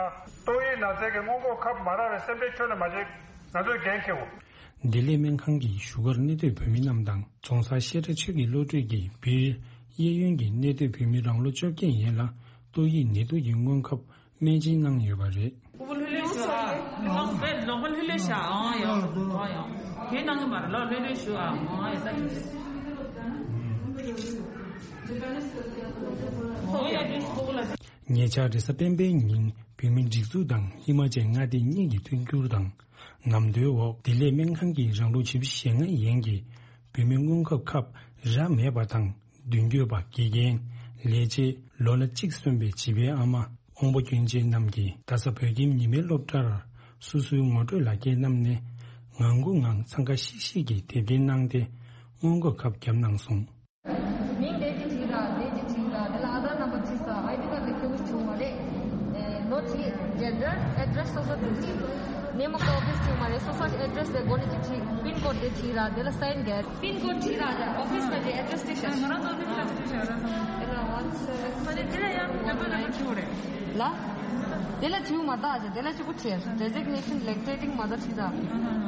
ཏོག་དབྱིབས་ན་ཚའི་གི་སྔོན་འགོག་ཁབ་མ་རག་པའི་སེམས་ཁྲལ་ཁྱོན་ནས་མ་བྱེད། ང་ཚོས་འགན་འཁྱེར་དགོས། བདེ་ལེགས་སྨན་ཁང་གི་བཞུགས་སྒར་གནས་སྡོད་བོད་མི་རྣམས་དང་རྫོང་སར་བཤད་གྲྭ་ཆོས་ཀྱི་བློ་གྲོས་ཀྱིས་བིར་གཡས་གཡོན་གྱི་གནས་སྡོད་བོད་མི་རང་ལོ་བཅོ་བརྒྱད་ཡན་ལ་ཏོག་དབྱིབས་ནད་དུག་གི་སྔོན་ཁབ་སྨན་སྦྱིན་གནང་ཡོད་པ་རེད། ཉེ་ཆར་རེས་གཟའ་སྤེན་པའི་ཉིན་བོད་མིའི་སྒྲིག་འཛུགས་དང་ཧི་མ་ཅལ་མངའ་སྡེ་གཉིས་ཀྱི་མཐུན་འགྱུར་དང་ནམ་དུའི་འོག་བདེ་ལེགས་སྨན་ཁང་གིས་རང་ལོ་བཞི་བཅུ་ཞེ་ལྔ་ཡན་གྱི་བོད་མི་སྔོན་འགོག་ཁབ་རག་མེད་པ་དང་མདུན་སྐྱོད་པ་དགེ་རྒན་ལས་བྱེད་ལོ་ན་གཅིག་སོན་པའི་བྱིས་པའི་ཨ་མ་དབང་པོ་སྐྱོན་ཅན་རྣམས་ཀྱིས་རྡ་ས་བོད་ཁྱིམ་ཉི་མའི་སློབ་གྲྭར་སོ་སོའི་ངོ་སྤྲོད་ལག་འཁྱེར་བསྣམས་ནས་ངང་སྒུག་ངང་འཚང་ཁ་ཤིག་ཤིག་གིས་དེབ་སྐྱེལ་གནང་སྟེ་སྔོན་འགོག་ཁབ་བརྒྱབ་གནང་སོང་། མིང་དེ་གཅིག་བྲིས་ར། དེ་གཅིག་བྲིས་ར། དེ་ལ་ཨ་དྷར་ནམ་བར་བྲིས་ས། ཨའི་ཌི་ཀར་དེ་ཁྱོད་ཀྱི་བྱུང་བ་རེད། ཨེ། ལོ་གཅིག་ཇེན་ཌར་ཨེ་ཌི་རེ་སི་སོ་སོ་བྲིས་ཤིག་ནས་མོ་གི་ཨོ་ཕིས་བྱུང་བ་རེད། སོ་སོ་ཨེ་ཌི་རེ་སི་དེ་སྒོ་ནས་གཅིག་བྲིས། པིན་ཀོཌ་དེ་བྲིས་ར། དེ་ལ་སའིན་རྒྱག་པིན་ཀོཌ་བྲིས་ར། ཨོ་ཕིས་ལ་དེ་ཨེ་ཌི་རེ་སི་དེ་བཞག་ང་རང་ཚོ་ཨོ་ཕིས་ལ་བྲིས་ཤག་ར། དེ་ལ་ཝན་སེ་ཝན། ཨ་ནི་དེ་ལ་ཡང་ནམ་བར་ནམ་བར་བྲིས་པ་རེད། ལ། དེ་ལ་བྲིས་མ་ད་ཨ་ཅག་དེ་ལ་གཅིག་པུ་བྲིས། ཌེ་ཛིག་ནེ་ཤན་ལེག་ཊེ་ཊིང་མ་ད་བྲིས་ད།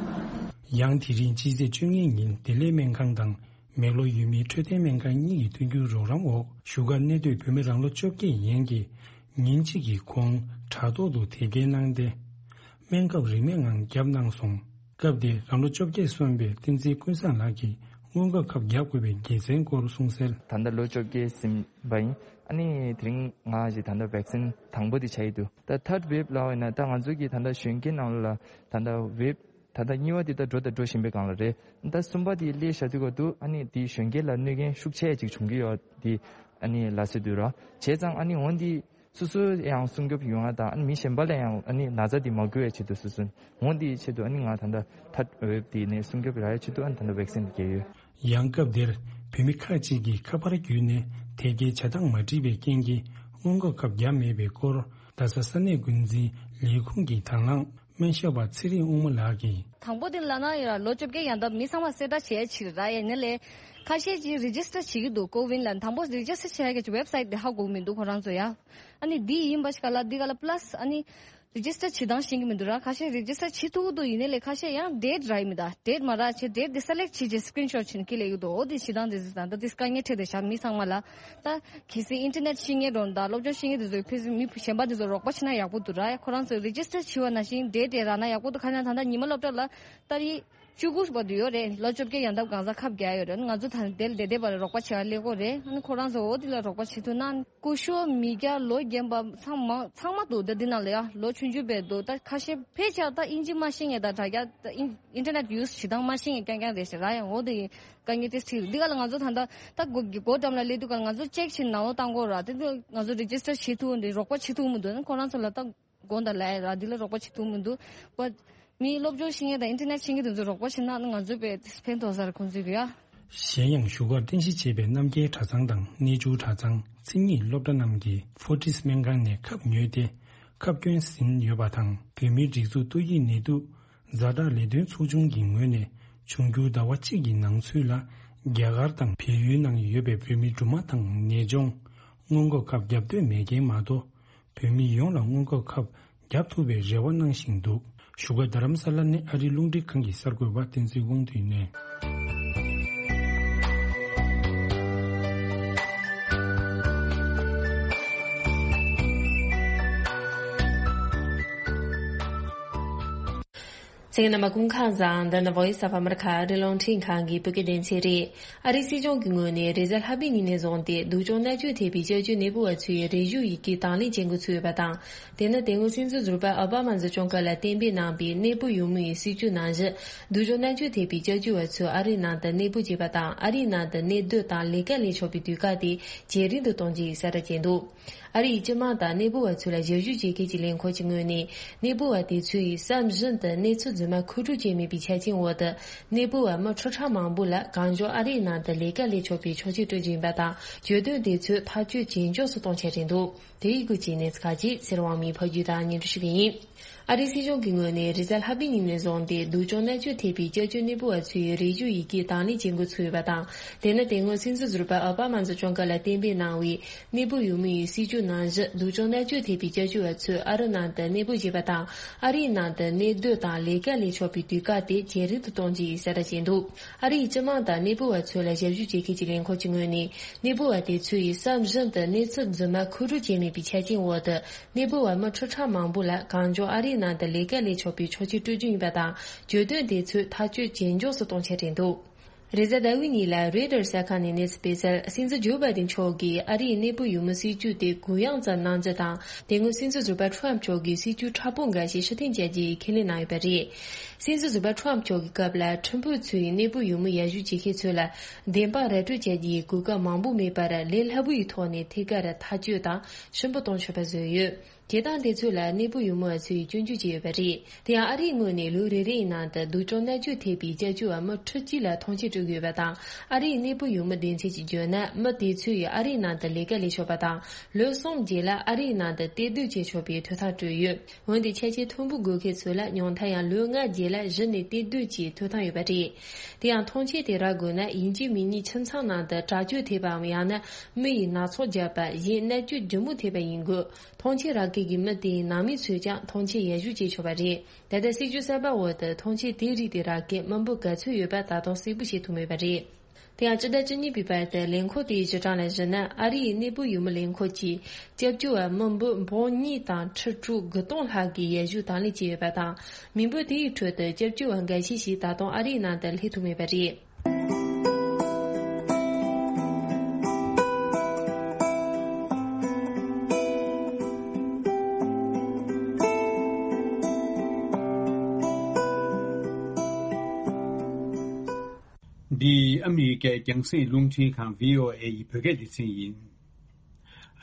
ཡང་དེ་རིང་སྤྱི་ཚེས་བཅོ་ལྔ་ཉིན་བདེ་ལེགས་སྨན་ཁང་དང་། མེག་ལོར་ཡུལ་མིའི་འཕྲོད་བསྟེན་སྨན་ཁང་གཉིས་ཀྱི་མཐུན་འགྱུར་རོགས་རམ་འོག་བཞུགས་སྒར་གནས་སྡོད་བོད་མི་རང་ལོ་བཅོ་བརྒྱད་ཡན་གྱིས་ཉིན་གཅིག་གི་གོང་དྲ་ཐོག་ཏུ་དེབ་སྐྱེལ་གནང་སྟེ། སྨན་ཁབ་རིན་མེད་ངང་བརྒྱབ་གནང་སོང་། སྐབས་དེར་རང་ལོ་བཅོ་བརྒྱད་སོན་པའི་བསྟན་འཛིན་ཀུན་བཟང་ལགས་ཀྱིས་སྔོན་འགོག་ཁབ་བརྒྱབ་དགོས་པའི་དགེ་མཚན་སྐོར་གསུངས་གསལ། ད་ལྟ་ལོ་བཅོ་བརྒྱད་ཟིན་པ་ཡིན། ཨ་ནི་དེ་རིང་ང་ཞིག་ད་ལྟ་བེག་སིན་དང་པོ་དེ་བྱ་ཡི་འདུག་ད་ཐར་ཌི་ཝེབ་ལབ་པ་ཡིན་ན་ད་ང་ཚོ་གི་ད་ལྟ་གཞོན་སྐྱེས་ནང་ལ་ད་ལྟ་ཝེབ་ད་ལྟ་གཉིས་པ་དེ་ད་འགྲོ་དང་འགྲོ་བཞིན་པའི་སྒང་ལ་རེད། ད་གསུམ་པ་དེ་སླེབས་བཞག་དུས་སྐབས་དུ་ཨ་ནི་དེ་གཞོན་སྐྱེས་ལ་གནོད་སྐྱོན་ཤུགས་ཆེ་ཅིག་བྱུང་གི་ཡོད་དེ་ཨ་ནི་ལབ་སྲིད་དུས་ར། བྱས་ཙང་ཨ་ནི་འོན་ཏེ་སོ་སོ་ཡང་སྲུང་སྐྱོབ་ཡོང་ཡ་དང་ཨ་ནི་མི་གཞན་པ་ལ་ཡང་ཨ་ནི་ན་ཚ་དེ་མ་འགོས་ཡ་ཆེད་དུ་སོ་སོ་འོན་དེའི་ཆེད་དུ་ཨ་ནི་ང་ད་ལྟ་ཐར་ཌི་ཝེབ་དེ་ནས་སྲུང་སྐྱོབ་རག་ཡ་ཆེད་དུ་ཨ་ནི་ད་ལྟ་བེག་སིན་དེ་བརྒྱབ་ཡོད། ཡང་སྐབས་དེར་བོད་མི་ཁག་ཅིག་གིས་ཁ་པར་བརྒྱུད་ནས་དེབ་སྐྱེལ་བྱ་སྟངས་མ་འགྲིག་པའི་རྐྱེན་གྱིས་སྔོན་འགོག་ཁབ་བརྒྱབ་མེད་པའི་སྐོར། རྡ་ས་ས་གནས་འགོ་འཛིན་ལས་ཁུངས་ཀྱི་དང་བླངས་སྨན་ཞབས་པ་ཚེ་རིང་དབང་མོ་ལགས་ཀྱིས། དང་པོ་དེ་ལ་ན་ཡིན་ར་ལོ་བཅོ་བརྒྱད་ཡན་འདབ་མི་ཚང་མ་གསལ་བསྒྲགས་བྱས་ཕྱིར་ར་ཡ་ནི་ལས། ཁ་ཤས་ཀྱིས་རི་ཇི་སི་ཊར་བྱེད་ཀྱི་འདུག་ཀོ་ཝིན་ལ་དང་པོ་རི་ཇི་སི་ཊར་བྱས་ཀྱི་ཝེབ་སའིཊ་དེ་ཧ་གོ་མི་འདུག་ཁོ་རང་ཚོ་ཡ། ཨ་ནི་འདི་ཡིན་པ་ཞིག་ག་ལ་འདི་ག་ལ་པ་ལ་སི་ཨ་ནི། རི་ཇི་སི་ཊར་བྱེད་སྟངས་ཤེས་ཀྱི་མི་འདུག་ར། ཁ་ཤས་རི་ཇི་སི་ཊར་བྱེད་ཐུབ་ཀྱི་འདུག་ཡིན་ནའི་ལས་ཁ་ཤས་ཡང་ཌེ་ཊི་རག་གི་མི་འདུག་ཌེ་ཊི་མ་རག་བྱས་ཌེ་ཊི་དེ་སེ་ལེག་བྱས་བྱས་སི་ཀི་རིན་ཤོཊ་བྱས་ནས་ཁྱེར་སླེབས་ཀྱི་འདུག་འོ་དེ་བྱེད་སྟངས་དེ་ཚོ་ད་ལྟ་དེ་དཀའ་ངལ་འཕྲད་དེ་བཞག་མི་ཚང་མ་ལ། ད་གལ་སྲིད་ཨིན་ཊར་ནེཊ་ཤེས་མཁན་འདྲ་བོ་དང་སློབ་སྦྱོང་ཤེས་མཁན་དེ་ཚོ་ཕལ་ཆེར་མི་གཞན་པ་དེ་ཚོ་རོགས་པ་བྱེད་ན་ཡག་པོ་འདུག་ར། ཁོ་རང་ཚོས་རི་ཇི་སི་ཊར་བྱས་པ་ནང་བཞིན་ཌེ་ཊི་དེ་རག་ན་ཡག་པོ་འདུག་ཁ་ཤས་ད་ལྟ་ཉི་མ་སློབ་གྲྭ་ལ་ཏ་རིག་བཅུ་དགུ་བར་དུ་ཡོད་རེད། ལོ་བཅོ་བརྒྱད་ཡན་འདབ་གང་ཟག་ཁབ་རྒྱག་ཡོད་རེད། ང་ཚོ་ད་དེ་ལ་བསྡད་བསྡད་པ་ལ་རོགས་པ་བྱེད་ཡ་སླེབས་ཀྱི་ཡོད་རེད། ཨ་ནི་ཁོ་རང་ཚོ་འོ་དེ་ལ་རོགས་པ་བྱེད་ཐུབ་ན། སྐུ་ཞབས་མི་སྐྱ་ལོ་རྒན་པ་ཚང་མ་ཚང་མ་འདུག་ད་འདི་ནང་ལ་ཡ་ལོ་ཆུང་ཆུང་བས་འདུག་ད་ཁ་ཤས་ཕལ་ཆེར་ད་དབྱིན་ཇི་མ་ཤེས་མཁན་དང་དྲ་རྒྱ་ད་ཨིན་ཨིན་ཊར་ནེཊ་ཡུ་སི་བྱེད་སྟངས་མ་ཤེས་མཁན་རྐྱང་རྐྱང་རེད་ཤག་ར། ཡང་འོ་དེ་ཡིན་དཀའ་ངལ་ཏོག་ཙམ་འཕྲད་འདུག་འདི་ག་ལ་ང་ཚོ་ད་ལྟ་ད་སྒོ་སྒོ་འགྲམ་ལ་སླེབས་དུས་ག་ང་ཚོ་ཅེག་བྱེད་ནང་ལོགས་བཏང་དགོས་ར། དེ་དུས་ང་ཚོ་རི་ཇི་སི་ཊར་བྱེད་ཐུབ་འདི་རོགས་པ་བྱེད་ཐུབ་མི་འདུག་ཁོ་རང་ཚོ་ལ་ད། དགོངས་དག་ལབ་ཡ་ར། འདི་ལ་རོགས་པ་བྱེད་ཐུབ་མི་འདུག་པ། མི་སློབ་སྦྱོང་ཤེས་མཁན་དང་ཨིན་ཊར་ནེཊ་ཤེས་མཁན་དེ་ཚོ་རོགས་པ་བྱེད་ན་ང་ཚོ་དཔེ་ཕན་ཐོགས་ས་རེད་ཁོང་ཚོས་ཀྱི་ཡ། གཞན་ཡང་བཞུགས་སྒར་རྟེན་གཞི་བྱས་པའི་རྣམ་རྒྱལ་གྲྭ་ཚང་དང་གནས་ཆུང་གྲྭ་ཚང་མཚན་ཉིད་སློབ་གྲྭ་རྣམས་ཀྱིས་ཕོར་ཊིས་སྨན་ཁང་ནས་ཁབ་ཉོས་ཏེ་ཁབ་སྐྱོན་ཟིན་ཡོད་པ་དང་། བོད་མིའི་སྒྲིག་འཛུགས་ཏོག་དབྱིབས་ནད་དུག་ཛ་དྲག་ལས་དོན་ཚོགས་ཆུང་གི་ངོས་ནས་འབྱུང་འགྱུར་ཟླ་བ་གཅིག་གི་ནང་ཚུད་ལ་རྒྱ་གར་དང་བལ་ཡུལ་ནང་ཡོད་པའི་བོད་མི་སྦྲུམ་མ་དང་ནད་གཅོང་སྔོན་འགོག་ཁབ་བརྒྱབ་འདོད་མེད་མཁན་མ་གཏོགས། བོད་མི་ཡོངས་ལ་སྔོན་འགོག་ཁབ་བརྒྱབ་ཐུབ་པའི་རེ་བ་གནང་བཞིན་འདུག་བཞུགས་སྒར་རྡ་རམ་ས་ལ་ནས་ཨ་རིའི་རླུང་འཕྲིན་ཁང་གི་གསར་འགོད་པ་བསྟན་འཛིན་དབང་འདུས་ནས། ཚེ་རིང་རྣམ་པ་སྐུ་ཁམས་བཟང་། འདི་ནི་Voice of America ཨ་རིའི་རླུང་འཕྲིན་ཁང་གི་བོད་སྐད་སྡེ་ཚན་རེད། ཨ་རིའི་སྲིད་གཞུང་གི་ངོས་ནས་རེས་གཟའ་ལྷག་པའི་ཉིན་ནས་བཟུང་སྟེ་སྡུག་སྦྱོང་མནར་གཅོད་ཐེབས་པའི་སྐྱབས་བཅོལ་གནས་སྤོ་བ་ཚོའི་རེ་ཞུ་ཡི་གེ་དང་ལེན་བྱེད་འགོ་ཚུགས་ཡོད་པ་དང་། དེ་ནི་དེ་སྔོན་སྲིད་འཛིན་ཟུར་པ་ཨོ་བྷ་མ་འཛིན་སྐྱོང་སྐབས་ལ་གཏན་འབེབས་གནང་པའི་གནས་སྤོ་ཡོང་མུས་ཡི་སྲིད་ཇུས་ནང་བཞིན་སྡུག་སྦྱོང་མནར་གཅོད་ཐེབས་པའི་སྐྱབས་བཅོལ་བ་ཚོ་ཨ་རིའི་ནང་དུ་གནས་སྤོ་བྱེད་པ་དང་ཨ་རིའི་ནང་དུ་གནས་སྡོད་དང་ལས་ཀ་ལས་ཆོག་པའི་དུས་བཀག་དེ་ཇེ་རིང་དུ་གཏོང་རྒྱུ་ཡི་གསལ་བསྒྲགས་བྱས་འདུག་ཨ་རི་ཡི་སྤྱི་དམངས་དང་གནས་སྤོ་བ་ཚོ་ལ་ཞབས་ཞུ་བྱེད་མཁན་གྱི་ལས་ཁུངས་ཀྱི་ངོས་ནས་གནས་སྤོ་བ་དེ་ཚོ་ཡིས་བསམ་བཞིན་དུ་གནས་ཚུལ། རྫུན་མ་མཁོ་སྒྲུབ་བྱས་མེད་པའི་ཆ་རྐྱེན་འོག་ཏུ། གནས་སྤོ་བ་མི་ཁྲི་ཕྲག་མང་པོ་ལ་གང་མགྱོགས་ཨ་རིའི་ནང་དུ་ལས་ཀ་ལས་ཆོག་པའི་ཆོག་མཆན་སྤྲོད་རྒྱུ་ཡིན་པ་དང་། གྱོད་དོན་དེ་ཚོ་ཐག་གཅོད་ཇེ་མགྱོགས་སུ་གཏོང་འཆར་རེད་འདུག་དེ་ཡི་སྐོར་གྱི་གནས་ཚུལ་ཁག་ཅིག་ཚེ་རིང་དབང་མོས་ཕབ་སྒྱུར་དང་སྙན་སྒྲོན་ཞུ་གི་ཡིན། ཨ་རིའི་སྲིད་གཞུང་གི་ངོས་ནས་རེས་གཟའ་ལྷག་པའི་ཉིན་ནས་བཟུང་སྟེ་སྡུག་སྦྱོང་མནར་གཅོད་ཐེབས་པའི་སྐྱབས་བཅོལ་གནས་སྤོ་བ་ཚོའི་རེ་ཞུ་ཡི་གེ་དང་ལེན་བྱེད་འགོ་ཚུགས་ཡོད་པ་དང་། དེ་ནི་དེ་སྔོན་སྲིད་འཛིན་ཟུར་པ་ཨོ་པ་མ་མཛད་སྐྱོང་སྐབས་ལ་གཏན་འབེབས་གནང་བའི་གནས་སྤོ་ཡུལ་མི་ཡི་སྲིད་ཇུས་ནང་བཞིན། སྡུག་སྦྱོང་མནར་གཅོད་ཐེབས་པའི་སྐྱབས་བཅོལ་བ་ཚོས་ཨ་རི་ནང་དུ་གནས་སྤོ་བྱེད་པ་དང་། ཨ་རིའི་ནང་དུ་གནས་སྡོད་དང་ལས་ཀ་ལས་ཆོག་པའི་དུས་བཀག་དེ་ཇེ་རིང་དུ་གཏོང་རྒྱུ་ཡིན་གསལ་བསྒྲགས་བྱས་འདུག་ཨ་རིའི་སྤྱི་དམངས་དང་གནས་སྤོ་བ་ཚོ་ལ་ཞབས་ཞུ་བྱེད་མཁན་གྱི་ལས་ཁུངས་ཀྱི་ངོས་ནས། གནས་སྤོ་བ་དེ་ཚོ་ཡིས་བསམ་བཞིན་དུ་གནས་ཚུལ་རྫུན་མ་མཁོ་སྒྲུབ་བྱས་མེད་པའི་ཆ་རྐྱེན་འོག་ཏུ། གནས་སྤོ་བ་མི་ཁྲི་ཕྲག་མང་པོ་ལ་གང་མགྱོགས་ཨ་རིའི་ནང་དུ་ལས་ཀ་ལས་ཆོག་པའི་ཆོག་མཆན་སྤྲོད་རྒྱུ་ཡིན་པ་དང་། གྱོད་དོན་དེ་ཚོའི་ཐག་གཅོད་ཇེ་མགྱོགས་སུ་གཏོང་འཆར་རེད་འདུག་རེས་གཟའ་ཟླ་བའི་ཉིན་ལ་རོའི་ཊར་གསར་ཁང་ནས་གནས་ཚུལ་སྤེལ་གསལ། སྲིད་འཛིན་ཇོ་བྷའི་ཌེན་མཆོག་གིས་ཨ་རིའི་གནས་སྤོ་ཡུལ་མི་སྲིད་ཇུས་དེ་གུ་ཡངས་ཙམ་གནང་རྒྱུ་དང་། དེ་སྔོན་སྲིད་འཛིན་ཟུར་པ་ཁྲོམ་མཆོག་གིས་སྲིད་ཇུས་མཁྲེགས་པོ་འགའ་ཞིག་ཕྱིར་འཐེན་བྱ་རྒྱུའི་ཁས་ལེན་གནང་ཡོད་པ་རེད། སྲིད་འཛིན་ཟུར་པ་ཁྲོམ་མཆོག་གི་སྐབས་ལ་ཁྲིམས་དཔོན་ཚོས་གནས་སྤོ་ཡུལ་མི་ཡར་ཞུ་བྱེད་མཁན་ཚོ་ལ་བདེན་དཔང་ར་སྤྲོད་བྱ་རྒྱུའི་གོ་སྐབས་མང་པོ་མེད་པར། ལས་སླ་པོ་ཡི་ཐོག་ནས་ཐད་ཀར་ཐག་གཅོད་དང་ཞིབ་པོ་གཏོང་ཆོག་པ་བཟོས་ཡོད། བྱེད་སྟངས་དེ་ཚོ་ལ་གནས་སྤོ་ཡུལ་མི་བ་ཚོས་སྐྱོན་བརྗོད་བྱས་ཡོད་པ་རེད། དེ་ཡང་ཨ་རིའི་ངོས་ནས་ལོ་རེ་རེའི་ནང་དུ་སྡུག་སྦྱོང་མནར་གཅོད་ཐེབས་པའི་སྐྱབས་བཅོལ་བ་མི་ཁྲི་གཅིག་ལ་ཐོངས་མཆན་སྤྲོད་ཀྱི་ཡོད་པ་དང་། ཨ་རིའི་གནས་སྤོ་ཡུལ་མི་སྡེ་ཚན་གྱིས་བརྗོད་ན། མི་དེ་ཚོ་ཡིས་ཨ་རིའི་ནང་དུ་ལས་ཀ་ལས་ཆོག་པ་དང་། ལོ་གསུམ་རྗེས་ལ་ཨ་རིའི་ནང་དུ་གཏན་སྡོད་བྱེད་ཆོག་པའི་ཐོབ་ཐང་སྤྲོད་ཡོད། འོན་ཏེ་ཆ་རྐྱེན་མཐོན་པོ་དགོས་མཁན་ཚོ་ལ་ཉུང་མཐར་ཡང་ལོ་ལྔ་རྗེས་ལ་གཞི་ནས་གཏན་སྡོད་ཀྱི་ཐོབ་ཐང་ཡོད་པ་རེད། དེ་ཡང་ཐོངས་མཆན་དེ་རག་དགོས་ན། ཡིན་གཅིག་མིན་གཉིས་ཁྱིམ་ཚང་ནང་དུ་དྲག་སྤྱོད་ཐེབས་པའམ། ཡང་ན་མི་ཡིས་ནག་ཚོགས་བརྒྱབ་པ། གཞན་མནར་གཅོད་ལྗིད་མོ་ཐེབས་པ་ཡིན་དགོས། ཐོངས་མཆན་རག་མཁན་གྱི་མི་དེའི་ནང་མི་ཚོས་ཀྱང་ཐོངས་མཆན་ཡར་ཞུ་བྱེད་ཆོག་པ་རེད། ད་ལྟ་སྲིད་ཇུས་གསར་པ་འོག་ཏུ་ཐོངས་མཆན་དེ་རིགས་དེ་རག་མཁན་མི་འབོར་ག་ཚོད་ཡོད་པ་ད་དུང་གསལ་པོ་ཤེས་ཐུབ་མེད་པ་རེད། དེ་ཡང་སྤྱི་ཟླ་བཅུ་གཉིས་པའི་བར་དུ་ལས་ཁུངས་དེའི་གཞི་གྲངས་ལ་གཞིགས་ན། ཨ་རིའི་གནས་སྤོ་ཡུལ་མི་ལས་ཁུངས་ཀྱིས་སྐྱབས་བཅོལ་བ་མི་འབོར་འབུམ་གཉིས་དང་ཁྲི་དྲུག་དགུ་སྟོང་ལྷག་གི་ཡར་ཞུ་དང་ལེན་བྱས་ཡོད་པ་དང་། མི་འབོར་དེའི་ཁྲོད་དུ་སྐྱབས་བཅོལ་བ་འགའ་ཤས་ཤིག་ད་དུང་ཨ་རིའི་ནང་དུ་སླེབས་ཐུབ་མེད་པ་རེད། འདི་ཨ་མི་རི་ཀའི་རྒྱང་སྲིང་རླུང་འཕྲིན་ཁང་བྷི་ཨོ་ཨེ་ཡི་བོད་སྐད་སྡེ་ཚན་ཡིན།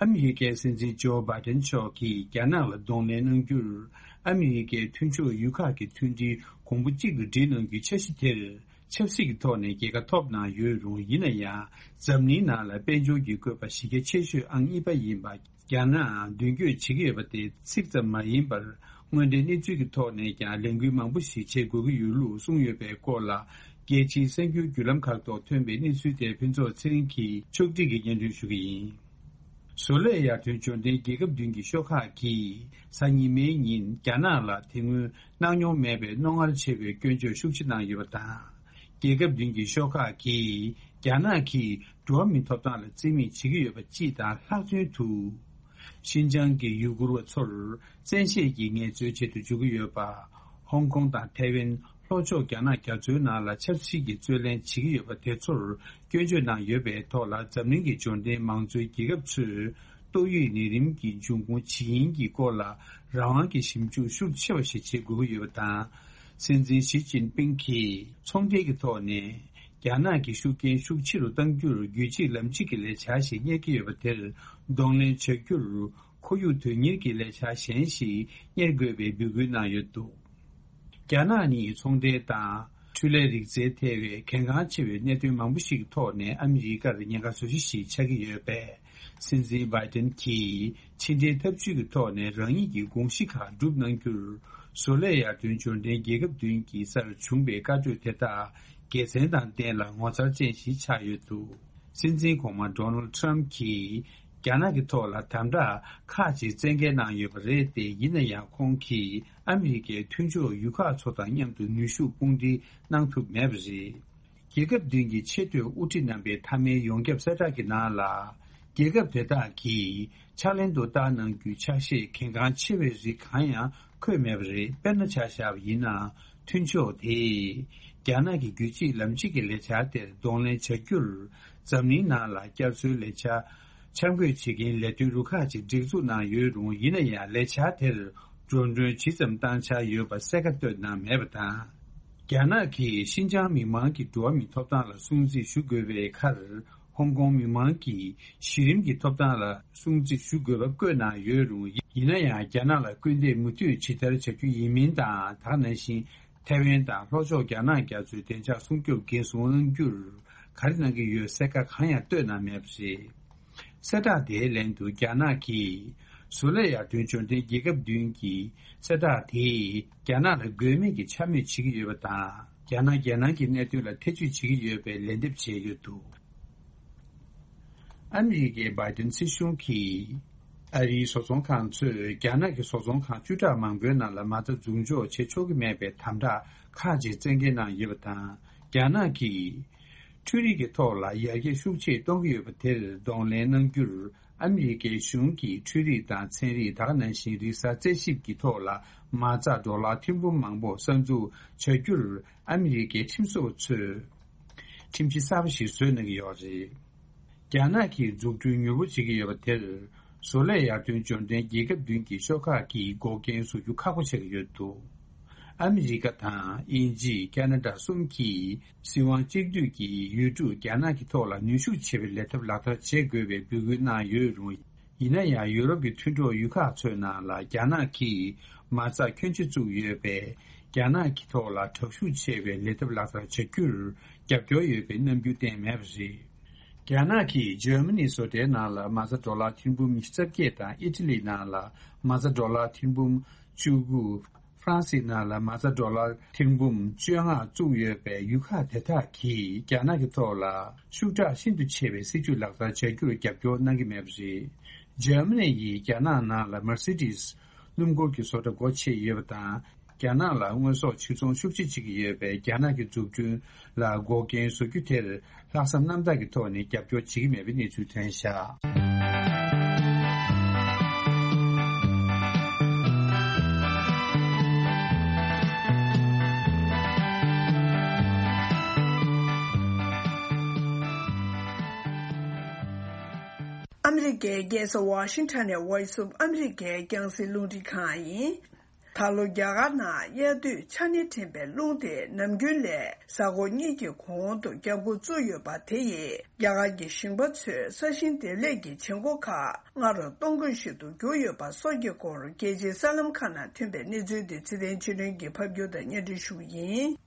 ཨ་མི་རི་ཀའི་སྲིད་འཛིན་ཇོ་བྷའི་ཌེན་མཆོག་གིས་རྒྱ་ནག་ལ་གདོང་ལེན་གནང་རྒྱུར། ཨ་མི་རི་ཀའི་མཐུན་ཕྱོགས་ཡུལ་ཁག་གི་མཐུན་སྒྲིལ་གོང་བུ་གཅིག་ཏུ་སྒྲིལ་གནང་རྒྱུའི་འཆར་གཞི་དེར། ཆབ་སྲིད་ཀྱི་ཐོག་ནས་རྒྱལ་ཁ་ཐོབ་གནང་ཡོད་རུང་། ཡིན་ན་ཡང་། འཛམ་གླིང་ནང་ལ་དཔལ་འབྱོར་གྱི་བཀོད་པ་གཞི་རྒྱ་ཆེ་ཤོས་ཨང་གཉིས་པ་ཡིན་པ། རྒྱ་ནག་མདུན་སྐྱོད་བྱེད་ཀྱི་ཡོད་པ་དེ་ཚིག་ཙམ་མ་ཡིན་པར། དངོས་འབྲེལ་གནས་ཚུལ་གྱི་ཐོག་ནས་ཀྱང་ལས་འགུལ་མང་པོ་ཞིག་བྱེད་དགོས་ཀྱི་ཡོད་ལུགས་གསུངས་ཡོད་པའི་སྐོར་ལ། རྒྱལ་སྤྱིའི་གསར་འགྱུར་བརྒྱུད་ལམ་ཁག་ཐོག་ཐོན་པའི་གནས་ཚུལ་དེ་ཕུན་ཚོགས་ཚེ་རིང་གིས་ཕྱོགས་སྒྲིག་གིས་སྙན་སྒྲོན་ཞུ་གི་ཡིན། བཟོ་ལས་ཡར་ཐོན་འབྱོར་ལྡན་རྒྱལ་ཁབ་བདུན་གྱི་ཤོག་ཁག་གིས་གཟའ་ཉི་མའི་ཉིན་རྒྱ་ནག་ལ་དེ་སྔོན་གནང་མྱོང་མེད་པའི་རྣོ་ངར་ཆེ་བའི་སྐྱོན་བརྗོད་ཤུགས་ཆེ་གནང་ཡོད་པ་དང་། རྒྱལ་ཁབ་བདུན་གྱི་ཤོག་ཁག་གིས་རྒྱ་ནག་གིས་འགྲོ་བ་མིའི་ཐོབ་ཐང་ལ་བརྩི་མེད་བྱེད་ཀྱི་ཡོད་པ་སྤྱི་དང་ལྷག་དོན་དུ། ཤིན་ཅང་གི་ཡུ་གུར་བ་ཚོར་བཙན་ཤེད་ཀྱིས་ངལ་རྩོལ་བྱེད་དུ་འཇུག་གི་ཡོད་པ། ཧོང་ཀོང་དང་ཐའེ་ཝན། ལྷོ་ཕྱོགས་རྒྱ་ནག་རྒྱ་མཚོའི་ནང་ལ་ཆབ་སྲིད་ཀྱི་རྩོད་ལེན་བྱེད་ཀྱི་ཡོད་པ་དེ་ཚོར་སྐྱོན་བརྗོད་གནང་ཡོད་པའི་ཐོག་ལ། འཛམ་གླིང་གི་འབྱོར་ལྡན་མང་གཙོའི་རྒྱལ་ཁབ་ཚོས་ཏོག་དབྱིབས་ནད་རིམས་ཀྱི་འབྱུང་ཁུངས་ཇི་ཡིན་གྱི་སྐོར་ལ་རང་དབང་གི་ཞིབ་འཇུག་ཤུགས་ཆེ་བ་ཞིག་བྱེད་དགོས་ཀྱི་ཡོད་པ་དང་། སྲིད་འཛིན་ཞི་ཅིན་ཕིང་གིས་ཚོང་འབྲེལ་གྱི་ཐོག་ནས་རྒྱ་ནག་གི་ཤུགས་རྐྱེན་ཤུགས་ཆེ་རུ་གཏང་རྒྱུར་རྒྱུད་གཅིག་ལམ་གཅིག་གི་ལས་འཆར་ཞིག་གཉེར་གྱི་ཡོད་པ་དེར་གདོང་ལེན་བྱ་རྒྱུར། ཁོར་ཡུག་དོན་གཉེར་གྱི་ལས་འཆར་གཞན་ཞིག་གཉེར་དགོས་པའི་འབོད་སྐུལ་གནང་ཡོད་འདུག་རྒྱ་ནག་ནི་ཚོང་འབྲེལ་དང་། འཕྲུལ་ལས་རིག་རྩལ་ཐེ་བའི་གལ་འགངས་ཆེ་བའི་གནད་དོན་མང་པོ་ཞིག་གི་ཐོག་ནས་ཨ་མི་རི་ཀར་ཉེན་ཁ་བཟོ་གཞི་ཞིག་ཆགས་ཀྱི་ཡོད་པས། སྲིད་འཛིན་བྷའི་ཏིན་གྱིས་ཕྱི་འབྲེལ་ཐབས་ཇུས་ཀྱི་ཐོག་ནས་རང་ཉིད་ཀྱི་དགོངས་གཞི་ཁག་བསྒྲུབས་གནང་རྒྱུར། བཟོ་ལས་ཡར་ཐོན་འབྱོར་ལྡན་རྒྱལ་ཁབ་བདུན་གྱི་སར་བྱུང་བའི་བཀའ་གྲོས་དེ་དག་དགེ་མཚན་དང་ལྡན་ལ་ངོ་མཚར་ཅན་ཞིག་ཆགས་ཡོད་འདུག་སྲིད་འཛིན་གོང་མ་ཌོ་ནལ་ཌི་ཊརམ་གྱིས་རྒྱ་ནག་གི་ཐོག་ལ་དམ་དྲག་ཁག་ཅིག་བཙན་འགེལ་གནང་ཡོད་པ་རེད་དེ། ཡིན་ན་ཡང་ཁོང་གིས་ཨ་མི་རི་ཀའི་མཐུན་ཕྱོགས་ཡུལ་ཁག་ཚོ་དང་མཉམ་དུ་ནུས་ཤུགས་དཔུང་སྒྲིལ་གནང་ཐུབ་མེད་པ་རེད། རྒྱལ་ཁབ་བདུན་གྱི་ཆེས་མཐོའི་དབུ་ཁྲིད་རྣམ་པའི་མཐའ་མའི་ཡོངས་ཁྱབ་གསལ་བསྒྲགས་ཀྱི་ནང་ལ། རྒྱལ་ཁབ་དེ་དག་གིས་ཕྱག་ལེན་དུ་བསྟར་གནང་རྒྱུའི་ཕྱག་བཞེས་གལ་འགངས་ཆེ་བའི་རིགས་གང་ཡང་འཁོད་མེད་པ་རེད། དཔེར་ན་ཆ་བཞག་པ་ཡིན་ན། མཐུན་ཕྱོགས་དེས་རྒྱ་ནག་གི་རྒྱུད་གཅིག་ལམ་གཅིག་གི་ལས་འཆར་དེར་གདོང་ལེན་བྱ་རྒྱུར། འཛམ་གླིང་ནང་ལ་བསྐྱར་གསོའི་ལས་འཆར་འཆར་འགོད་བྱེད་མཁན་ལས་དོན་རུ་ཁག་ཅིག་སྒྲིག་འཛུགས་གནང་ཡོད་རུང་། ཡིན་ན་ཡང་ལས་འཆར་དེར་འགྲོ་གྲོན་ཇི་ཙམ་བཏང་འཆར་ཡོད་པ་གསལ་ཁ་བཏོན་གནང་མེད་པ་དང་། རྒྱ་ནག་གིས་ཤིན་ཅང་མི་མང་གི་འགྲོ་བ་མིའི་ཐོབ་ཐང་ལ་སྲུང་བརྩི་ཞུ་དགོས་པའི་ཁར། ཧོང་ཀོང་མི་མང་གི་གཞི་རིམ་གྱི་ཐོབ་ཐང་ལ་སྲུང་བརྩི་ཞུ་དགོས་པ་བཀོད་གནང་ཡོད་རུང་། ཡིན་ན་ཡང་རྒྱ་ནག་ལ་སྐུལ་འདེད་མུ་མཐུད་ཇི་ལྟར་བྱ་རྒྱུ་ཡིན་མིན་དང་། དེ་ནང་བཞིན་ ཐའེ་ཝན་དང་ལྷོ་ཕྱོགས་རྒྱ་ནག་རྒྱ་མཚོའི་བདེ་འཇགས་སྲུང་སྐྱོབ་འགན་སྲུང་གནང་རྒྱུར་ག་རེ་གནང་གི་ཡོད་གསལ་ཁ་གང་ཡང་བཏོན་གནང་མེད་པ་རེད། གསལ་བསྒྲགས་དེའི་ལན་དུ་རྒྱ་ནག་གིས་བཟོ་ལས་ཡར་ཐོན་འབྱོར་ལྡན་རྒྱལ་ཁབ་བདུན་གྱི་གསལ་བསྒྲགས་དེས་རྒྱ་ནག་ལ་དགོས་མེད་ཀྱི་ཆ་མེད་བྱེད་ཀྱི་ཡོད་པ་དང་། རྒྱ་ནག་རྒྱལ་ནང་གི་གནད་དོན་ལ་ཐེ་བྱུས་བྱེད་ཀྱི་ཡོད་པའི་ལན་འདེབས་བྱས་ཡོད་འདུག། ཨ་མི་རི་ཀའི་བྷའི་ཏིན་སྲིད་གཞུང་གིས། ཨ་རིའི་བཟོ་ཚོང་ཁང་ཚོས་རྒྱ་ནག་གི་བཟོ་ཚོང་ཁང་བཅུ་ཕྲག་མང་པོའི་ནང་ལ་མ་རྩ་འཛུགས་འཇོག་བྱེད་ཆོག་གི་མེད་པའི་དམ་དྲག་ཁག་ཅིག་བཙན་འགེལ་གནང་ཡོད་པ་དང་། རྒྱ་ནག་གིས་འཕྲུལ་རིག་གི་ཐོག་ལ་ཡར་རྒྱས་ཤུགས་ཆེ་གཏོང་གི་ཡོད་པ་དེར་གདོང་ལེན་གནང་རྒྱུར། ཨ་མི་རི་ཀའི་གཞུང་གིས་འཕྲུལ་རིག་དང་ཚན་རིག་ད་ག་ནང་བཞིན་རིག་གསར་རྩད་ཞིབ་ཀྱི་ཐོག་ལ་མ་རྩ་ཌོ་ལར་ཐེར་འབུམ་མང་པོ་གསར་འཛུགས་བྱ་རྒྱུར། ཨ་མི་རི་ཀའི་ཁྲིམས་བཟོ་བ་ཚོས་ཁྲིམས་གཞི་གསར་པ་ཞིག་བཟོས་གནང་གི་ཡོད་རེད། རྒྱ་ནག་གིས་འཛུགས་སྐྲུན་མྱུར་པོ་བྱེད་ཀྱི་ཡོད་པ་དེར། བཟོ་ལས་ཡར་ཐོན་འབྱོར་ལྡན་རྒྱལ་ཁབ་བདུན་གྱི་ཤོག་ཁག་གིས་འགོག་རྐྱེན་བཟོ་རྒྱུ་ཁག་པོ་ཆགས་ཀྱི་ཡོད་འདུག། ཨ་མི་རི་ཀ་དང་དབྱིན་ཇི། ཁ་ན་ཌ་གསུམ་གྱིས་སྲིད་དབང་གཅིག་སྡུད་ཀྱི་ཡུལ་གྲུ་རྒྱ་ནག་གི་ཐོག་ལ་ནུས་ཤུགས་ཆེ་བའི་ལས་ཐབས་ལག་བསྟར་བྱེད་དགོས་པའི་འབོད་སྐུལ་གནང་ཡོད་རུང་། ཡིན་ན་ཡང་། ཡུ་རོབ་ཀྱི་མཐུན་གྲོགས་ཡུལ་ཁག་ཚོའི་ནང་ལ་རྒྱ་ནག་གིས་མ་རྩ་ཁྱོན་ཆེ་བཙུགས་ཡོད་པས། རྒྱ་ནག་གི་ཐོག་ལ་དྲག་ཤུགས་ཆེ་བའི་ལས་ཐབས་ལག་བསྟར་བྱ་རྒྱུར་རྒྱབ་སྐྱོར་ཡོད་པའི་རྣམ་འགྱུར་བསྟན་མེད་པ་རེད། རྒྱ་ནག་གིས་འཇར་མ་ནི་བཟོ་གྲྭའི་ནང་ལ་མ་རྩ་ཌོ་ལར་ཐེར་འབུམ་ཉི་ཤུ་རྩ་བརྒྱད་དང་། ཨི་ཊ་ལི་ནང་ལ་མ་རྩ་ཌོ་ལར་ཐེར་འབུམ་བཅུ་དགུ། ཧྥ་རན་སིའི་ནང་ལ་མ་རྩ་ཌོ་ལར་ཐེར་འབུམ་བཅོ་ལྔ་བཙུགས་ཡོད་པའི་ཡུལ་ཁག་དེ་དག་གིས་རྒྱ་ནག་གི་ཐོག་ལ་ཤུགས་དྲག་ཤིན་ཏུ་ཆེ་བའི་སྲིད་ཇུས་ལག་བསྟར་བྱ་རྒྱུར་རྒྱབ་སྐྱོར་གནང་གི་མེད་པ་རེད། འཇར་མ་ནི་ཡིས་རྒྱ་ནག་ནང་ལ་མར་སི་ཌིས་སྣུམ་འཁོར་གྱི་བཟོ་གྲྭ་སྒོ་ཕྱེ་ཡོད་པ་དང་། རྒྱ་ནག་ལ་དངོས་ཟོག་ཕྱིར་ཚོང་ཤུགས་ཆེ་བྱེད་ཀྱི་ཡོད་པས། རྒྱ་ནག་གི་འཛུགས་སྐྲུན་ལ་འགོག་རྐྱེན་བཟོ་རྒྱུ་དེར། ལྷག་བསམ་རྣམ་དག་གི་ཐོག་ནས་རྒྱབ་སྐྱོར་བྱེད་ཀྱི་མེད་པའི་གནས་ཚུལ་ཐོན་བཞག། ཨ་མི་རི་ཀའི་རྒྱལ་ས་ཝ་ཤིང་ཊོན་ནས་Voice of America རྒྱང་སྲིང་རླུང་འཕྲིན་ཁང་ཡིན། ད་ལོ་རྒྱ་གར་ནང་དབྱར་དུས་ཆར་ནས་འདྲེན་པའི་རླུང་དེ་ནམ་རྒྱུན་ལས་གཟའ་འཁོར་གཉིས་ཀྱི་གོང་དུ་བརྒྱབ་འགོ་བཙུགས་ཡོད་པ་དེ་ཡིས་རྒྱ་གར་གྱི་ཞིང་པ་ཚོས་ས་ཞིང་འདེབས་ལས་ཀྱི་བྱེད་སྒོ་ཁག་སྔ་དྲོ་གཏོང་དགོས་ཞིག་ཏུ་གྱུར་ཡོད་པ་སོགས་ཀྱི་སྐོར་རྒྱལ་སྤྱིའི་གསར་ལམ་ཁག་ནང་ཐོན་པའི་གནས་ཚུལ་དེ་ཚེ་བརྟན་ཆོས་སྒྲོན་གྱིས་ཕབ་སྒྱུར་དང་སྙན་སྒྲོན་ཞུ་རྒྱུ་ཡིན།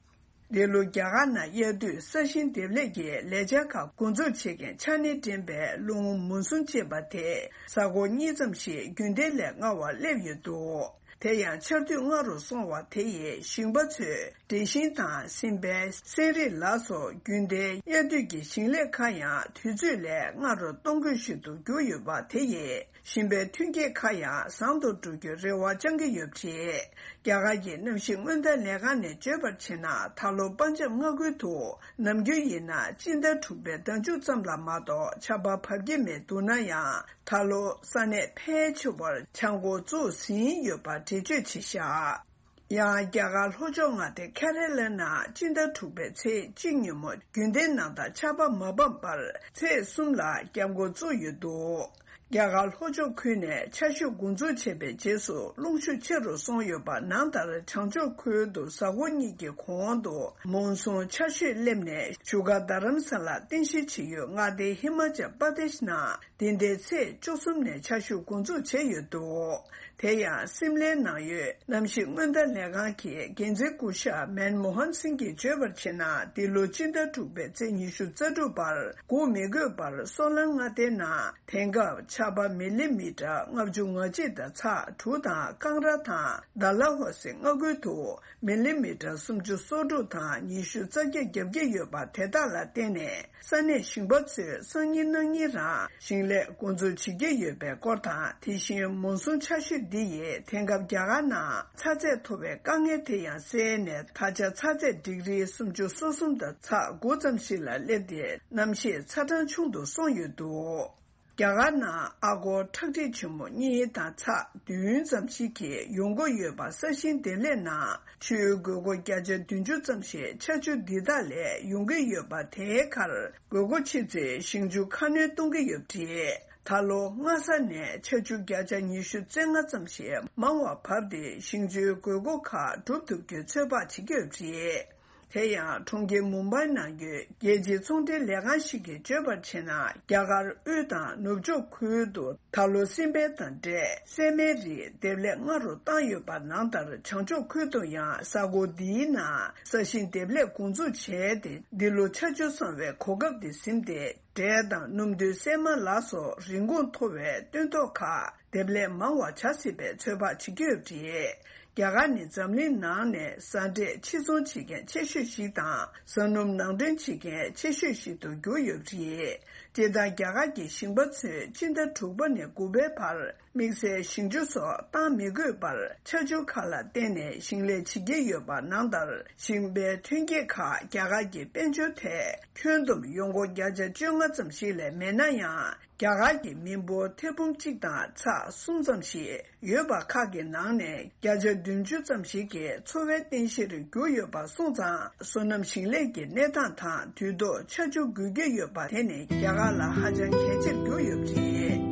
འདི་ལོ་རྒྱ་གར་ནང་དབྱར་དུས་ས་ཞིང་འདེབས་ལས་ཀྱི་ལས་འཆར་ཁག་འགོ་འཛུགས་བྱེད་མཁན་ཆར་ནས་འདྲེན་པའི་རླུང་མུན་སུམ་ཅེས་པ་དེ་གཟའ་འཁོར་གཉིས་ཙམ་ཞིག་རྒྱུན་ལྡན་ལས་སྔ་བར་སླེབས་ཡོད་འདུག། དེ་ཡང་ཆར་དུས་སྔ་རུ་སོང་བ་དེ་ཡིས་ཞིང་པ་ཚོས་འབྲས་ཞིང་དང་སྲན་པའི་སྲན་རིགས་ལ་སོགས་རྒྱུན་ལྡན་དབྱར་དུས་ཀྱི་ཞིང་ལས་ཁག་ཡང་དུས་ཚོད་ལས་སྔ་རུ་གཏོང་དགོས་ཞིག་ཏུ་གྱུར་ཡོད་པ་དེ་ཡིས་ཞིང་པའི་ཐོན་སྐྱེད་ཁག་ཡང་བཟང་དུ་འགྲོ་རྒྱུའི་རེ་བ་བཅང་གི་ཡོད་པ་རེད། རྒྱ་གར་གྱི་གནམ་གཤིས་སྔོན་བརྡ་ལས་ཁང་ནས་བརྗོད་པར་བྱས་ན། ད་ལོ་པ་འཇམ་མངའ་ཁུལ་དུ་ནམ་རྒྱུན་ཡིན་ན་སྤྱི་ཟླ་དྲུག་པའི་ཟླ་མཇུག་ཙམ་ལ་མ་གཏོགས་ཆར་པ་བབས་ཀྱི་མེད་འདུག་ན་ཡང་། ད་ལོ་ས་གནས་ཕལ་ཆེ་བར་ཆར་འགོ་བཙུགས་ཟིན་ཡོད་པ་འགྲེལ་བརྗོད་བྱས་བཞག། ཡང་རྒྱ་གར་ལྷོ་ཕྱོགས་མངའ་སྡེ་ཁེ་རེ་ལ་ནང་སྤྱི་ཟླ་དྲུག་པའི་ཚེས་གཅིག་ཉིན་མོ་རྒྱུན་ལྡན་ནང་ལྟར་ཆར་པ་མ་བབས་པར་ཚེས་གསུམ་ལ་བརྒྱབ་འགོ་བཙུགས་ཡོད་འདུག། རྒྱ་གར་ལྷོ་ཕྱོགས་ཁུལ་ནས་ཆར་ཞུན་འགོ་འཛུགས་བྱས་པའི་རྗེས་སུ་རླུང་ཤུགས་ཆེ་རུ་སོང་ཡོད་པ་ནང་ལྟར་བྱང་ཕྱོགས་ཁུལ་དུ་གཟའ་འཁོར་གཉིས་ཀྱི་གོང་དུ་མོན་སུན་ཆར་ཞུན་སླེབས་ནས་བཞུགས་སྒར་རྡ་རམ་ས་ལར་རྟེན་གཞི་བྱས་ཡོད་མངའ་སྡེ་ཧི་མ་ཅལ་པར་དེཤ་ནང་འདི་ཟླའི་ཚེས་བཅུ་གསུམ་ནས་ཆར་ཞུན་འགོ་འཛུགས་བྱས་ཡོད་འདུག། དེ་ཡང་སིམ་ལའི་ནང་ཡོད་གནམ་གཤིས་སྔོན་བརྡ་ལས་ཁང་གི་འགན་འཛིན་སྐུ་ཞབས་མན་མོ་ཧན་སིང་གིས་བརྗོད་པར་བྱས་ན། འདི་ལོ་སྤྱི་ཟླ་དྲུག་པའི་ཚེས་ཉི་ཤུ་རྩ་དྲུག་བར་སྒུག་མི་དགོས་པར་སོ་ལན་མངའ་སྡེའི་ནང་དེང་སྐབས་ཆར་པ་མི་ལི་མི་ཊར་ལྔ་བཅུ་ང་གཅིག་དང་ཚེག་དྲུག་དང་། ཀང་ར་དང་ཌལ་ཧོ་སི་མངའ་ཁུལ་དུ་མི་ལི་མི་ཊར་སུམ་ཅུ་སོ་དྲུག་དང་ཉི་ཤུ་རྩ་བརྒྱད་བརྒྱབ་ཀྱི་ཡོད་པ་དེ་དག་ལ་བརྟེན་ནས། ས་གནས་ཞིང་པ་ཚོས་སང་ཉིན་གནངས་ཉིན་རང་ཞིང་ལས་འགོ་འཛུགས་བྱེད་ཀྱི་ཡོད་པའི་སྐོར་དང་། དེ་བཞིན་མོན་སུན་ཆར་ཞུན་འདི་ཡིས་དེང་སྐབས་རྒྱ་གར་ནང་ཚ་ཚད་མཐོ་བའི་དཀའ་ངལ་དེ་ཡང་སེལ་ནས། ད་ཆ་ཚ་ཚད་ཌིག་རི་སུམ་ཅུ་སོ་གསུམ་དང་ཚེག་དགུ་ཙམ་ཞིག་ལ་སླེབས་ཏེ། གནམ་གཤིས་ཚ་གྲང་ཆུང་དུ་སོང་ཡོད་འདུག། རྒྱ་གར་ནང་ཨ་སྒོར་ཁྲག་ཁྲིག་ཆེན་མོ་གཉིས་དང་ཚེག་བདུན་ཙམ་ཞིག་གིས་ཡོང་སྒོ་ཡོད་པ་ས་ཞིང་འདེབས་ལས་ནང་ཆུའི་དགོས་མཁོ་བརྒྱ་ཆ་བདུན་ཅུ་ཙམ་ཞིག་ཆར་ཆུ་འདི་དག་ལས་ཡོང་གི་ཡོད་པ། དེའི་ཁར་དགོས་མཁོ་ཆེ་ཚེ་ཞིང་ཆུ་ཁ་སྣོན་གཏོང་གི་ཡོད་པ་རེད། ད་ལོ་སྔ་ས་ནས་ཆར་ཆུ་བརྒྱ་ཆ་ཉི་ཤུ་རྩ་ལྔ་ཙམ་ཞིག་མང་བ་བབས་ཏེ། ཞིང་ཆུའི་དགོས་མཁོ་ཁག་སྒྲུབ་ཐུབ་རྒྱུའི་ཚོད་དཔག་བྱེད་ཀྱི་ཡོད་པ་རེད། དེ་ཡང་གྲོང་ཁྱེར་མུམ་བྷའི་ནང་ཡོད་རྒྱལ་སྤྱིའི་ཚོང་འབྲེལ་ལས་ཁང་ཞིག་གིས་བརྗོད་པར་བྱས་ན། རྒྱ་གར་དབུས་དང་ནུབ་ཕྱོགས་ཁུལ་དུ་ད་ལོ་སྲིན་བལ་དང་འབྲས་སྲན་མའི་རིགས་འདེབས་ལས་སྔ་རུ་བཏང་ཡོད་པ་ནང་ལྟར། བྱང་ཕྱོགས་ཁུལ་དུ་ཡང་གཟའ་འཁོར་འདིའི་ནང་ས་ཞིང་འདེབས་ལས་འགོ་འཛུགས་བྱས་ཏེ། འདི་ལོ་ཆར་ཆུ་སོང་བའི་གོ་སྐབས་དེ་ཟིན་ཏེ། འབྲས་དང་སྣུམ་དུད་སྲན་མ་ལ་སོགས་རིན་གོང་མཐོ་བའི་སྟོན་ཐོག་ཁག་འདེབས་ལས་མང་བ་བྱ་སྲིད་པའི་ཚོད་དཔག་བྱེད་ཀྱི་ཡོད་པ་རེད། རྒྱ་གར་ནི་འཛམ་གླིང་ནང་ནས་ཟ་འབྲས་ཕྱིར་ཚོང་བྱེད་མཁན་ཆེ་ཤོས་ཤིག་དང་། ཟ་སྣུམ་ནང་འདྲེན་བྱེད་མཁན་ཆེ་ཤོས་ཤིག་ཏུ་གྱུར་ཡོད་པ་རེད། སྤྱིར་བཏང་རྒྱ་གར་གྱི་ཞིང་པ་ཚོས་སྤྱི་ཟླ་དྲུག་པ་ནས་དགུ་པའི་བར་དམིགས་བསལ་ཞིང་ཆུ་སོགས་བཏང་མི་དགོས་པར་ཆར་ཆུ་ཁག་ལ་བརྟེན་ནས་ཞིང་ལས་བྱེད་ཀྱི་ཡོད་པ་ནང་ལྟར། ཞིང་པའི་ཐོན་སྐྱེད་ཁག་རྒྱ་གར་གྱི་དཔལ་འབྱོར་ཐད་ཁྱོན་བསྡོམས་ཡོང་སྒོ་བརྒྱ་ཆ་བཅོ་ལྔ་ཙམ་ཞིག་ལས་མེད་ན་ཡང་། རྒྱ་གར་གྱི་མི་འབོར་ཐེར་འབུམ་གཅིག་དང་ཚེག་གསུམ་ཙམ་ཞིག་ཡོད་པ་ཁག་གི་ནང་ནས་བརྒྱ་ཆ་བདུན་ཅུ་ཙམ་ཞིག་གིས་འཚོ་བའི་རྟེན་གཞིར་གྱུར་ཡོད་པ་སོང་ཙང་། སོ་ནམ་ཞིང་ལས་ཀྱི་གནས་སྟངས་དང་དུས་ཐོག་ཆར་ཆུ་དགོས་ཀྱི་ཡོད་པ་དེ་ནི་རྒྱ་གར་ལ་ཧ་ཅང་གལ་ཆེར་གྱུར་ཡོད་པ་རེད།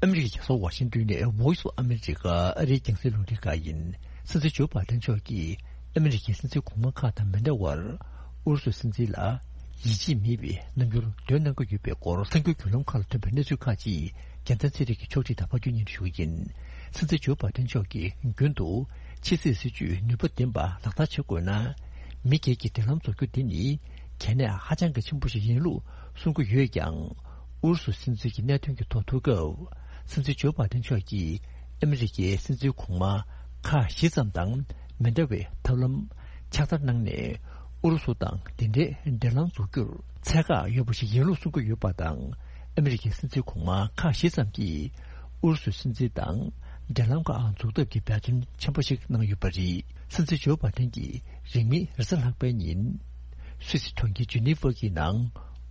ཨ་མི་རི་ཀའི་རྒྱལ་ས་ཝ་ཤིང་ཏོན་ནས་Voice of America ཨ་རིའི་རྒྱང་སྲིང་རླུང་འཕྲིན་ཁང་ཡིན། སྲིད་འཛིན་ཇོ་བྷའི་ཌེན་མཆོག་གིས་ཨ་མི་རི་ཀའི་སྲིད་འཛིན་གོང་མ་ཁག་དང་མི་འདྲ་བར། ཨུ་རུ་སུའི་སྲིད་འཛིན་ལ་ཡིད་ཆེས་མེད་པའི་རྣམ་འགྱུར་འདོན་གནང་གི་ཡོད་པའི་སྐོར་གསར་འགྱུར་བརྒྱུད་ལམ་ཁག་ལ་ཐོན་པའི་གནས་ཚུལ་ཁག་ཅིག་རྒྱལ་མཚན་ཚེ་རིང་གིས་ཕྱོགས་སྒྲིག་དང་ཕབ་སྒྱུར་སྙན་སྒྲོན་ཞུ་གི་ཡིན། སྲིད་འཛིན་ཇོ་བྷའི་ཌེན་མཆོག་གིས་རྒྱུན་དུ་ཕྱི་སྲིད་སྲིད་ཇུས་ནུས་པ་ལྡན་པ་ལག་བསྟར་བྱེད་དགོས་ན། མི་སྒེར་གྱི་འབྲེལ་ལམ་རྫོགས་རྒྱུ་འདི་ནི་གལ་གནད་ཧ་ཅང་གི་ཆེན་པོ་ཞིག་ཡིན་ལུགས་གསུང་གི་ཡོད་ཀྱང་། ཨུ་རུ་སུ་སྲིད་འཛིན་གྱི་གནད་དོན་གྱི་ཐོག་ཐུག་སྐབས། སྲིད་འཛིན་ཇོ་བྷའི་ཌེན་མཆོག་གིས་ཨ་མི་རི་ཀའི་སྲིད་འཛིན་གོང་མ་ཁག་བཞི་ཙམ་དང་མི་འདྲ་བའི་ཐབས་ལམ་ཕྱག་བསྟར་གནང་ནས། ཨུ་རུ་སུ་དང་འདི་འདྲའི་འབྲེལ་ལམ་འཛུགས་རྒྱུར་ཚད་བཀག་ཡོད་པ་ཞིག་ཡིན་ལུགས་གསུང་གི་ཡོད་པ་དང་། ཨ་མི་རི་ཀའི་སྲིད་འཛིན་གོང་མ་ཁག་བཞི་ཙམ་གྱིས་ཨུ་རུ་སུའི་སྲིད་འཛིན་དང་འབྲེལ་ལམ་ཁག་འཛུགས་ཐབས་ཀྱི་འབད་བརྩོན་ཆེན་པོ་ཞིག་གནང་ཡོད་པ་རེད། སྲིད་འཛིན་ཇོ་བྷའི་ཌེན་གྱིས་རིང་མིན་རེས་གཟའ་ལྷག་པའི་ཉིན། སུད་སི་གྲོང་ཁྱེར་ཇི་ནི་ཝ་གི་ནང་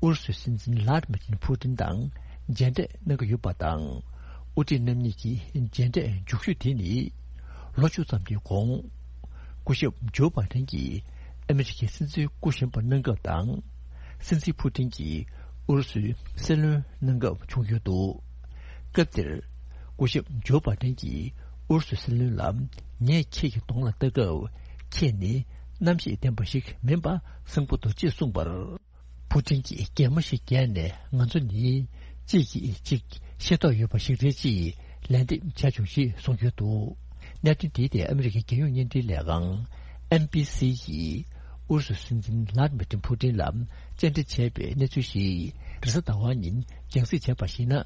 ཨུ་རུ་སུའི་སྲིད་འཛིན་ལྷ་ཌི་མི་ཏིན་ཕུ་ཏིན་དང་མཇལ་འཕྲད་གནང་གི་ཡོད་པ་དང་། དབུ་ཁྲིད་རྣམ་གཉིས་ཀྱི་མཇལ་འཕྲད་མཇུག་ཤོས་དེ་ནི། ལོ་བཅུ་ཙམ་གྱི་གོང་། སྐུ་ཞབས་ཇོ་བྷའི་ཌེན་གྱིས་ཨ་མི་རི་ཀའི་སྲིད་འཛིན་སྐུ་བཞེངས་པ་གནང་སྐབས་དང་། སྲིད་འཛིན་ཕུ་ཏིན་གྱིས་ཨུ་རུ་སུའི་སྲིད་བློན་གནང་སྐབས་བྱུང་ཡོད་འདུག་སྐབས་དེར། སྐུ་ཞབས་ཇོ་བྷའི་ཌེན་གྱིས་ཨུ་རུ་སུའི་སྲིད་བློན་ལ། ངས་ཁྱེད་ཀྱི་གདོང་ལ་ལྟ་སྐབས། ཁྱེད་ནི་རྣམ་ཤེས་ལྡན་པ་ཞིག་མིན་པ་གསལ་པོ་འདུག་ཅེས་གསུངས་པར། ཕུ་ཏིན་གྱིས་གད་མོ་ཞིག་བགད་ནས། ང་ཚོ་ནི་གཅིག་གིས་གཅིག་ཤེས་རྟོགས་ཡོད་པ་ཞིག་རེད་ཅེས་ལན་འདེབས་བྱས་བྱུང་ཞེས་གསུངས་ཡོད་འདུག་གནད་དོན་དེའི་ཐད་ཨ་མི་རི་ཀའི་རྒྱལ་ཡོངས་བརྙན་འཕྲིན་ལས་ཁང་། ཨེན་བྷི་སི་ཡིས་ཨུ་རུ་སུའི་སྲིད་འཛིན་ལྷ་ཌི་མི་ཏིན་ཕུ་ཏིན་ལ་བཅར་འདྲི་བྱས་པའི་གནས་ཚུལ་ཞིག་རེས་གཟའ་ཟླ་བ་ཉིན་རྒྱང་སྲིང་བྱས་པར་གཞིགས་ན།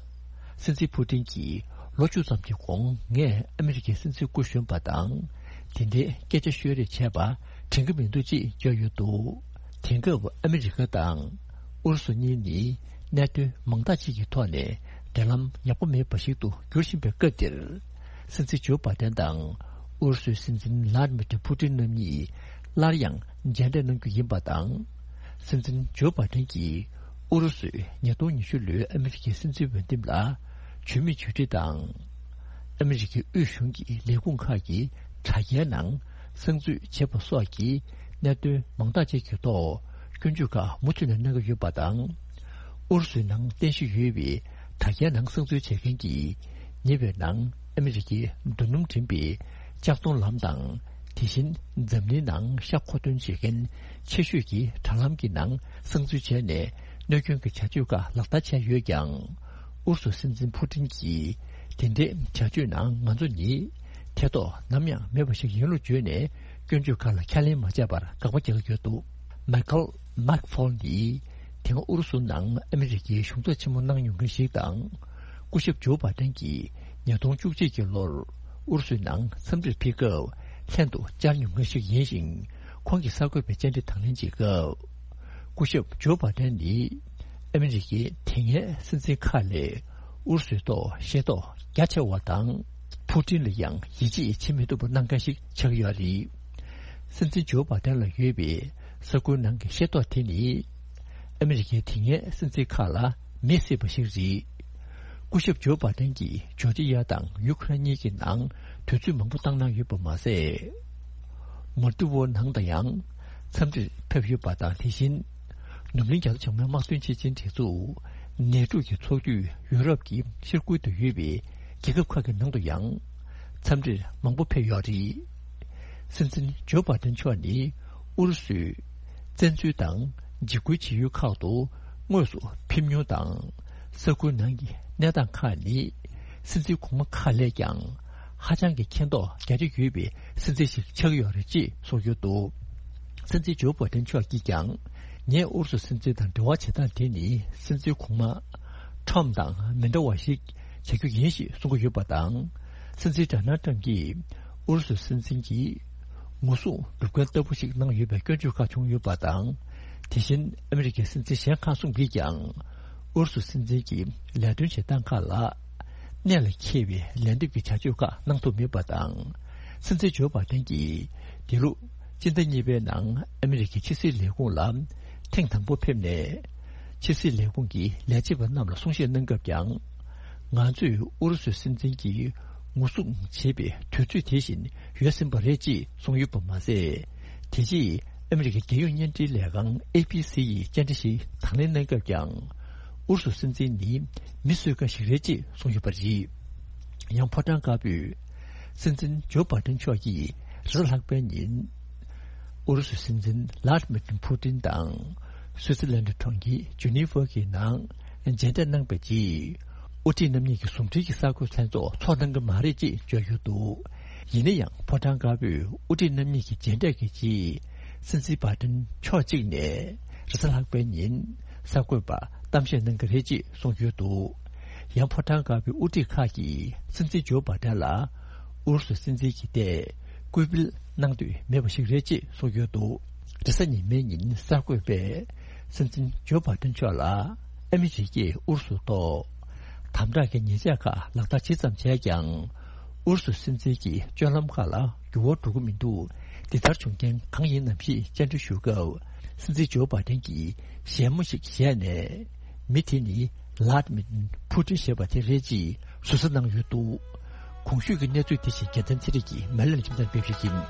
སྲིད་འཛིན་ཕུ་ཏིན་གྱིས་ལོ་བཅུ་ཙམ་གྱི་གོང་ངས་ཨ་མི་རི་ཀའི་སྲིད་འཛིན་སྐུ་གཞོན་པ་དང་། དེ་འདྲའི་སྐད་ཆ་ཤོད་རེས་བྱས་པ་དྲན་གྱི་མི་འདུག་ཅེས་བརྗོད་ཡོད་འདུག་དེང་སྐབས་ཨ་མི་རི་ཀ་དང་ཨུ་རུ་སུ་གཉིས་ནི་གནད་དོན་མང་དག་ཅིག་གི་ཐོག་ནས་འབྲེལ་ལམ་ཡག་པོ་མེད་པ་ཞིག་ཏུ་འགྱུར་བཞིན་པའི་སྐབས་འདིར། སྲིད་འཛིན་ཇོ་བྷའི་ཌེན་དང་ཨུ་རུ་སུའི་སྲིད་འཛིན་ལྷ་ཌི་མི་ཏྲི་ཕུ་ཏིན་རྣམ་གཉིས་སླར་ཡང་མཇལ་འཕྲད་གནང་རྒྱུ་ཡིན་པ་དང་། སྲིད་འཛིན་ཇོ་བྷའི་ཌེན་གྱིས་ཨུ་རུ་སུས་ཉིས་སྟོང་ཉི་ཤུ་ལོའི་ཨ་མི་རི་ཀའི་སྲིད་འཛིན་འོས་འདེམས་ལ་བྱུས་མེད་བྱུས་འབྲི་དང་། ཨ་མི་རི་ཀའི་དབུས་གཞུང་གི་ལས་ཁུངས་ཁག་གི་དྲ་རྒྱའི་ནང་གསང་འཛུལ་བྱས་པ་སོགས་ཀྱི་གནད་དོན་མང་དག་ཅིག་གི་ཐོག་སྐྱོན་བརྗོད་ཁག་མུ་མཐུད་ནས་གནང་གི་ཡོད་པ་དང་། ཨུ་རུ་སུའི་ནང་རྟེན་གཞི་ཡོད་པའི་དྲ་རྒྱའི་ནང་གསང་འཛུལ་བྱེད་མཁན་གྱིས་ཉེ་བའི་ནང་ཨ་མི་རི་ཀའི་རྡོ་སྣུམ་འདྲེན་པའི་ལྕགས་མཐོང་ལམ་དང་། དེ་བཞིན་འཛམ་གླིང་ནང་ཤ་མཁོ་འདོན་བྱེད་མཁན་ཆེ་ཤོས་ཀྱི་དྲ་ལམ་གྱི་ནང་གསང་འཛུལ་བྱས་ནས་གནོད་སྐྱོན་གྱི་བྱ་སྤྱོད་ཁག་ལག་བསྟར་བྱས་ཡོད་ཀྱང་། ཨུ་རུ་སུ་སྲིད་འཛིན་ཕུ་ཏིན་གྱིས་དེ་འདྲའི་བྱ་སྤྱོད་ནང་ང་ཚོ་ནི་ཐེ་གཏོགས་ནམ་ཡང་མེད་པ་ཞིག་ཡིན་ལུགས་བརྗོད་ནས་སྐྱོན་བརྗོད་ཁག་ལ་ཁས་ལེན་མ་བྱས་པར་དགག་པ་རྒྱག་གི་ཡོད་འདུག་མའི་ཁལ་མཱག་ཕོལ་ནི་དེ་སྔ་ཨུ་རུ་སུ་ནང་ཨ་མི་རི་ཀའི་གཞུང་ཚབ་ཆེན་མོ་གནང་མྱོང་མཁན་ཞིག་དང་། སྐུ་ཞབས་ཇོ་བྷའི་ཌེན་གྱིས་ཉིས་སྟོང་བཅུ་གཅིག་གི་ལོར་ཨུ་རུ་སུའི་ནང་འཚམས་འདྲིར་ཕེབས་སྐབས་ལྷན་དུ་བཅར་མྱོང་མཁན་ཞིག་ཡིན་ཞིང་། ཁོང་གིས་གསར་འགོད་པའི་བཅར་འདྲི་དང་ལེན་བྱེད་སྐབས། སྐུ་ཞབས་ཇོ་བྷའི་ཌེན་ནི་ཨ་མི་རི་ཀའི་དེ་སྔའི་སྲིད་འཛིན་ཁག་ལས་ཨུ་རུ་སུའི་ཐོག་ཤེས་རྟོགས་རྒྱ་ཆེ་བ་དང་། ཕུ་ཏིན་ལ་ཡང་ཡིད་ཆེས་བྱེད་མི་ཐུབ་པ་གནང་མཁན་ཞིག་ཆགས་ཡོད་རེད། སྲིད་འཛིན་ཇོ་བྷའི་ཌེན་ལ་ཡོད་པའི་ས་ཁུལ་ནང་གི་ཤེས་རྟོགས་དེ་ནི། ཨ་མི་རི་ཀའི་དེ་སྔའི་སྲིད་འཛིན་ཁག་ལ་མེད་སྲིད་པ་ཞིག་རེད། སྐུ་ཞབས་ཇོ་བྷའི་ཌེན་གྱིས་ཇོར་ཇི་ཡ་དང་ཡུ་ཁུ་རེན་གཉིས་ཀྱི་ནང་དུས་ཚོད་མང་པོ་བཏང་གནང་ཡོད་པ་མ་ཟད། མོལ་ཏི་ཝོ་ནང་དུ་ཡང་འཚམས་འདྲིར་ཕེབས་ཡོད་པ་དང་། དེ་བཞིན་ནུབ་གླིང་རྒྱ་མཚོ་བྱང་མའི་དམག་དོན་སྤྱི་ཆིངས་སྒྲིག་འཛུགས་ ནེ་ཊོ་གི་ཚོགས་འཐུས་ཡུ་རོབ་ཀྱི་ཤར་ཁུལ་དུ་ཡོད་པའི་རྒྱལ་ཁབ་ཁག་གི་ནང་དུ་ཡང་འཚམས་འདྲིར་མང་པོ་ཕེབས་ཡོད་རེད། སྲིད་འཛིན་ཇོ་བྷ་དན་མཆོག་ནི་ཨུ་རུ་སུའི་བཙན་འཛུལ་དང་འཇིགས་སྐུལ་བྱེད་ཡུལ་ཁག་ཏུ་དངོས་སུ་ཕེབས་མྱོང་དང་། ས་ཁུལ་ནང་གི་གནས་སྟངས་ཁག་ནི་སྲིད་འཛིན་གོང་མ་ཁག་ལས་ཀྱང་ཧ་ཅང་གི་མཁྱེན་རྟོགས་རྒྱ་ཆེ་ཡོད་པའི་སྲིད་འཛིན་ཞིག་ཆགས་ཀྱི་ཡོད་རེད་ཅེས་གསུངས་ཡོད་འདུག་སྲིད་འཛིན་ཇོ་བྷ་དན་མཆོག་གིས་ཀྱང་། ངས་ཨུ་རུ་སུ་སྲིད་འཛིན་དང་འབྲེལ་བ་བྱེད་སྟངས་དེ་ནི་སྲིད་འཛིན་གོང་མ་ཁྲོམ་དང་མི་འདྲ་བ་ཞིག་བྱ་རྒྱུ་ཡིན་ཞེས་གསུང་གི་ཡོད་པ་དང་། སྲིད་འཛིན་ཌོ་ནལ་ཁྲོམ་གྱིས་ཨུ་རུ་སུ་སྲིད་འཛིན་གྱི་ངོ་སྲུང་སྒྲུབ་མཁན་ལྟ་བུ་ཞིག་གནང་ཡོད་པའི་སྐྱོན་བརྗོད་ཁག་བྱུང་ཡོད་པ་དང་། དེ་བཞིན་ཨ་མི་རི་ཀའི་སྲིད་འཛིན་གཞན་ཁག་གསུམ་གྱིས་ཀྱང་ཨུ་རུ་སུ་སྲིད་འཛིན་གྱི་ལས་དོན་བྱེད་སྟངས་ཁག་ལ་གནད་ལ་འཁེལ་བའི་ལན་འདེབས་ཀྱི་བྱ་སྤྱོད་ཁག་གནང་ཐུབ་མེད་པ་དང་། སྲིད་འཛིན་ཇོ་བྷ་དན་གྱིས་འདི་ལོ་སྤྱི་ཟླ་གཉིས་པའི་ནང་ཨ་མི་རི་ཀའི་ཕྱི་སྲིད་ལས་ཁུངས་ལ་ཐེངས་དང་པོ་ཕེབས་ནས། ཕྱི་སྲིད་ལས་ཁུངས་ཀྱི་ལས་བྱེད་པ་རྣམས་ལ་གསུང་བཤད་གནང་སྐབས་ཀྱང་། ང་ཚོས་ཨུ་རུ་སུའི་སྲིད་འཛིན་གྱིས་ངོ་སྲུང་བྱེད་པའི་དུས་ཚོད་དེ་བཞིན་ཡོལ་ཟིན་པ་རེད་ཅེས་གསུངས་ཡོད་པ་མ་ཟད། དེ་རྗེས་ཨ་མི་རི་ཀའི་རྒྱལ་ཡོངས་བརྙན་འཕྲིན་ལས་ཁང་ཨེ་བྷི་སི་ཡིས་བཅར་འདྲི་ཞིག་དང་ལེན་གནང་སྐབས་ཀྱང་། ཨུ་རུ་སུ་སྲིད་འཛིན་ནི་མི་གསོད་མཁན་ཞིག་རེད་ཅེས་གསུངས་ཡོད་པ་རེད། ཡང་ཕོ་བྲང་དཀར་པོས་སྲིད་འཛིན་ཇོ་བྷ་དན་མཆོག་གིས་རེས་གཟའ་ལྷག་པའི་ཉིན་ཨུ་རུ་སུ་སྲིད་འཛིན་ལཱ་ཏི་མིར་ཕུ་ཏིན་དང་སུའུ་ཙི་ལན་ཌི་གྲོང་ཁྱེར་ཇུ་ནི་ཝར་གྱི་ནང་མཇལ་འཕྲད་གནང་པའི་རྗེས། དབུ་ཁྲིད་རྣམ་གཉིས་ཀྱི་ཟུང་འབྲེལ་གྱི་གསར་འགོད་ལྷན་ཚོགས་ཚོགས་གནང་གི་མ་རེད་ཅེས་བརྗོད་ཡོད་འདུག་ཡིན་ན་ཡང་ཕོ་བྲང་དཀར་པོས་དབུ་ཁྲིད་རྣམ་གཉིས་ཀྱི་མཇལ་འཕྲད་ཀྱི་རྗེས། སྲིད་འཛིན་བྷ་ཏན་ཕྱོགས་གཅིག་ནས་རེས་གཟའ་ལྷག་པའི་ཉིན་གསར་འགོད་པར་གཏམ་བཤད་གནང་གི་རེད་ཅེས་གསུངས་ཡོད་འདུག་ཡང་ཕོ་བྲང་དཀར་པོའི་དབུ་ཁྲིད་ཁག་གིས་སྲིད་འཛིན་ཇོ་བྷ་ཏན་ལ་ཨུ་རུ་སུ་སྲིད་འཛིན་གྱི་ཐད་སྐུལ་སྤེལ་གནང་འདོད་མེད་པ་ཞིག་རེད་ཅེས་གསུངས་ཡོད་འདུག་རེས་གཟའ་ཉི་མའི་ཉིན་གསར་འགོད་པས་སྲིད་འཛིན་ཇོ་བྷ་ཏན་མཆོག་ལ་ཨ་མི་རི་ཀས་ཨུ་རུ་སུ་ཐོག་དམ་དྲག་གི་ཉེས་ཆད་ཁག་ལག་བསྟར་ཇི་ཙམ་བྱས་ཀྱང་། ཨུ་རུ་སུ་སྲིད་འཛིན་གྱི་སྤྱོད་ལམ་ཁག་ལ་འགྱུར་བ་འགྲོ་གི་མི་འདུག་འདི་ལྟར་བྱུང་རྐྱེན་གང་ཡིན་ནམ་ཞེས་བཅར་འདྲི་ཞུ་སྐབས། སྲིད་འཛིན་ཇོ་བྷ་ཏན་གྱིས་ཞལ་མོ་ཞིག་བཞད་ནས། མི་དེ་ནི་ལཱ་ཏི་མིར་ཕུ་ཏིན་ཞེས་པ་དེ་རེད་ཅེས་ཟུར་ཟ་གནང་ཡོད་འདུག་གོང་ཞུས་ཀྱི་གནས་ཚུལ་དེ་བཞིན་རྒྱལ་མཚན་ཚེ་རིང་གིས་མེ་ལན་ཁྱིམ་ཚང་ཕེབས་ཤིག་ཡིན།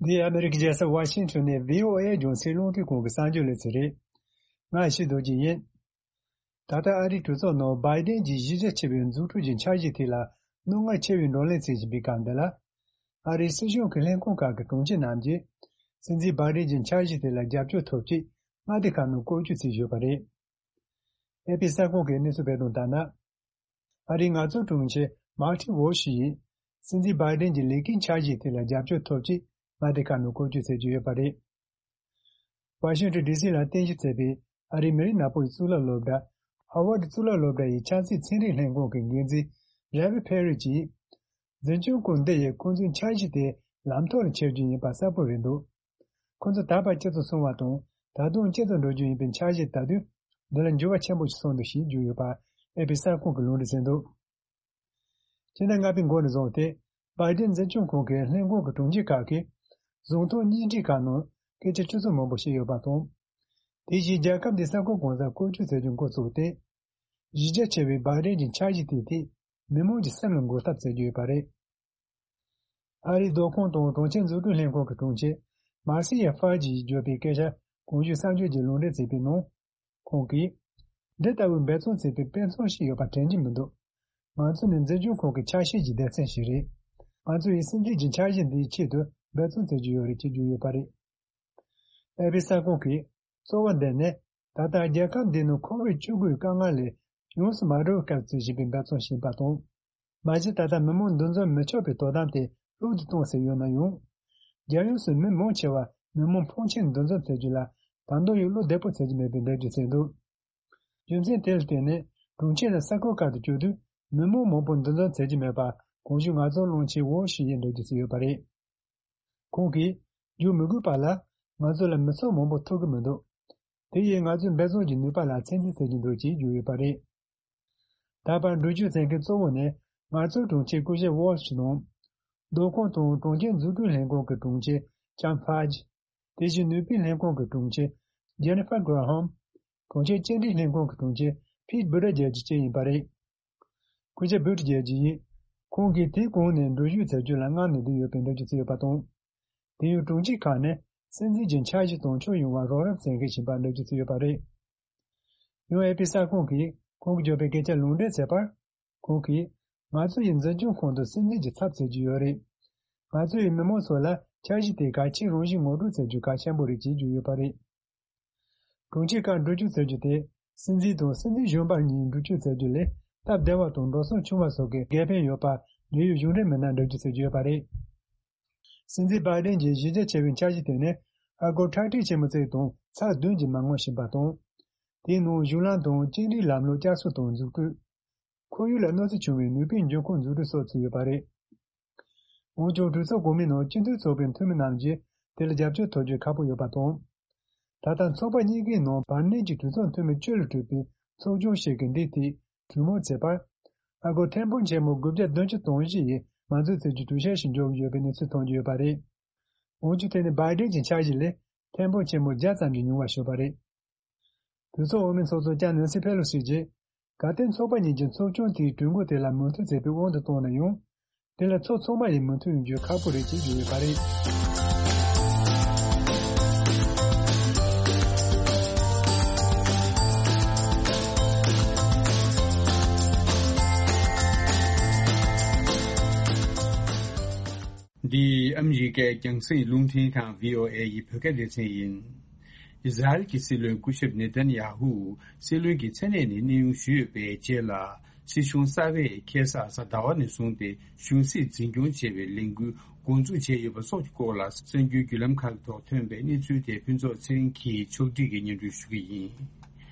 འདི་ཨ་མི་རི་ཀའི་རྒྱལ་ས་ཝ་ཤིང་ཊོན་ནས་བྷི་ཨོ་ཨེ་རྒྱང་སྲིང་རླུང་འཕྲིན་ཁང་གི་གསར་འགྱུར་ལེ་ཚན་རེད། ང་ཡེ་ཤེས་རྡོ་རྗེ་ཡིན། ད་ལྟ་ཨ་རིའི་གྲོས་ཚོགས་ནང་བྷའི་ཌེན་གྱི་གཞི་རྒྱ་ཆེ་བའི་འཛུགས་སྐྲུན་གྱི་འཆར་གཞི་དེ་ལ་རྣོ་ངར་ཆེ་བའི་བགྲོ་གླེང་བྱེད་བཞིན་པའི་སྐབས་འདི་ལ། ཨ་རིའི་སྲིད་གཞུང་གི་ལྷན་ཁང་ཁག་གི་དྲུང་ཆེ་རྣམས་ཀྱིས་སྲིད་འཛིན་བྷའི་ཌེན་གྱི་འཆར་གཞི་དེ་ལ་རྒྱབ་སྐྱོར་ཐོབ་ཆེད་མངའ་སྡེ་ཁག་ནང་བཀོད་སྒྲིག་བྱས་ཡོད་པ་རེད། ཨེ་པི་གསར་ཁང་གིས་གནས་ཚུལ་སྤེལ་དོན་ལྟར་ན། ཨ་རིའི་ངལ་རྩོལ་དྲུང་ཆེ་མར་ཏིན་ཝོལ་ཤི་ཡིས་སྲིད་འཛིན་བྷའི་ཌེན་གྱི་ལས་ཀའི་འཆར་གཞི་དེ་ལ་རྒྱབ་སྐྱོར་ཐོབ་ཆེད་མངའ་སྡེ་ཁག་ནང་བཀོད་སྒྲིག་བྱེད་ཀྱི་ཡོད་པ་རེད། ཝ་ཤིང་ཊོན་ཌི་སི་ལ་རྟེན་གཞི་བྱས་པའི་ཨ་རིའི་མི་རིགས་ནག་པོ་ཡི་གཙུག་ལག་སློབ་གྲྭ། ཧ་ཝར་ཌི་གཙུག་ལག་སློབ་གྲྭ་ཡི་ཆབ་སྲིད་ཚན་རིག་ལྷན་ཁང་གི་འགན་འཛིན་རེ་བྷི་ཕེ་རི་གྱིས། འཛིན་སྐྱོང་ཁང་འདི་ཡིས་ཁོང་ཚོའི་འཆར་གཞི་དེ་ལམ་ཐོག་ལ་འཁྱེར་རྒྱུ་ཡིན་པ་གསལ་པོ་རེད་འདུག་ཁོང་ཚོ་ད་བར་སྤྱི་ཚོགས་སྲུང་བ་དང་ད་དུང་སྤྱི་ཚོགས་འགྲོ་རྒྱུ་ཡིན་པའི་འཆར་གཞི་ད་དུས་འདི་ལ་འགྱུར་བ་ཆེན་པོ་ཞིག་སོང་འདུག་ཞེས་བརྗོད་ཡོད་པ་ཨེ་པི་གསར་ཁང་གིས་ལུང་འདྲེན་བྱས་འདུག་སྤྱི་ཟླ་ལྔ་པའི་འགོ་ནས་བཟུང་སྟེ་བྷའི་ཌེན་འཛིན་སྐྱོང་ཁང་གི་ལྷན་ཁང་གི་དྲུང་ཆེ་ཁག་གིས་གཟེངས་རྟགས་བརྙན་འཕྲིན་ཁག་ནང་སྐད་ཆ་ཆུ་ཚོད་མང་པོ་བཤད་ཡོད་པ་དང་། དེ་བཞིན་རྒྱལ་ཁབ་འདིའི་གསར་འགོད་གང་ཟག་བཀོལ་སྤྱོད་བྱེད་རྒྱུ་འགོ་བཙུགས་ཏེ། གཞི་རྒྱ་ཆེ་བའི་བྷའི་ཌེན་གྱི་འཆར་གཞི་དེའི་ཐད་མི་མང་གི་སེམས་ལ་འགོག་ཐབས་བྱེད་ཀྱི་ཡོད་པ་རེད། ཨ་རིའི་བདག་ཁོངས་དང་གྲོང་ཁྱེར་འཛུགས་སྐྲུན་ལྷན་ཁང་གི་དྲུང་ཆེ་མར་སི་ཡ་ཧྥ་ཇིས་བརྗོད་པའི་སྐད་ཆ་གོང་ཞུས་གསར་འགྱུར་གྱིས་ལུང་འདྲེན་བྱས་པའི་ནང་། ཁོང་གིས། འདི་ལྟ་བུའི་འབད་བརྩོན་བྱེད་པའི་དཔེ་མཚོན་ཞིག་ཡོད་པ་དྲན་གྱི་མི་འདུག་ང་ཚོ་ནི་འཛིན་སྐྱོང་ཁང་གི་ཆ་ཤས་ཀྱི་སྡེ་ཚན་ཞིག་རེད། ང་ཚོ་ཡིས་སྲིད་འཛིན་གྱི་འཆར་གཞི་འདིའི་ཆེད་དུ་འབད་བརྩོན་བྱེད་ཀྱི་ཡོད་རེད་ཅེས་བརྗོད་ཡོད་པ་རེད། ཨེ་པི་གསར་ཁང་གིས་གཙོ་བོ་འདི་ནི་ད་ལྟ་རྒྱལ་ཁབ་འདི་ནང་ཁོ་བིད་བཅུ་དགུ་ཡི་དཀའ་ངལ་ལས་ཡོངས་སུ་མ་གྲོལ་བའི་སྐབས་སུ་བྱེད་པའི་འབད་བརྩོན་ཞིག་ཡིན་པ་དང་། མ་གཞི་ད་ལྟ་མི་མང་འདུ་འཛོམས་མི་ཆོག་པའི་དོ་དམ་དེ་ལྷུག་ཏུ་གཏོང་སྲིད་ཡོད་ན་ཡང་། རྒྱལ་ཡོངས་སུ་མི་མང་ཆེ་བ་མི་མང་ཕོན་ཆེན་འདུ་འཛོམས་བྱེད་རྒྱུ་ལ་ད་དུང་ཡང་བློ་བདེ་པོ་བྱེད་ཀྱི་མེད་པའི་འགྲེལ་བརྗོད་བྱས་འདུག་རྒྱུ་མཚན་དེ་ལ་བརྟེན་ནས་གྲོང་ཁྱེར་དང་ས་ཁུལ་ཁག་ཏུ་བསྐྱོད་དུས་མི་མང་མང་པོ་འདུ་འཛོམས་བྱེད་ཀྱི་མེད་པ་གོང་ཞུས་ངལ་རྩོལ་སློང་ཆེན་ཝོ་ཞི་ཡིས་འགྲེལ་བརྗོད་བྱས་ཡོད་པ་རེད། ཁོང་གིས། བསྒྱུར་མི་དགོས་པ་ལ་ང་ཚོ་ལ་མི་ཚོགས་མང་པོ་ཐུག་གི་མི་འདུག་དེ་ཡིས་ང་ཚོའི་འབད་བརྩོན་གྱི་ནུས་པ་ལ་ཚད་འཛིན་བྱེད་ཀྱི་འདུག་ཅེས་བརྗོད་ཡོད་པ་རེད། ད་བར་འགྲུལ་སྐྱོད་མཛད་མཁན་གཙོ་བོ་ནི་ངལ་རྩོལ་དྲུང་ཆེ་སྐུ་ཞབས་ཝོལ་ཤི་དང་། བདག་ཁོངས་དང་གྲོང་ཁྱེར་འཛུགས་སྐྲུན་ལྷན་ཁང་གི་དྲུང་ཆེ་ཅམ་ཕཱ་ཇི། དེ་བཞིན་ནུས་པའི་ལྷན་ཁང་གི་དྲུང་ཆེ་ཇེ་ནི་ཧྥར་གྷ་ར་ཧམ། གྲོང་ཁྱེར་སྐྱེལ་འདྲེན་ལྷན་ཁང་གི་དྲུང་ཆེ་ཕིད་བྷུ་ཏི་ཇེ་ཇི་བཅས་ཡིན་པ་རེད། སྐུ་ཞབས་བྷུ་ཏི་ཇེ་ཇི་ཡིས། ཁོང་གིས་དེའི་གོང་ནས་འགྲུལ་བཞུད་བྱ་རྒྱུ་ལ་མངགས་ནས་བསྡད་ཡོད་པའི་འགྲེལ་བརྗོད་བྱས་ཡོད་པ་དང་། དེ་ཡང་དྲུང་ཆེ་ཁག་ནས་སྲིད་འཛིན་གྱི་འཆར་གཞི་དང་ཕྱོགས་ཡོངས་བ་རོགས་རམ་བྱེད་མཁན་ཡིན་པ་འགྲེལ་བརྗོད་བྱས་ཡོད་པ་རེད། ཡང་ཨེ་པི་གསར་ཁང་གིས་ཁོང་གིས་བརྗོད་པའི་སྐད་ཆ་ལུང་འདྲེན་བྱས་པར། ཁོང་གིས། ང་ཚོ་ཡི་འཛིན་སྐྱོང་ཁང་དུ་སྲིད་འཛིན་གྱི་ཚབ་བྱེད་ཀྱི་ཡོད་རེད། ང་ཚོ་ཡི་མི་མང་ཚོ་ལ་འཆར་གཞི་དེ་གལ་ཆེ་རང་བཞིན་ངོ་སྤྲོད་བྱེད་རྒྱུ་གལ་ཆེན་པོ་རེད་ཅེས་བརྗོད་ཡོད་པ་རེད། དྲུང་ཆེ་ཁག་འགྲུལ་སྐྱོད་བྱེད་རྒྱུ་དེ་སྲིད་འཛིན་དང་སྲིད་འཛིན་གཞོན་པ་གཉིས་འགྲུལ་སྐྱོད་བྱེད་རྒྱུ་ལས་སྟབས་བདེ་བ་དང་འགྲོ་སོང་ཆུང་བ་སོགས་ཀྱི་འགན་ཕན་ཡོད་པ་འབྲེལ་ཡོད་གཞུང་འབྲེལ་མི་སྣར་འགྲེལ་བརྗོད་བྱེད་ཀྱི་ཡོད་པ་རེད། སྲིད་འཛིན་བྷའི་ཌེན་གྱི་གཞི་རྒྱ་ཆེ་བའི་འཆར་གཞི་དེ་ནི་ཨ་སྒོར་ཁྲག་ཁྲིག་ཆེན་མོ་ཙམ་དང་ཚེག་བདུན་གྱི་མ་དངུལ་བྱིན་པ་དང་། དེའི་ནང་གཞུང་ལམ་དང་བཅིངས་འགྲོལ་ལམ་ལུགས་བསྐྱར་གསོ་དང་འཛུགས་སྐྲུན། ཁོར་ཡུག་ལ་གནོད་འཚེ་བྱུང་བའི་ནུས་པའི་འབྱུང་ཁུངས་འཛུགས་སྐྲུན་སོགས་ཚུད་ཡོད་པ་རེད། འོན་ཀྱང་གྲོས་ཚོགས་གོང་མའི་ནང་སྤྱི་འཐུས་ཚོགས་པའི་འཐུས་མི་རྣམས་ཀྱིས་དེ་ལ་རྒྱབ་སྐྱོར་ཐོབ་རྒྱུ་ཁག་པོ་ཡོད་པ་དང་། ད་ལྟ་ཚོགས་པ་གཉིས་ཀའི་ནང་བར་གནས་ཀྱི་གྲོས་ཚོགས་འཐུས་མི་བཅུ་ལ་གྲུབ་པའི་ཚོགས་ཆུང་ཞིག་གིས་འདིའི་ཐད་གྲོས་མོལ་བྱས་པར། ཨ་སྒོར་ཐེར་འབུམ་ཆེན་མོ་དགུ་བརྒྱ་བདུན་ཅུ་དོན་བཞི་ཡིས་མ་འཛུགས་ཚུད་རྒྱུའི་གྲོས་འཆར་ཞིག་འཇོག་གི་ཡོད་པའི་གནས་ཚུལ་ཐོན་གྱི་ཡོད་པ་རེད། འོན་ཀྱང་དེ་ནི་བྷའི་ཌེན་གྱི་འཆར་གཞི་ལས་ཐེར་འབུམ་ཆེན་མོ་བརྒྱ་ཙམ་གྱིས་ཉུང་བ་ཞིག་ཡོད་པ་རེད། གྲོས་ཚོགས་འོས་མི་ཚོགས་གཙོ་ལྕམ་ནན་སི་ཕེ་ལོ་སི་གྱིས། གལ་ཏེ་ཚོགས་པ་གཉིས་ཀྱིས་ཚོགས་ཆུང་དེའི་གྲོས་འགོ་དེ་ལ་མོས་མཐུན་བྱས་པའི་དབང་དུ་བཏང་ན་ཡང་། དེ་ལ་ཚོགས་ཚང་མ་ཡིས་མོས་མཐུན་ཡོང་རྒྱུ་ཁག་པོ་རེད་ཅེས་བརྗོད་ཡོད་པ་རེད། འདི་ཨ་མི་རི་ཀའི་རྒྱང་སྲིང་རླུང་འཕྲིན་ཁང་བྷི་ཨོ་ཨེ་ཡི་བོད་སྐད་སྡེ་ཚན་ཡིན། ཨི་ཟ་རེལ་གྱི་སྲིད་བློན་སྐུ་ཞབས་ནེ་ཐན་ཡ་ཧུ་སྲིད་བློན་གྱི་མཚན་གནས་ནས་གནས་དབྱུང་ཞུས་ཡོད་པའི་རྗེས་ལ། སྲིད་གཞུང་གསར་པས་ཁ་སང་གཟའ་ཟླ་བ་ནས་བཟུང་སྟེ་གཞུང་སྲིད་འཛིན་སྐྱོང་བྱེད་པའི་ལས་འགུལ་འགོ་འཛུགས་བྱས་ཡོད་པ་སོགས་ཀྱི་སྐོར་ལ་གསར་འགྱུར་བརྒྱུད་ལམ་ཁག་ཐོག་ཐོན་པའི་གནས་ཚུལ་དེ་ཕུན་ཚོགས་ཚེ་རིང་གིས་ཕྱོགས་སྒྲིག་གིས་སྙན་སྒྲོན་ཞུ་གི་ཡིན།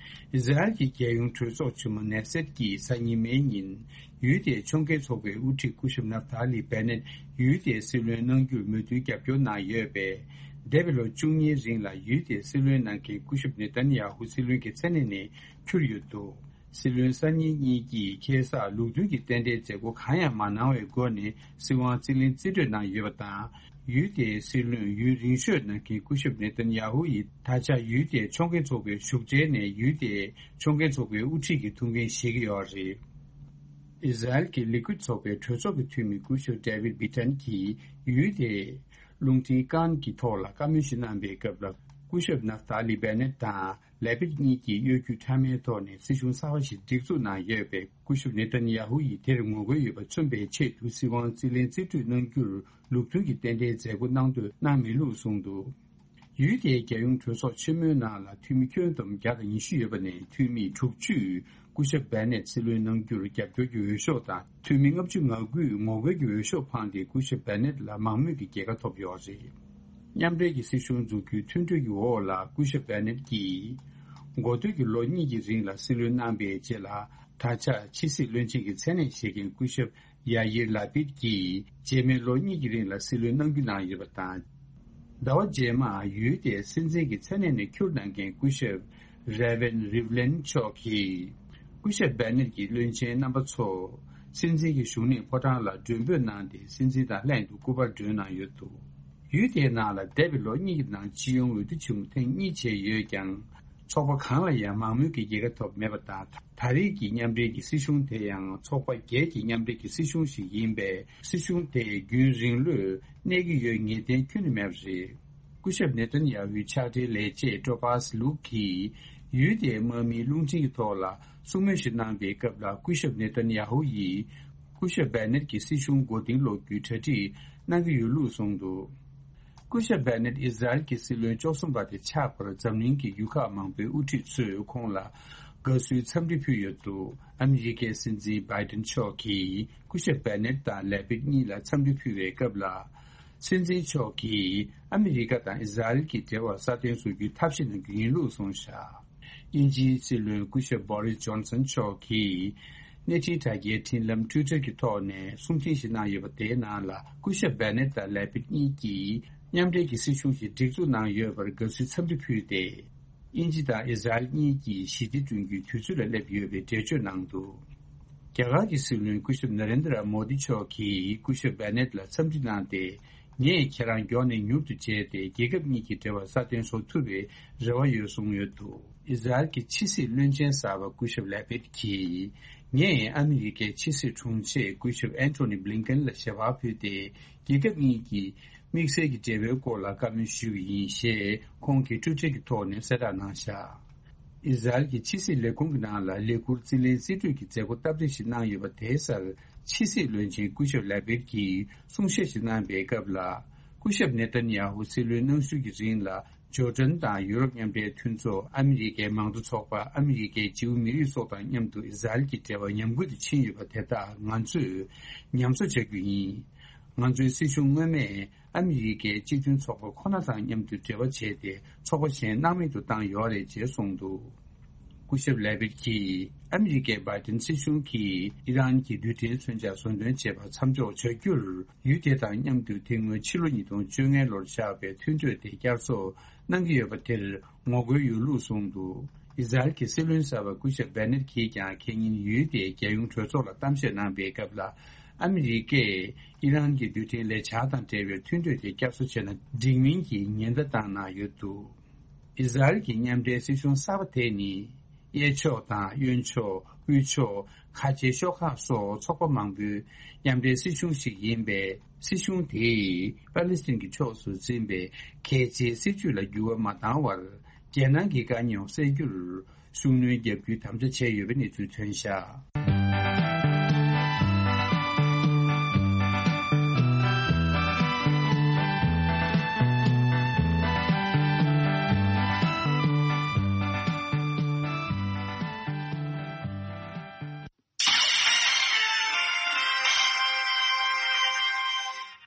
ཨི་ཟ་རེལ་གྱི་རྒྱལ་ཡོངས་གྲོས་ཚོགས་ཆེན་མོ་ནེ་སེད་ཀྱིས་གཟའ་ཉི་མའི་ཉིན། ཡུལ་དེའི་ཕྱོགས་འགལ་ཚོགས་པའི་དབུ་ཁྲིད་སྐུ་ཞབས་ནབ་ཐ་ལི་བེ་ནེད་ཡུལ་དེའི་སྲིད་བློན་གནང་རྒྱུར་མོས་མཐུན་རྒྱབ་སྐྱོར་གནང་ཡོད་པས། འདས་པའི་ལོ་བཅུ་གཉིས་རིང་ལ་ཡུལ་དེའི་སྲིད་བློན་གནང་མཁན་སྐུ་ཞབས་ནེ་ཐན་ཡ་ཧུ་སྲིད་བློན་གྱི་མཚན་གནས་ནས་འཁྱུར་ཡོད་འདུག་སྲིད་བློན་གསར་རྙིང་གཉིས་ཀྱིས་ཁ་སང་ལུགས་མཐུན་གྱི་རྟེན་འབྲེལ་མཛད་སྒོ་གང་ཡང་མ་གནང་བའི་སྒོ་ནས་སྲིད་དབང་རྩིས་ལེན་རྩིས་སྤྲོད་གནང་ཡོད་པ་དང་། ཡུལ་དེའི་སྲིད་བློན་ཡུན་རིང་ཤོས་གནང་མཁན་སྐུ་ཞབས་ནེ་ཐན་ཡ་ཧུ་ཡིས་ད་ཆ་ཡུལ་དེའི་ཕྱོགས་འགལ་ཚོགས་པའི་བཞུགས་གྲལ་ནས་ཡུལ་དེའི་ཕྱོགས་འགལ་ཚོགས་པའི་དབུ་ཁྲིད་ཀྱི་ཐུགས་འགན་བཞེས་ཀྱི་ཡོད་རེད། ཨི་ཟ་རེལ་གྱི་ལི་ཀུད་ཚོགས་པའི་གྲོས་ཚོགས་ཀྱི་འཐུས་མི་སྐུ་ཞབས་ཌེ་ཝིད་བྷི་ཊན་གྱིས་ཡུལ་དེའི་རླུང་འཕྲིན་ཀཱན་གྱི་ཐོག་ལ་བཀའ་མོལ་ཞིག་གནང་པའི་སྐབས་ལ། སྐུ་ཞབས་ནབ་ཐ་ལི་བེ་ནེད་དང་ལེ་པིད་གཉིས་ཀྱིས་གཡོ་སྒྱུ་ཕྲ་མའི་ཐོག་ནས་སྲིད་གཞུང་གསར་པ་ཞིག་སྒྲིག་འཛུགས་གནང་ཡོད་པས། སྐུ་ཞབས་ནེ་ཐན་ཡ་ཧུ་ཡིས་དེར་ངོ་རྒོལ་ཡོད་པ་མཚོན་པའི་ཆེད་དུ་སྲིད་དབང་རྩིས་ལེན་རྩིས་སྤྲོད་གནང་རྒྱུར་ལུགས་མཐུན་གྱི་རྟེན་འབྲེལ་མཛད་སྒོ་གནང་འདོད་གནང་མི་ལུགས་གསུངས་འདུག་ཡུལ་དེའི་རྒྱལ་ཡོངས་གྲོས་ཚོགས་ཆེན་མོའི་ནང་ལ་འཐུས་མི་ཁྱོན་བསྡོམས་བརྒྱ་དང་ཉི་ཤུ་ཡོད་པ་ནས་འཐུས་མི་དྲུག་ཅུས་སྐུ་ཞབས་བེ་ནེད་སྲིད་བློན་གནང་རྒྱུར་རྒྱབ་སྐྱོར་གྱི་འོས་ཤོག་དང་། འཐུས་མི་ལྔ་བཅུ་ང་དགུས་ངོ་རྒོལ་གྱི་འོས་ཤོག་འཕངས་ཏེ་སྐུ་ཞབས་བེ་ནེད་ལ་མང་མོས་ཀྱི་རྒྱལ་ཁ་ཐོབ་ཡོད་རེད། མཉམ་འབྲེལ་གྱི་སྲིད་གཞུང་འཛུགས་རྒྱུའི་མཐུན་གྲོས་ཀྱི་འོག་ལ་སྐུ་ཞབས་བེ་ནེད་ཀྱིས། འགོ་སྟོད་ཀྱི་ལོ་གཉིས་ཀྱི་རིང་ལ་སྲིད་བློན་གནང་པའི་རྗེས་ལ། ད་ཆ་ཕྱི་སྲིད་བློན་ཆེན་གྱི་མཚན་གནས་བཞེས་མཁན་སྐུ་ཞབས་ཡ་ཡིར་ལ་པིད་ཀྱིས་རྗེས་མའི་ལོ་གཉིས་ཀྱི་རིང་ལ་སྲིད་བློན་གནང་རྒྱུ་གནང་ཡོད་པ་དང་། ཟླ་བ་རྗེས་མར་ཡུལ་དེའི་སྲིད་འཛིན་གྱི་མཚན་གནས་ནས་འཁྱུར་གནང་མཁན་སྐུ་ཞབས་རེ་ཝན་རིབ་ལན་མཆོག་གིས། སྐུ་ཞབས་བེ་ནེད་ཀྱི་བློན་ཆེན་རྣམ་པ་ཚོ་སྲིད་འཛིན་གྱི་བཞུགས་གནས་ཕོ་བྲང་ལ་མགྲོན་འབོད་གནང་སྟེ་སྲིད་འཛིན་དང་ལྷན་དུ་སྐུ་པར་སྒྲོན་གནང་ཡོད་འདུག་ཡུལ་དེའི་ནང་ལ་འདས་པའི་ལོ་གཉིས་ཀྱི་ནང་སྤྱི་ཡོངས་འོས་བསྡུ་ཆེན་མོ་ཐེངས་གཉིས་བྱས་ཡོད་ཀྱང་། ཚོགས་པ་གང་ལ་ཡང་མང་མོས་ཀྱི་རྒྱལ་ཁ་ཐོབ་མེད་པ་དང་། ད་རེས་ཀྱི་མཉམ་འབྲེལ་གྱི་སྲིད་གཞུང་དེ་ཡང་ཚོགས་པ་བརྒྱད་ཀྱི་མཉམ་འབྲེལ་གྱི་སྲིད་གཞུང་ཞིག་ཡིན་པས། སྲིད་གཞུང་དེ་རྒྱུན་རིང་ལོས་གནས་ཀྱི་ཡོད་ངེས་གཏན་ཁྱོན་ནས་མེད་པ་རེད། སྐུ་ཞབས་ནེ་ཐན་ཡ་ཧུའི་ཕྱག་སྦྲེལ་ལས་བྱེད་ཀྲོ་པཱས་ལུག་གིས་ཡུལ་དེའི་དམག་མིའི་རླུང་འཕྲིན་གྱི་ཐོག་ལ་གསུང་མོལ་ཞིག་གནང་པའི་སྐབས་ལ། སྐུ་ཞབས་ནེ་ཐན་ཡ་ཧུ་ཡིས་སྐུ་ཞབས་བེ་ནེད་ཀྱི་སྲིད་གཞུང་མགོ་རྟིང་སློག་རྒྱུའི་གྲ་སྒྲིག་གནང་གི་ཡོད་ལུགས་གསུངས་འདུག་སྐུ་ཞབས་བེ་ནེད་ཨི་ཟ་རེལ་གྱི་སྲིད་བློན་བཅུ་གསུམ་པ་དེ་ཆགས་པར་འཛམ་གླིང་གི་ཡུལ་ཁག་མང་པོའི་དབུ་ཁྲིད་ཚོས་ཁོང་ལ་དགའ་བསུའི་འཚམས་འདྲི་ཕུལ་ཡོད་འདུག་ཨ་མི་རི་ཀའི་སྲིད་འཛིན་བྷའི་ཏིན་མཆོག་གིས་སྐུ་ཞབས་བེ་ནེད་དང་ལེ་པིད་གཉིས་ལ་འཚམས་འདྲི་ཕུལ་བའི་སྐབས་ལ། སྲིད་འཛིན་མཆོག་གིས་ཨ་མི་རི་ཀ་དང་ཨི་ཟ་རེལ་གྱི་འབྲེལ་བ་སྲ་བརྟན་བཟོ་རྒྱུའི་ཐབས་ཤེས་གནང་རྒྱུ་ཡིན་ལུགས་གསུངས་བཞག་དབྱིན་ཇིའི་སྲིད་བློན་སྐུ་ཞབས་བྷོ་རིས་ཇོན་སན་མཆོག་གིས་གནས་འཕྲིན་དྲ་རྒྱའི་འཕྲིན་ལམ་ཊུའི་ཊར་གྱི་ཐོག་ནས་གསུང་འཕྲིན་ཞིག་གནང་ཡོད་པ། དེའི་ནང་ལ་སྐུ་ཞབས་བེ་ནེད་དང་ལེ་པིད་གཉིས་ཀྱིས་མཉམ་འབྲེལ་གྱི་སྲིད་གཞུང་ཞིག་སྒྲིག་འཛུགས་གནང་ཡོད་པར་དགའ་བསུའི་འཚམས་འདྲི་ཕུལ་ཏེ། དབྱིན་ཇི་དང་ཨི་ཟ་རེལ་གཉིས་ཀྱིས་ཞི་བདེ་བསྐྲུན་རྒྱུའི་དུས་ཚོད་ལ་སླེབས་ཡོད་པའི་འགྲེལ་བརྗོད་གནང་འདུག་རྒྱ་གར་གྱི་སྲིད་བློན་སྐུ་ཞབས་ནཱ་རེན་དྲ་མོ་དི་མཆོག་གིས་སྐུ་ཞབས་བེ་ནེད་ལ་འཚམས་འདྲི་གནང་སྟེ། ངས་ཁྱེད་རང་མགྱོགས་ནས་མྱུར་དུ་མཇལ་ཏེ། རྒྱལ་ཁབ་གཉིས་ཀྱི་འབྲེལ་བ་སྲ་བརྟན་བཟོ་ཐུབ་པའི་རེ་བ་ཡོད་གསུངས་ཡོད་འདུག་ཨི་ཟ་རེལ་གྱི་ཕྱི་སྲིད་བློན་ཆེན་གསར་པ་སྐུ་ཞབས་ལེ་པིད་ཀྱིས། ངས་ཨ་མི་རི་ཀའི་ཕྱི་སྲིད་དྲུང་ཆེ་སྐུ་ཞབས་ཨན་ཐོ་ནི་བྷི་ལིན་ཀེན་ལ་ཞལ་པར་ཕུལ་ཏེ། རྒྱལ་ཁབ་གཉིས་ཀྱི་དམིགས་བསལ་གྱི་འབྲེལ་བའི་སྐོར་ལ་བཀའ་མོལ་ཞུས་པ་ཡིན་ཞེས་ཁོང་གིས་ཊུའི་ཊར་གྱི་ཐོག་ནས་གསལ་བསྒྲགས་གནང་བཞག་ཨི་ཟ་རེལ་གྱི་ཕྱི་སྲིད་ལས་ཁུངས་ཀྱི་ནང་ལ་ལས་ཁུར་རྩིས་ལེན་རྩིས་སྤྲོད་ཀྱི་མཛད་སྒོ་སྟབས་བདེ་ཞིག་གནང་ཡོད་པ་དེའི་སར། ཕྱི་སྲིད་བློན་ཆེན་སྐུ་ཞབས་ལེ་པིད་ཀྱིས་གསུང་བཤད་ཞིག་གནང་པའི་སྐབས་ལ། སྐུ་ཞབས་ནེ་ཐན་ཡ་ཧུ་སྲིད་བློན་གནང་ཤུལ་གྱི་རིང་ལ། ཇོར་ཌན་དང་ཡུ་རོབ་མཉམ་འབྲེལ་མཐུན་ཚོགས། ཨ་མི་རི་ཀའི་མང་གཙོ་ཚོགས་པ། ཨ་མི་རི་ཀའི་ཇིའུ་མི་རིགས་སོགས་དང་མཉམ་དུ་ཨི་ཟ་རེལ་གྱི་འབྲེལ་བ་ཉམས་རྒུད་དུ་ཕྱིན་ཡོད་པ་དེ་དག་ང་ཚོས་ཉམས་གསོ་བྱ་རྒྱུ་ཡིན། ང་ཚོའི་སྲིད་གཞུང་སྔོན་མས་ཨ་མི་རི་ཀའི་སྤྱི་མཐུན་ཚོགས་པ་ཁོ་ན་དང་མཉམ་དུ་འབྲེལ་བ་བྱས་ཏེ། ཚོགས་པ་གཞན་སྣང་མེད་དུ་བཏང་ཡོད་རེད་ཅེས་གསུངས་འདུག་སྐུ་ཞབས་ལེ་བིད་ཀྱིས། ཨ་མི་རི་ཀའི་བྷའི་ཏིན་སྲིད་གཞུང་གིས་ཨི་རན་གྱི་རྡུལ་ཕྲན་མཚོན་ཆ་བཟོ་འདོན་བྱེད་པར་མཚམས་འཇོག་བྱ་རྒྱུར། ཡུལ་དེ་དང་མཉམ་དུ་དེ་སྔོན་ཕྱི་ལོ་ཉིས་སྟོང་བཅོ་ལྔ་ལོར་བཞག་པའི་མཐུན་གྲོས་དེ་བསྐྱར་གསོ་གནང་གི་ཡོད་པ་དེར་ངོ་རྒོལ་ཡོད་ལུགས་གསུངས་འདུག་ཨི་ཟ་རེལ་གྱི་སྲིད་བློན་གསར་པ་སྐུ་ཞབས་བེ་ནེད་གྱིས་ཀྱང་ཁེ་ཉིན་ཡུལ་དེའི་རྒྱལ་ཡོངས་གྲོས་ཚོགས་ལ་གཏམ་བཤད་གནང་པའི་སྐབས་ལ། ཨ་མི་རི་ཀས་ཨི་རན་གྱི་རྡུལ་ཕྲན་ལས་འཆར་དང་འབྲེལ་བའི་མཐུན་གྲོས་དེ་བསྐྱར་གསོ་བྱས་ན་འགྲིག་མིན་གྱི་ཉེན་བརྡ་བཏང་གནང་ཡོད་འདུག་ཨི་ཟ་རེལ་གྱི་མཉམ་འབྲེལ་སྲིད་གཞུང་གསར་པ་དེ་ནི། གཡས་ཕྱོགས་དང་གཡོན་ཕྱོགས། དབུས་ཕྱོགས། ཁ་ཆེ་ཤོག་ཁག་སོགས་ཚོགས་པ་མང་པོའི་མཉམ་འབྲེལ་སྲིད་གཞུང་ཞིག་ཡིན་པས། སྲིད་གཞུང་དེས་པ་ལི་སི་ཐན་གྱི་ཕྱོགས་སུ་འཛིན་པའི་གལ་ཆེའི་སྲིད་ཇུས་ལ་འགྱུར་བ་མ་བཏང་བར། རྒྱལ་ནང་གི་དཀའ་རྙོག་སེལ་རྒྱུར་ཤུགས་སྣོན་བརྒྱབ་རྒྱུའི་དམ་བཅའ་བྱས་ཡོད་པའི་གནས་ཚུལ་ཐོན་བཞག་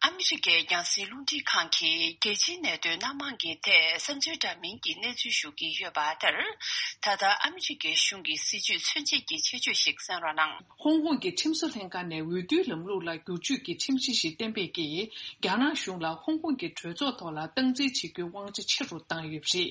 ཨ་མི་རི་ཀའི་རྒྱང་སྲིང་རླུང་འཕྲིན་ཁང་གིས་རྒྱལ་སྤྱིའི་གནད་དོན་སྣ་མང་གི་ཐད་བསམ་ཚུལ་འདྲ་མིན་གྱི་གནས་ཚུལ་ཞུ་གི་ཡོད་པ་ལྟར། ད་ལྟ་ཨ་མི་རི་ཀའི་གཞུང་གི་སྲིད་ཇུས་མཚོན་བྱེད་ཀྱི་ཆེད་བརྗོད་ཞིག་གསན་རོགས་གནང་། ཧོང་ཀོང་གི་ཁྲིམས་བཟོ་ལྷན་ཁང་ནས་འོས་བསྡུའི་ལམ་ལུགས་ལ་བསྒྱུར་བཅོས་ཀྱི་ཁྲིམས་གཞི་ཞིག་གཏན་འབེབས་ཀྱིས། རྒྱ་ནག་གཞུང་ལ་ཧོང་ཀོང་གི་གྲོས་ཚོགས་ཐོག་ལ་སྟངས་འཛིན་བྱེད་རྒྱུའི་དབང་ཆ་ཆེ་རུ་བཏང་ཡོད་པ་རེད།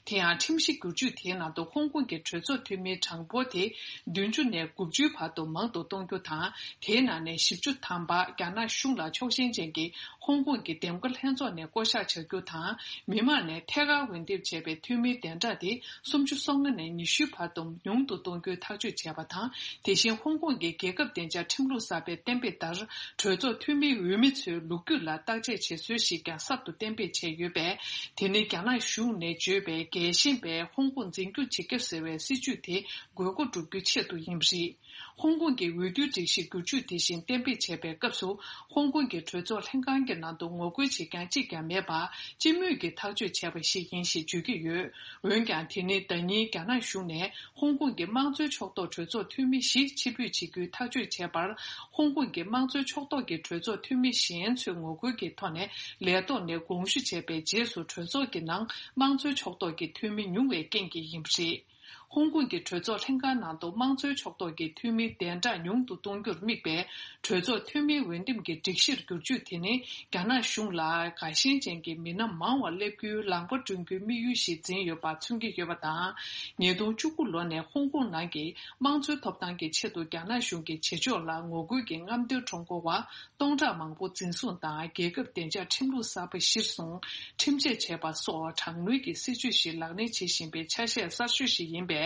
དེ་ཡང་ཁྲིམས་གཞི་བསྒྱུར་བཅོས་དེའི་ནང་དུ་ཧོང་ཀོང་གི་གྲོས་ཚོགས་འཐུས་མིའི་གྲངས་འབོར་དེ་བདུན་ཅུ་ནས་དགུ་བཅུའི་བར་དུ་མང་དུ་གཏོང་རྒྱུ་དང་། དེའི་ནང་ནས་བཞི་བཅུ་ཐམ་པ་རྒྱ་ནག་གཞུང་ལ་ཕྱོགས་ཞེན་ཅན་གྱི་ཧོང་ཀོང་གི་འདེམས་བསྐོ་ལྷན་ཚོགས་ནས་བསྐོ་གཞག་བྱ་རྒྱུ་དང་། མི་མང་ནས་ཐད་ཀར་འོས་འདེམས་བྱས་པའི་འཐུས་མིའི་གདན་གྲངས་དེ་སུམ་ཅུ་སོ་ལྔ་ནས་ཉི་ཤུའི་བར་དུ་ཉུང་དུ་གཏོང་རྒྱུའི་ཐག་གཅོད་བྱས་པ་དང་། དེ་བཞིན་ཧོང་ཀོང་གི་རྒྱལ་ཁབ་བདེ་འཇགས་ཁྲིམས་ལུགས་གསར་པའི་གཏན་འབེབས་ལྟར། གྲོས་ཚོགས་འཐུས་མིའི་འོས་མི་ཚོའི་ལོ་རྒྱུས་ལ་བརྟག་དཔྱད་བྱེད་སྲོལ་ཞིག་ཀྱང་གསར་དུ་གཏན་འབེབས་བྱས་ཡོད་པས། དེ་ནི་རྒྱ་ནག་གཞུང་ནས་བརྗོད་པའི་རྒྱལ་ཞེན་པས་ཧོང་ཀོང་འཛིན་སྐྱོང་བྱེད་རྒྱུ་ཟེར་བའི་སྲིད་ཇུས་དེ་དགོས་མཁོ་བསྒྲུབ་རྒྱུའི་ཆེད་དུ་ཡིན་པ་རེད། ཧོང་ཀོང་གི་འོས་བསྡུའི་སྒྲིག་གཞི་བསྒྱུར་བཅོས་དེ་བཞིན་གཏན་འབེབས་བྱས་པའི་སྐབས་སུ། ཧོང་ཀོང་གི་གྲོས་ཚོགས་ལྷན་ཁང་གི་ནང་དུ་ངོ་རྒོལ་བྱེད་མཁན་གཅིག་ཀྱང་མེད་པར། སྤྱི་མོས་ཀྱིས་ཐག་གཅོད་བྱས་པ་ཞིག་ཡིན་ཞེས་བརྗོད་ཀྱི་ཡོད། འོན་ཀྱང་། དེ་ནི་ཟླ་ཉིན་རྒྱ་ནག་གཞུང་ནས་ཧོང་ཀོང་གི་དམངས་གཙོའི་ཕྱོགས་གཏོགས་གྲོས་ཚོགས་འཐུས་མི་བཞི་ཕྱིར་འབུད་བྱེད་རྒྱུའི་ཐག་གཅོད་བྱས་པར། ཧོང་ཀོང་གི་དམངས་གཙོའི་ཕྱོགས་གཏོགས་ཀྱི་གྲོས་ཚོགས་འཐུས་མི་གཞན་ཚོས་ངོ་རྒོལ་གྱི་ཐོག་ནས་ལས་ཐོག་ནས་དགོངས་ཞུ་བྱས་པའི་རྗེས་སུ། གྲོས་ཚོགས་ཀྱི་ནང་དམངས་གཙོའི་ཕྱོགས་གཏོགས་ཀྱི་འཐུས་མི་ཉུང་བའི་རྐྱེན་གྱིས་ཡིན་པ་རེད། ཧོང་ཀོང་གི་གྲོས་ཚོགས་ལྷན་ཁང་ནང་དུ་དམངས་གཙོའི་ཕྱོགས་གཏོགས་ཀྱི་འཐུས་མིའི་གདན་གྲངས་ཉུང་དུ་གཏོང་རྒྱུར་དམིགས་པའི་གྲོས་ཚོགས་འཐུས་མིའི་འོས་འདེམས་ཀྱི་སྒྲིག་གཞིར་བསྒྱུར་བཅོས་དེ་ནི། རྒྱ་ནག་གཞུང་ལ་དགའ་ཞེན་ཅན་གྱི་མི་སྣ་མང་བ་སླེབས་རྒྱུའི་ལམ་ཁ་བསྐྲུན་རྒྱུའི་དམིགས་ཡུལ་ཞིག་འཛིན་ཡོད་པ་མཚོན་གྱི་ཡོད་པ་དང་། ཉིས་སྟོང་བཅུ་དགུ་ལོ་ནས་ཧོང་ཀོང་ནང་གི་དམངས་གཙོའི་ཐོབ་ཐང་གི་ཆེད་དུ་རྒྱ་ནག་གཞུང་གི་བྱེད་ཕྱོགས་ལ་ངོ་རྒོལ་གྱི་རྔམ་སྟོན་ཁྲོམ་སྐོར་བ་སྟོང་ཕྲག་མང་པོ་འཛིན་བཟུང་དང་། རྒྱལ་ཁབ་བདེ་འཇགས་ཁྲིམས་ལུགས་གསར་པ་གཞིར་བཟུང་ཁྲིམས་ཆད་བྱས་པ་སོགས་དྲག་གནོན་གྱི་སྲིད་ཇུས་ཤིག་ལག་ལེན་བྱེད་བཞིན་པའི་ཆ་ཤས་གསར་ཤོས་ཤིག་ཡིན་པས།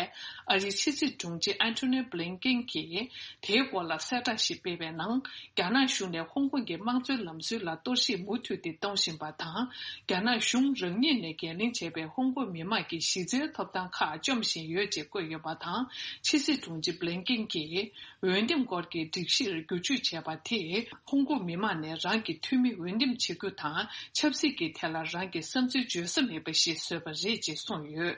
ཨ་རིའི་ཕྱི་སྲིད་དྲུང་ཆེ་ཨན་ཐོ་ནི་བྷི་ལིན་ཀེན་གྱིས་དེའི་སྐོར་ལ་གསལ་བསྒྲགས་ཤིག་སྤེལ་བའི་ནང་། རྒྱ་ནག་གཞུང་ནས་ཧོང་ཀོང་གི་དམངས་གཙོའི་ལམ་སྲོལ་ལ་གཏོར་བཤིག་མུ་མཐུད་དེ་གཏོང་བཞིན་པ་དང་། རྒྱ་ནག་གཞུང་རང་ཉིད་ནས་འགན་ལེན་བྱས་པའི་ཧོང་ཀོང་མི་དམངས་ཀྱི་གཞི་རྩའི་ཐོབ་ཐང་ཁག་བཅོམ་བཞིན་ཡོད་ཅེས་བཀོད་ཡོད་པ་དང་། ཕྱི་སྲིད་དྲུང་ཆེ་བྷི་ལིན་ཀེན་གྱིས། འོས་འདེམས་སྐོར་གྱི་སྒྲིག་གཞིར་བསྒྱུར་བཅོས་བྱས་པ་དེས། ཧོང་ཀོང་མི་མང་ནས་རང་གི་འཐུས་མི་འོས་འདེམས་བྱེད་རྒྱུ་དང་། ཆབ་སྲིད་ཀྱི་ཐད་ལ་རང་གི་བསམ་ཚུལ་བརྗོད་ས་མེད་པ་ཞིག་བཟོས་པ་རེད་ཅེས་གསུངས་ཡོད།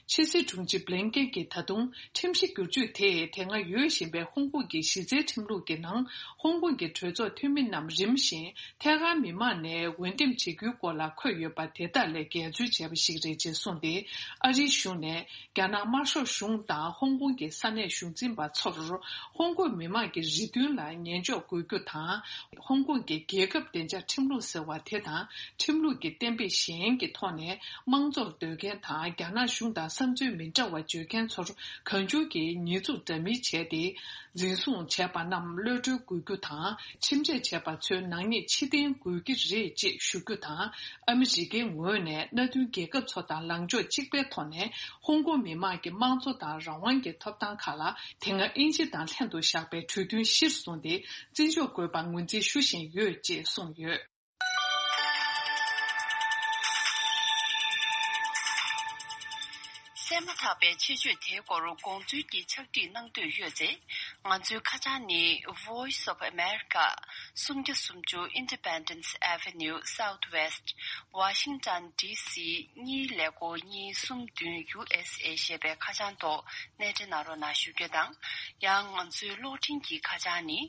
ཕྱི་སྲིད་དྲུང་ཆེ་བྷི་ལིན་ཀེན་གྱིས་ད་དུང་། ཁྲིམས་གཞི་བསྒྱུར་བཅོས་དེས་དེ་སྔ་ཡོད་བཞིན་པའི་ཧོང་ཀོང་གི་གཞི་རྩའི་ཁྲིམས་ལུགས་ཀྱི་ནང་། ཧོང་ཀོང་གི་གྲོས་ཚོགས་འཐུས་མི་རྣམས་རིམ་བཞིན་ཐད་ཀར་མི་མང་ནས་འོས་འདེམས་བྱེད་རྒྱུའི་སྐོར་ལ་འཁོད་ཡོད་པ་དེ་དག་ལས་འགལ་འཛོལ་བྱས་པ་ཞིག་རེད་ཅེས་གསུངས་ཏེ། ཨ་རིའི་གཞུང་ནས། རྒྱ་ནག་དམར་ཤོག་གཞུང་དང་ཧོང་ཀོང་གི་ས་གནས་གཞུང་འཛིན་པ་ཚོར། ཧོང་ཀོང་མི་དམངས་ཀྱི་རེ་འདུན་ལ་ཉན་འཇོག་དགོས་རྒྱུ་དང་། ཧོང་ཀོང་གི་རྒྱལ་ཁབ་བདེ་འཇགས་ཁྲིམས་ལུགས་ཟེར་བ་དེ་དང་། ཁྲིམས་ལུགས་ཀྱི་གཏན་འབེབས་གཞན་གྱི་ཐོག་ནས་དམངས་གཙོར་འདོད་མཁན་དང་། རྒྱ་ནག་གཞུང་དང་བསམ་ཚུལ་མི་འདྲ་བ་བརྗོད། མཁན་ཚོར་གང་བྱུང་གིས་ཉེས་འཛུགས་འདྲ་མིན་བྱས་ཏེ། འཛིན་བཟུང་བྱས་པ་རྣམས་གློད་གྲོལ་དགོས་རྒྱུ་དང་། ཁྲིམས་ཆད་བྱས་པ་ཚོའི་ནག་ཉེས་ཕྱིར་འཐེན་དགོས་ཀྱི་རེད་ཅེས་ཞུ་རྒྱུ་དང་། ཨ་མི་རི་ཀའི་ངོས་ནས་མནའ་མཐུན་རྒྱལ་ཁབ་ཚོ་དང་ལངས་ཕྱོགས་གཅིག་པའི་ཐོག་ནས་ཧོང་ཀོང་མི་དམངས་ཀྱི་དམངས་གཙོ་དང་རང་དབང་གི་ཐོབ་ཐང་ཁག་ལ། དེ་སྔ་དབྱིན་ཇི་དང་ལྷན་དུ་བཞག་པའི་གྲོས་མཐུན་གཞིར་བཟུང་སྟེ། བརྩི་འཇོག་དགོས་པ་ངོས་འཛིན་ཞུ་བཞིན་ཡོད་ཅེས་གསུངས་ཡོད། གསན་མ་ཐག་པའི་ཆེད་བརྗོད་དེའི་སྐོར་དགོངས་ཚུལ་གྱི་ཕྱག་བྲིས་གནང་འདོད་ཡོད་ཚེ། ང་ཚོའི་ཁ་བྱང་ནི། Voice of America། སུམ་བརྒྱ་སུམ་ཅུ་Independence Avenue Southwest། Washington D C གཉིས་ཀླད་ཀོར་གཉིས་གསུམ་བདུན། U S A ཞེས་པའི་ཁ་བྱང་ཐོག་གནས་འབྲེལ་གནང་རོགས་གནང་ཞུ་རྒྱུ་དང་། ཡང་ང་ཚོའི་གློག་འཕྲིན་གྱི་ཁ་བྱང་ནི།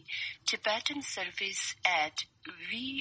Tibetan Service at V